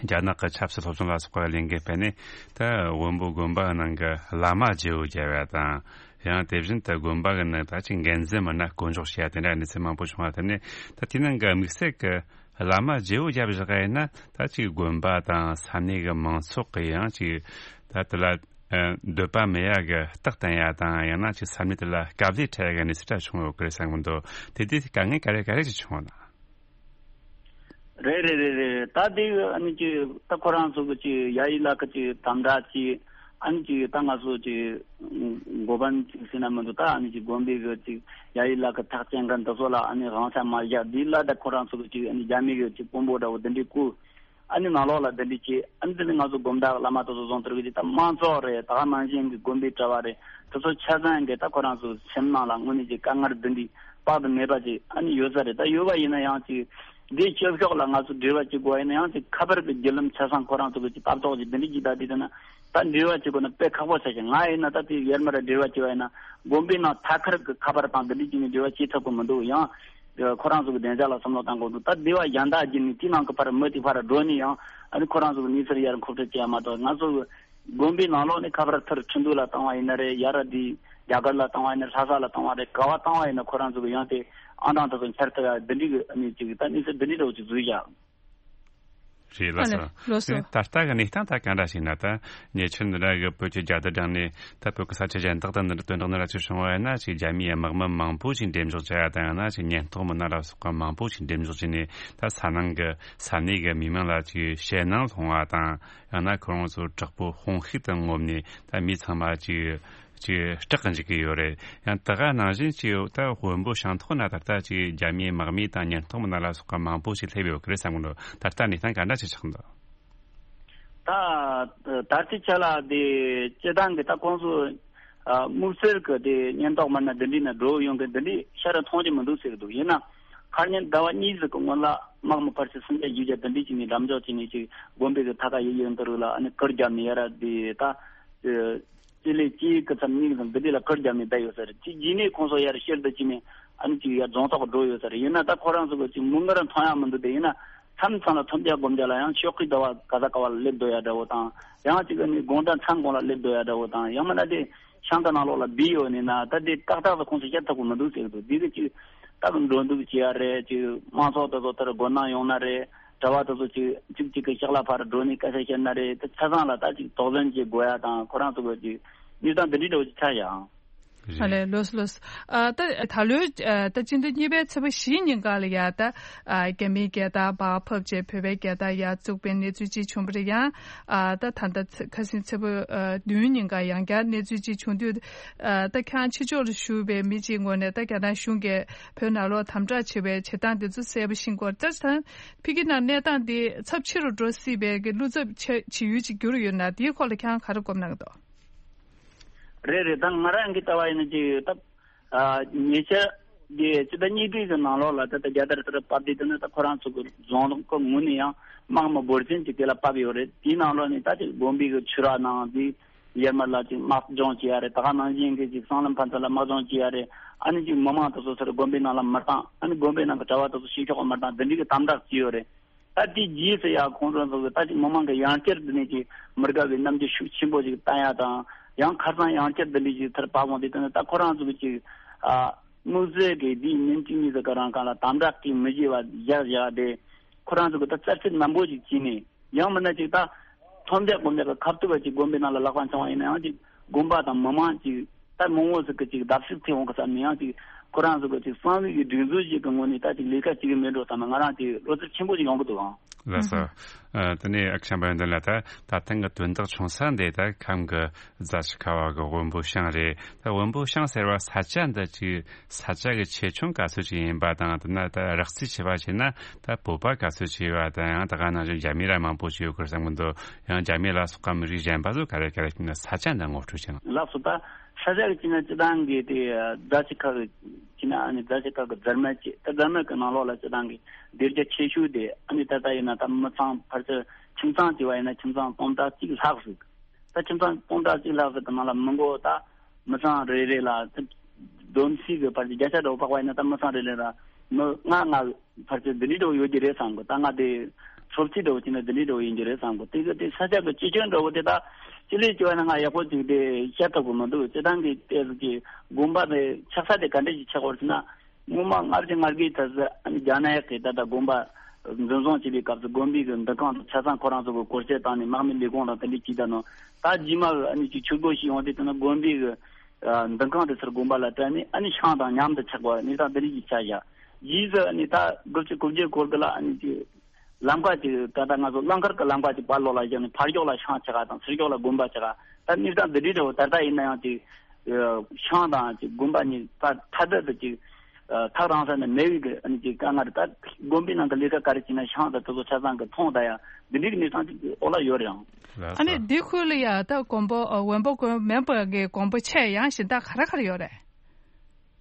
རྒྱ་ནག་གི་ཆབ་སྲིད་སློབ་སྦྱོང་ལ་སོགས་པ་ལས་འགན་སྤེལ་ནས་ད་བོན་པོ་དགོན་པ་ནང་གི་བླ་མ་བརྗེ་བོ་བརྒྱབ་ཡ་དང་། ཡང་དེ་བཞིན་དུ་དགོན་པ་གི་ནང་ད་ཅིག་འགན་འཛིན་མི་སྣ་བསྐོ་འཇོག་བྱས་ཡ་དེ་འདྲ་གནས་ཚུལ་མང་པོ་བྱུང་བ་དེ་ནས་ད་དེའི་ནང་གི་དམིགས་བསལ་གི་བླ་མ་བརྗེ་བོ་བརྒྱབ་བཞག་ཡིན་ན་ད་ཅིག་དགོན་པ་དང་ས་གནས་གི་མང་ཚོགས་གི་ཡང་ཅིག་ད་དེ་ལ་ཨ་འདོད་པ་མེད་ཡ་གི་རྟགས་བསྟན་ཡ་དང་ཡང་ན་ཅིག་ས་གནས་དེ་ལ་དཀའ་ལས་འཕྲད་ཡ་གི་གནས་ཚུལ་འདྲ་བྱུང་ཡོད་གི་རེད་བསམ་གི་འདུག་དེ་དུས་དཀའ་ངལ་ག་རེ་ག་རེ་ཅིག་བྱུང་བ་དང་། རེད་རེད་རེད་རེད། ད་དེ་ཨ་ནི་ཅིག་ད་ཁོ་རང་ཚོ་གི་ཅིག་ཡ་ཡི་ལ་ཀ་ཅིག་དམ་དྲག་ཅིག་ཨ་ནི་ཅིག་ད་ང་ཚོ་ཅིག་འགོ་དཔོན་ཅིག་ཟེར་ན་མི་འདུག་ད་ཨ་ནི་ཅིག་དགོན་པའི་གི་ཅིག་ཡ་ཡི་ལ་ཀ་ཐག་བཅད་མཁན་འདི་ཚོ་ལ་ཨ་ནི་དབང་ཆ་མ་བཞག་དེ་ལ་ད་ཁོ་རང་ཚོ་གི་ཅིག་ཨ་ནི་རྒྱ་མི་གི་ཅིག་དཔོན་པོ་འདྲ་བོ་འདི་འདྲའི་བསྐོས། ཨ་ནི་ནང་ལོགས་ལ་འདི་འདྲ་བྱས། ཨ་ནི་འདི་ནི་ང་ཚོ་དགོན་བདག་བླ་མ་དེ་ཚོ་བཟུང་དུར་གི་ཅིག་ད་དམངས་གཙོ་རེད། ད་ག་ནང་བཞིན་གྱི་དགོན་པའི་གྲྭ་བ་རེད། དེ་ཚོ་ཆ་ཚང་གི་ད་ཁོ་རང་ཚོ་སེམས་ནང་ལ་དངོས་གནས་ཀྱི་དཀའ་ངལ་འདི་འདྲ་དཔག་ཏུ་མེད་པ་ཅིག་ཨ་ནི་ཡོད་ས་རེད། ད་ཡོད་པ་ཡིན་ན་ཡང་ཅིག་འདིའི་སྤྱི་ཚོགས་ལ་ང་ཚོ་འབྲེལ་བ་བྱེད་དགོས་པ་ཡིན་ན་ཡང་ཅིག་ཁ་པར་གྱི་བརྒྱུད་ལམ་ཆ་ཚང་ཁོ་རང་ཚོ་གི་ཅིག་ལྟ་རྟོག་ཅིག་འདི་འདྲ་ཅིག་ད་འདི་དེ་ན་ད་འབྲེལ་བ་བྱེད་དགོས་ན་དཔེ་ཁག་པོ་ཆགས་ཤིང་། ང་ཡིན་ན་ད་དེ་ཡར་མར་འབྲེལ་བ་བྱེད་པ་ཡིན་ན་དགོན་པའི་ནང་ཐད་ཀར་གྱི་ཁ་པར་དང་འདི་འདྲ་ཅིག་ནས་འབྲེལ་བ་བྱེད་ཐུབ་ཀྱི་མི་འདུག་ཡང་། ཁོ་རང་ཚོ་གི་བདེ་འཇགས་ལ་བསམ་བློ་བཏང་དགོས་འདུག་ད་སྡེ་བ་གཞན་དག་བརྒྱུད་ནས་དེའི་ནང་གི་ཕར་མི་དེ་ཕར་འགྲོ་ནས་ཡང་ཨ་ནི་ཁོ་རང་ཚོ་གི་གནས་ཚུལ་ཡར་མཁོ་སྤྲོད་བྱེད་ཡ་མ་གཏོགས། ང་ཚོ་གི་དགོན་པའི་ནང་ལོགས་ནས་ཁ་པར་ཐུར་ཁྲིན་ཏུའུ་ལ་བཏང་བ་ཡིན་ན་རེད། ཡར་དེ་རྒྱ་གར་ལ་བཏང་བ་ཡིན་ན། ལྷ་ས་ལ་བཏང་བ་རེད། ག་བ་བཏང་བ་ཡིན་ན་ཁོ་རང་ཚོ་གི་ཡང་དེ་ཨང་གྲངས་དེ་ཚོ་འཆར་ཐུབ་ཡ་འདི་འདྲའི་གི་ཨ་ནི་ཅིག་ད་གནས་ཚུལ་འདི་འདྲའི་འདྲ་བོ་ཅིག་བཟོས་བཞག་རེད་ལགས་སོ། ཨ་ལེ་ལགས་སོ། ད་ལྟ་གི་གནས་སྟངས་ད་ག་འདྲ་ཞིག་ན། ད་ཉེ་ཆར་འདི་འདྲ་གི་བོད་ཀྱི་རྒྱལ་དར་བསྒྲེངས་ནས་ད་བོད་ཀྱི་ས་ཆ་གཞན་དག་ཏུ་འདི་འདྲ་དོན་དག་འདི་འདྲ་ཅིག་བྱུང་བ་ཡིན་ན། ཅིག་རྒྱ་མིའི་དམག་མི་མང་པོ་ཞིག་འགྲེམས་འཇོག་བྱ་ཡ་དང་། ཡང་ན་ཅིག་ཉེན་རྟོག་མི་སྣ་ལ་སོགས་པ་མང་པོ་ཞིག་འགྲེམས་འཇོག་བྱས་ནས་ད་ས་ནང་གི་ས་གནས་གི་མི་མང་ལ་ཅིག་ཞེད་སྣང་སློང་བ་དང་། ཡང་ན་ཁོ་རང་ཚོ་དྲག་པོའི་དཔུང་ཤུགས་དང་ངོམ་ནས་ད་མི་ཚང་མ་ཅིག་ཅིག་སྐྲག་གི་འཇུག་གི་ཡོད་རེད། ཡང་དེ་ག་ནང་བཞིན་ཅིག་ད་བོན་པོ་ཤང་ཐོག་ན་ད་ལྟ་ཅིག་རྒྱ་མིའི་དམག་མི་དང་ཉེན་རྟོག་མི་སྣ་ལ་སོགས་པ་མང་པོ་ཞིག་སླེབས་ཡོད་ཀྱི་རེད་བསམ་གི་འདུག་ད་ལྟ་གནས་སྟངས་ག་འདྲ་ཞིག་ཆགས་འདུག་ད་ད་ལྟའི་ཆ་ལ་དེ་སྤྱི་བཏང་གི་ད་ཁོང་ཚོ་ཨ་དམིགས་བསལ་གི་དེ་ཉེན་རྟོག་མི་སྣ་འདི་འདྲའི་ནང་འགྲོ་ཡོང་གི་འདི་འདྲའི་ཤར་ར་མཐོང་རྒྱུ་མི་འདུག་ཟེར་གི་འདུག་ཡིན་ན་ཁ་ཉིན་ཟླ་བ་གཉིས་ཟིག་གི་སྔོན་ལ་དམག་མི་ཕལ་ཆེར་སུམ་བརྒྱ་བཞི་བརྒྱ་འདི་འདྲའི་ཅིག་ནས་འགྲེམས་འཇོག་བྱས་ནས་ཅིག་དགོན་པའི་གི་མཐའ་ཁ་ཡི་ཡོན་དུ་རུ་ལ་ཨ་ནི་གུར་བརྒྱབ་ནས་ཡ་ར་དེ་ད། སྤྱི་ལེ་གཅིག་གི་ཙམ་གཉིས་ཙམ་འདི་འདྲ་ལ་གུར་བརྒྱབ་ནས་བསྡད་ཡོད་ས་རེད། དེ་རྗེས་ནས་ཁོང་ཚོ་ཡར་ཤར་དུ་ཕྱིན་ནས་ཨ་ནི་ཅིག་ཡར་རྫོང་ཐོག་འགྲོ་ཡོད་ས་རེད། ཡིན་ན་ད་ཁོ་རང་ཚོ་གི་ཅིག་མིག་སྔར་མཐོང་ཡ་མི་འདུག་དེ་ཡིན་ན་མཚམས་མཚམས་ལ་ཐོམ་རྒྱག་སྒོམ་རྒྱག་ལ་ཡང་ཕྱོགས་ཀྱི་ཟླ་བ་ག་ས་ག་བ་ལ་སླེབས་སྡོད་ཡ་འདྲ་བོ་དང་། ཡང་ཅིག་ཨ་ནི་དགོང་དག་མཚན་གུང་ལ་སླེབས་སྡོད་ཡ་འདྲ་བོ་དང་། ཡང་མིན་ན་དེ་ཤང་ཀ་ནང་ལོགས་ལ་བསྡད་ཡོད་ནས་ན་ད་དེ་ཏག་ཏག་ཏུ་ཁོང་ཚོ་བཤད་ཐུབ་ཀྱི་མི་འདུག་ཟེར་གི་འདུག་དེ་གི་ཅིག་ད་གི་འགྲོ་འདུག་བྱེད་ཡ་རེད། ཅིག་དམངས་ཚོགས་དེ་ཚོ་དེར་སྒོ་ནང་ཡོང་ན་རེད། གྲྭ་བ་དེ་ཚོ་ཅིག་གཅིག་གཅིག་གི་ཕྱག་ལ་ཕར་འགྲོ་ནས་སྐད་ཆ་བཤད་ན་རེད། ད་ཆ་ཚང་ལ་ད་ཅིག་དོགས་ཟོན་བྱེད་དགོས་ཡ་དང་། ཁོ་རང་ཚོ་གི་ཅིག་གནས་སྟངས་འདི་འདྲའི་འདྲ་བོ་ཅིག་ཆགས་ཡ། ཨ་ལས་ལོས་ལོས། ཨ་ད་ད་ལོའི་ཨ་ད་སྤྱི་ཟླ་གཉིས་པའི་ཚེས་པ་བཞི་ཉིན་ག་ལ་ཡ་ད་ཨ་རྒྱ་མིའི་རྒྱལ་དར་མར་ཕབ་བྱས་བོད་པའི་རྒྱལ་དར་ཡར་བཙུགས་པའི་གནས་ཚུལ་ཅིག་བྱུང་བ་རེད། ཡང་ཨ་ད་ད་ལྟ་ཚེ་ཁ་སང་ཚེས་པ་ཨ་བདུན་ཉིན་ག་ཡང་བསྐྱར་གནས་ཚུལ་ཅིག་བྱུང་དུས། ཨ་ད་ཁྱེད་རང་ཕྱི་ཕྱོགས་ལ་བཞུགས་པའི་མི་གཅིག་ངོས་ནས་ད་རྒྱ་ནག་གཞུང་གིས་བོད་ནང་ལོགས་དམ་དྲག་བྱེད་པའི་བྱེད་སྟངས་འདི་ཚོ་གསལ་པོ་ཤེས་སྐོར་ལྟར་དང་། ཕ་གི་ནང་གནས་སྟངས་འདི་ཚབས་ཆེ་རུ་འགྲོ་སྲིད་པའི་གི་བློ་འཚབ་ཆེ་བྱེད་ཡུལ་ཅིག་གྱུར་ཡོད་ན། དེའི་སྐོར་ལ་ཁྱེད་རང་ག་རེ་དགོངས་གནང་གི་འདུག་རེད་རེད། ད་ང་རང་གི་ལྟ་བ་ཡིན་ན་ཅིག་ད་ཨ་ཉེ་ཆར་གྱི་སྤྱི་ཟླ་གཉིས་པའི་གི་ནང་ལོགས་ལ་ད་ལྟ་རྒྱལ་དར་དེར་ཕབ་དུས་དེ་ནི་ད་ཁོ་རང་ཚོ་གི་རྫོང་གི་ངོས་ནས་ཡང་དམག་མི་འབོར་ཆེན་ཅིག་དེ་ལ་ཕབ་ཡོད་རེད། དེའི་ནང་ལོགས་ནས་ད་ཅིག་དགོན་པའི་གི་ཆོས་ར་ནང་དེ། ཡར་མར་ལ་ཅིག་དམག་སྦྱོང་བྱེད་ཡ་རེད། ད་ག་ནང་བཞིན་གྱི་ཅིག་སྲང་ལམ་ཕན་ཚུན་ལ་དམག་སྦྱོང་བྱེད་ཡ་རེད། ཨ་ནི་ཅིག་མི་མང་དེ་ཚོ་ཚུར་དགོན་པའི་ནང་ལ་མི་བཏང་། ཨ་ནི་དགོན་པའི་ནང་གི་གྲྭ་བ་དེ་ཚོ་ཕྱི་ཕྱོགས་མི་བཏང་། འདི་འདྲའི་གི་དམ་དྲག་བྱས་ཡོད་རེད། ད་དེའི་རྗེས་སུ་ཡ་ཁོང་ཚོ་ཚོ་གི་ད་ཅིག་མི་མང་གི་ཡང་བསྐྱར་འདི་ནས་ཅིག་མི་དགའ་བའི་རྣམ་འགྱུར་ཤུགས་ཆེན་པོ་ཅིག་བསྟན་ཡ་དང་། ཡང་ཁ་སང་ཡང་བསྐྱར་འདི་འདྲའི་ཅིག་ཚུར་ཕབ་འོང་དུས་དེ་ནི་ད་ཁོ་རང་ཚོ་གི་ཅིག་ཨ་དམིགས་བསལ་གྱི་འདིའི་ཉིན་གཅིག་གཉིས་ཙམ་གི་རིང་གང་ལ་དམ་དྲག་གིས་མི་བྱེད་པ་བཞག་བཞག་སྟེ། ཁོ་རང་ཚོ་གི་ད་རྩ་ཚིག་ནན་པོ་ཅིག་བྱས་ནས། ཡང་མིན་ན་ཅིག་ད་མཐོ་འདེགས་སྒོ་འདེགས་ཀྱི་ཁ་ཐུག་པ་ཅིག་དགོན་པའི་ནང་ལ་ལག་པ་འཆང་བ་ཡིན་ན་ཡང་ཅིག་དགོན་པ་དང་མི་མང་ཅིག་ད་མང་བོ་ཟིག་གི་ཅིག་བརྡབ་གསིག་ཐེབས་འོང་གི་བསམ་ནས། ཡང་ཅིག་ཁོ་རང་ཚོ་གི་ཅིག་གསང་བའི་གི་སྒྲིག་འཛུགས་ཤིག་གི་ངོས་ནས་ད་ཅིག་ལས་ཀ་བྱེད་ཀྱི་མེད་འགྲོ་བསམ་ན་ང་རང་ཅིག་བློ་འཚབ་ཆེན་པོ་ཅིག་ཡོང་གི་འདུག་ཨང་། ལགས་སོ། ཨ་དེ་ནས་ཨ་ཁུ་བྱམས་པ་ཡོན་ཏན་ལགས། ད་ད་ཐེངས་གི་དོན་དག་བྱུང་ས་འདི་ད་ཁམས་གི་རྫ་ཆུ་ཁ་བ་གི་བོན་པོ་ཤང་རེད། ད་བོན་པོ་ཤང་ཟེར་བ་ས་ཆ་འདི་ཅིག་ས་ཆ་གི་ཆེ་ཆུང་ག་ཚོད་ཅིག་ཡིན་པ་དང་། དེ་ན་ད་རགས་རྩིས་བྱས་པ་བྱས་ན་ད་བོད་པ་ག་ཚོད་ཅིག་ཡོད་པ་དང་། ཡང་ད་ག་ནང་བཞིན་རྒྱ་མི་ར་མང་པོ་ཅིག་ཡོད་དགོས་བསམ་གི་འདུག་ཡང་རྒྱ་མི་ལ་སོགས་པ་མི་རིགས་གཞན་པ་ཚོ་ག་རེ་ག་རེ་ཡིན་ན། ས་ཆ་འདི་ངོ་སྤྲོད་བྱས་ན། ལགས་སོ། ད་ས་ཆ་གི་ཅིག་ན་སྤྱི་བཏང་གི་དེ་རྫ་ཆུ་ཁ་གི་ཅིག་ན། ཨ་ནི་རྫ་ཆུ་ཁ་གི་རྫ་སྨད་ཅིག་ད་རྫ་སྨད་གི་ནང་ལོགས་ལ་སྤྱི་བཏང་གི་སྡེ་རྒྱ་ཆེ་ཤོས་དེ། ཨ་ནི་ད་ལྟ་ཡིན་ན་ད་མི་ཚང་ཕལ་ཆེར་ ཁྱིམ་ཚང་བྱས་པ་ཡིན་ན་ཁྱིམ་ཚང་སྟོང་ཕྲག་གཅིག་ལྷག་ཟིག་ད་ཁྱིམ་ཚང་སྟོང་ཕྲག་གཅིག་ལྷག་ཟིག་གི་ནང་ལ་མི་མགོ་ད་མི་ཚང་རེ་རེ་ལ་ད་བསྡོམས་ས་གི་བར་གྱི་བརྒྱ་ཆ་འདྲ་བོ་དཔག་པ་ཡིན་ན་ད་མི་ཚང་རེ་རེ་ལ་མི་ལྔ་ལྔ་བར་གྱི་འདི་འདྲའི་འདྲ་བོ་ཡོད་ཀྱི་རེད་བསམ་གི་ད་ང་དེ་སློབ་ཁྲིད་འདྲ་བོ་བྱས་ན་འདི་འདྲའི་འདྲ་བོ་ཡིན་གྱི་རེད་བསམ་གི་དེ་གི་དེ་ས་ཆ་གི་སྤྱི་ཁྱོན་འདྲ་བོ་དེ་ད་སྤྱི་ལེ་བྱས་པ་ན་ང་ཡག་པོ་ཅིག་དེ་བཤད་ཐུབ་གི་མི་འདུག་སྤྱི་བཏང་གི་ལྟས་སུ་གི་དགོན་པ་དེ་ཆགས་ས་དེ་ག་འདྲ་ཞིག་ཆགས་པ་རེད་ཟེར་ན། སྔོན་མ་སྔ་ཕྱི་སྔ་དགེ་ཐ་ས་ཨ་ནི་རྒྱ་ནག་གི་ད་ལྟ་དགོན་པ་འཛིན་བཟུང་བྱས་པའི་སྐབས་སུ་དགོན་པའི་གི་འདུ་ཁང་དང་ཆ་ཚང་ཁོ་རང་ཚོ་གི་བཀོལ་སྤྱོད་བཏང་ནས་དམག་མི་ལས་ཁུངས་དང་དེ་འདྲའི་ཅིག་ད་ནོ། ད་རྗེས་མ་གི་ཨ་ནི་ཅིག་ཆུ་སྒོ་ཞིག་ཡོང་དུས་ད་ནི་དགོན་པའི་གི་འདུ་ཁང་དེ་ཚུར་དགོན་པ་ལ་སྤྲད་ནས་ཨ་ནི་ཤང་དང་མཉམ་དུ་ཆགས་པ་གནས་སྟངས་དེ་འདྲ་ཞིག་ཆགས་བཞག་རྗེས་སུ་ཨ་ནི་ད་དགུ་བཅུ་གོ་བརྒྱད་སྐོར་གི་ལ་ཨ་ནི་ཅིག་ལམ་ཁ་ཅིག་ད་ལྟ་ང་ཚོ་གླང་མཁར་གྱི་ལམ་ཁ་ཅིག་བར་ལོགས་ལ་བཞག་ནས་ཕར་ཕྱོགས་ལ་ཤང་ཆགས་པ་དང་ཚུར་ཕྱོགས་ལ་དགོན་པ་ཆགས་པ་ད་གནས་སྟངས་འདི་འདྲའི་འདྲ་བོ་ད་ལྟ་ཡིན་ན་ཡང་ཅིག་ཤང་དང་ཅིག་དགོན་པ་གཉིས་ད་ཐ་དད་དུ་ཅིག་ཐག་རིང་ས་ནས་མེད་པའི་གི་ཨ་ནི་ཅིག་དཀའ་ངལ་ད་དགོན་པའི་ནང་གི་ལས་ཀ་ག་རེ་བྱས་ན་ཤང་དང་དེ་ཚོ་ཆ་ཚང་གི་མཐོང་ད་ཡང་འདི་འདྲའི་གི་གནས་སྟངས་ཅིག་འོག་ལ་ཡོད་རེད་ཨང་། ལགས་སོ། ཨ་ནི་འདི་ཁུལ་ལ་ཡ་ད་དགོན་པ་ཨ་དབོན་པོ་དགོན་མོན་པ་གི་དགོན་པ་ཆེ་ཡང་གཞན་དག་ག་རེ་ག་རེ་ཡོད་རེད།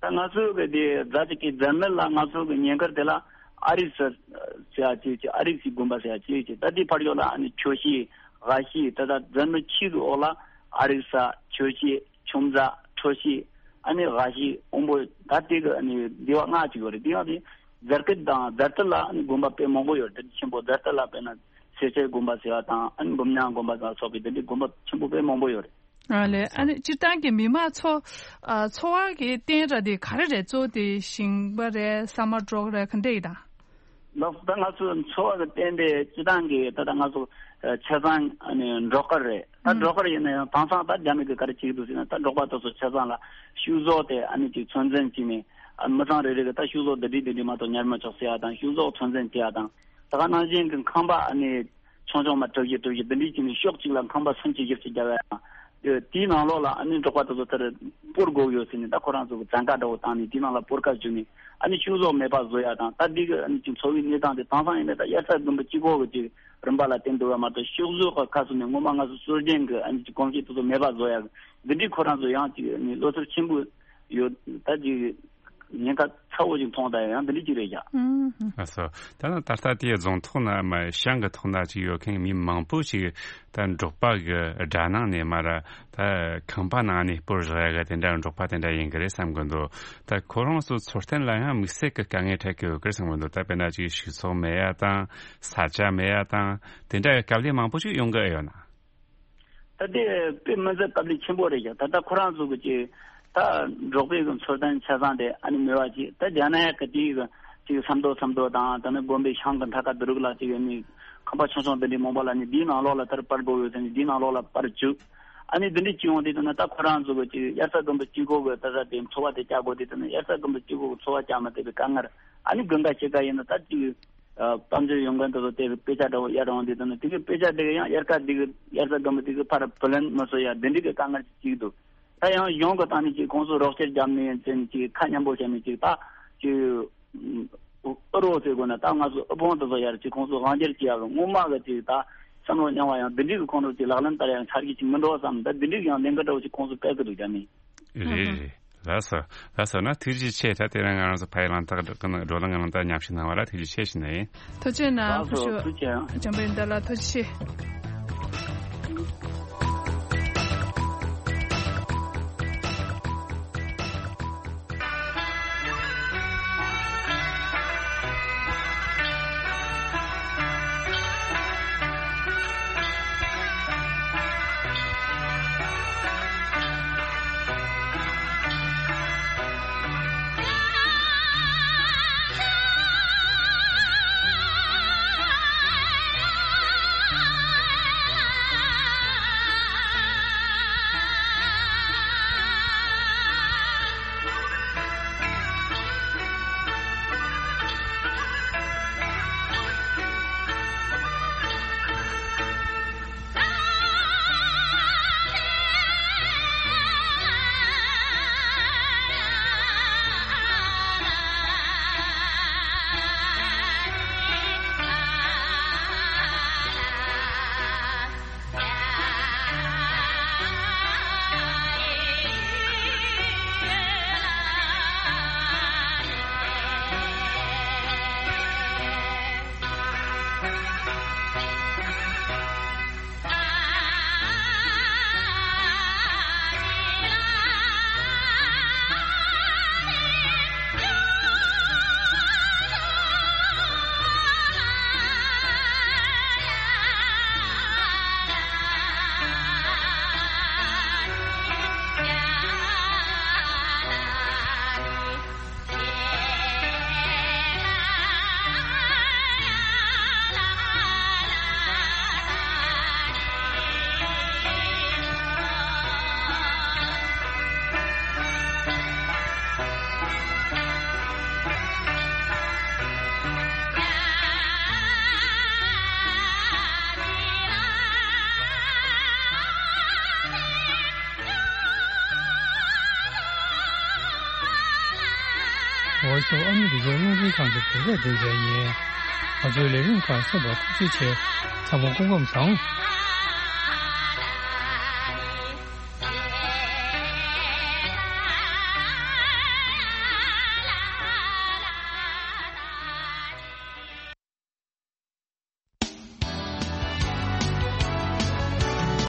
ད་ང་ཚོའི་གི་དེ་རྫ་ཅིག་གི་རྫ་སྨད་ལ་ང་ཚོའི་གི་ཉེ་འཁོར་དེ་ལ་ཨ་རིག་ས་ཟེར་ཡ་ཅིག་ཅིག་ཨ་རིག་སའི་དགོན་པ་ཟེར་ཡ་ཅིག་ཅིག་ད་དེ་ཕར་ཡོད་ལ་ཨ་ནི་ཆོས་ཤིང་ཝ་ཤིང་ད་ད་རྫ་སྨད་ཆུ་གི་འོག་ལ་ཨ་རིག་ས་ཆོས་ཤིང་ཆུ་འཛག་ཁྲོ་ཤིང་ཨ་ནི་ཝ་ཤིང་དབོན་པོ་ད་དེ་གི་ཨ་ནི་སྡེ་བ་ལྔ་ཅིག་ཡོད་རེད། དེ་ཡང་དེ་རྫ་སྐེད་དང་རྫ་སྟོད་ལ་ཨ་ནི་དགོན་པ་དཔེ་མང་པོ་ཡོད་རེད། དེ་ཆེན་པོ་རྫ་སྟོད་ལ་དཔེར་ན་སེར་སྐྱའི་དགོན་པ་ཟེར་བ་དང་ཨ་ནི་འབུམ་ཉག་དགོན་པ་དང་སོགས་པའི་དེ་འདྲའི་དགོན་པ་ཆེན་པོ་དཔེ་མང་པོ་ཡོད་རེད། ཨ་ལས། ཨ་ནི་སྤྱིར་བཏང་གི་མི་མང་འཚོ་ཨ་འཚོ་བ་གི་རྟེན་ར་དེ་ག་རེ་རེད། གཙོ་བོ་དེ་ཞིང་པ་རེད། ས་མ་འབྲོག་རེད། ག་འདྲ་ཡིན་དང་། ལགས་སོ། ད་ང་ཚོ་འཚོ་བ་གི་རྟེན་དེ་སྤྱིར་བཏང་གི་ད་ལྟ་ང་ཚོ་ཆ་ཚང་ཨ་ནི་འབྲོག་དཀར་རེད། ད་ཨུམ། འབྲོག་དཀར་ཡིན་ན་ཡང་དེང་སང་ད་རྒྱ་མི་གི་ག་རེ་བྱེད་ཀྱི་འདུག་ཟེར་ན་ད་འབྲོག་པ་དེ་ཚོ་ཆ་ཚང་ལ་ཕྱུགས་ཟོག་དེ་ཨ་ནི་ཅིག་ཚོད་འཛིན་བྱས་ནས་ཨ་མི་ཚང་རེ་རེ་གི་ད་ཕྱུགས་ཟོག་འདི་འདྲ་འདི་འདྲ་མ་གཏོགས་ཉར་མི་ཆོག་ཟེར་ཡ་དང་ཕྱུགས་ཟོག་ཚོད་འཛིན་བྱེད་ཡ་དང་ད་ག་ནང་བཞིན་གི་ཁང་པ་ཨ་ནི། ཆུང་ཆུང་མ་གྲུ་བཞི་གྲུ་བཞི་འདི་འདྲའི་བྱས་ནས་ཤོག་གཅིག་ལ་ཁང་པ་སུམ་ཅུ་བཞི་བཅུ་རྒྱབ་ཡ་དང་། དེའི་ནང་ལོགས་ལ་ཨ་ནི་འབྲོག་པ་དེ་ཚོ་དེར་སྤོར་དགོས་ཡོད་ཟེར་ནས་ད་ཁོ་རང་ཚོ་གི་བཙན་བཀའ་འདྲ་བོ་བཏང་ནས་དེའི་ནང་ལ་སྤོར་ཁ་བཅུག་ནས་ཨ་ནི་ཕྱུགས་ཟོག་མེད་པ་བཟོ་ཡ་དང་ད་འདི་གི་ཨ་ནི་ཅིག་འཚོ་བའི་གནས་སྟངས་དེ་དེང་སང་ཡིན་ན་ད་དབྱར་རྩྭ་དགུན་འབུ་གཅིག་པོ་གི་ཅིག་རིམ་པ་ལ་བརྟེན་འདུག་པ་མ་གཏོགས་ཕྱུགས་ཟོག་གི་ཁ་གསོ་ནས་སྔོན་མ་ང་ཚོ་སྲོལ་རྒྱུན་གི་ཨ་ནི་ཅིག་གོམས་གཤིས་དེ་ཚོ་མེད་པ་བཟོ་ཡ་གི་འདི་འདྲའི་ཁོ་རང་ཚོ་ཡང་ཅིག་ཨ་ནི་བློ་འཚབ་ཆེན་པོ་ཡོད་ད་ཅིག་ཉེན་ཁ་ཚ་བོ་ཞིག་མཐོང་དང་ཡང་འདི་འདྲ་ཅིག་རེད་ཀྱང་། ཨུམ། ལགས་སོ། ད་ནི་ད་ལྟ་དེའི་རྫོང་ཐོག་ན་མ་ཤང་གི་ཐོག་ན་ཅིག་ཡོད་མཁན་མི་མང་པོ་ཞིག་ད་འབྲོག་པ་གི་དགྲ་ནང་ནས་མ་ར་ད་ཁང་པ་ནང་ནས་སྤོར་བཞག་ཡ་གི་དེ་འདྲ་འབྲོག་པ་དེ་འདྲ་ཡིན་གི་རེད་བསམ་གི་འདུག་ད་ཁོ་རང་ཚོ་འཚོ་རྟེན་ལ་ཡང་དམིགས་བསལ་གི་དཀའ་ངལ་འཕྲད་གི་ཡོད་གི་རེད་བསམ་གི་འདུག་ད་དཔེར་ན་ཅིག་ཕྱུགས་ཟོག་མེད་ཡ་དང་ས་ཆ་མེད་ཡ་དང་དེ་འདྲ་གི་དཀའ་ལས་མང་པོ་ཞིག་ཡོང་གི་ཡོད་ན། ད་དེ་དཔེ་མི་སྲིད་དཀའ་ལས་ཆེན་པོ་རེད་ཀྱང་ད་ལྟ་ཁོ་རང་ཚོ་གི་ཅིག་ད་འབྲོག་པའི་གི་འཚོ་རྟེན་ཆ་ཚང་དེ་ཨ་ནི་མེད་པ་ཅིག་ད་རྒྱ་ནག་གི་དེའི་གི་ཅིག་ས་མདོ་ས་མདོ་དང་ད་ནི་དགོན་པའི་ཤང་གི་མཐའ་ཁ་དེ་རུ་ལ་ཅིག་ཡོད་ནི་ཁང་པ་ཆུང་ཆུང་འདི་འདྲའི་མང་པོ་ལ་ནི་དེའི་ནང་ལོགས་ལ་དེར་སྤར་དགོས་ཡོད་ཟེར་ནི་དེའི་ནང་ལོགས་ལ་སྤར་བཅུག་ཨ་ནི་འདི་འདྲའི་ཅིག་ཡོང་དུས་ད་ནི་ད་ཁོ་རང་ཚོ་གི་ཅིག་དབྱར་རྩྭ་དགུན་འབུ་གཅིག་པོ་གི་ད་ས་དེ་འཚོ་བ་དེ་བསྐྱལ་དགོས་དུས་ད་ནི་དབྱར་རྩྭ་དགུན་འབུ་གཅིག་པོ་གི་འཚོ་བ་བསྐྱལ་མ་ཐུབ་པའི་དཀའ་ངལ་ཨ་ནི་དགུན་ཁ་ཕྱེད་ཀ་ཡིན་ན་ད་ཅིག་ཨ་དཔལ་འབྱོར་ཡོང་མཁན་དེ་ཚོ་དེ་གི་དཔེ་ཆ་འདྲ་བོ་གཡར་འོང་དུས་ད་ནི་དེ་གི་དཔེ་ཆ་དེ་གི་ཡང་དབྱར་ཁ་དེ་གི་དབྱར་རྩྭ་དགུན་འབུ་དེ་གི་ཕར་བུ་ལོན་མི་བཟོ་ཡ་དེ་འདྲའི་གི་དཀའ་ངལ་ཅིག་འདུག་ད་ཡང་གཞུང་གི་སྟེང་ནས་ཅིག་ཁོང་ཚོ་རོགས་སྐྱོར་བརྒྱབ་ནས་ཡིན་ཙང་ཅིག་ཁ་མཉམ་པོ་བྱས་ནས་ཅིག་ད་ཅིག་ཨུ་རོགས་ཟེར་དགོས་ན་ད་ང་ཚོ་དབུལ་ཕོངས་དེ་ཚོ་ཡར་ཅིག་ཁོང་ཚོ་དབང་སྒྱུར་བྱེད་ཡ་གི་སྔོན་མ་གི་ཅིག་ད་བསམ་བློ་རྙིང་བ་ཡང་འདི་འདྲའི་གི་ཁོང་ཚོ་ཅིག་ལག་ལེན་བསྟར་ཡ་ཆ་རྒྱུས་ཅིག་མི་འགྲོ་བསམ་ད་འདི་འདྲའི་གི་ཡང་ལས་འགུལ་འདྲ་བོ་ཅིག་ཁོང་ཚོ་སྤེལ་གི་འདུག་རྒྱ་མི། རེད་རེད། ལགས་སོ། ལགས་སོ་ན་ཐུགས་རྗེ་ཆེ། ད་དེ་རིང་ང་རང་ཚོ་ཕ་ཡི་གླེང་སྟེགས་བགྲོ་གླེང་གི་ནང་ད་མཉམ་ཞུགས་གནང་བ་ལ་ཐུགས་རྗེ་ཆེ་ཞུ་ནི་ཡིན། ཐུགས་རྗེ་གནང་། ལགས་སོ། ཐུགས་རྗེ་ཆེ། འཇམ་དཔལ་ཡོན་ཏན་ལགས་ཐུགས་རྗེ་ཆེ། ཨ་མི་རི་ཀའི་རླུང་འཕྲིན་ཁང་གི་བོད་སྐད་སྡེ་ཚན་ཡིན། ང་ཚོའི་ལས་རིམ་ཁག་གསན་པར་ཐུགས་རྗེ་ཆེ། ཚང་མ་སྐུ་ཁམས་བཟང་།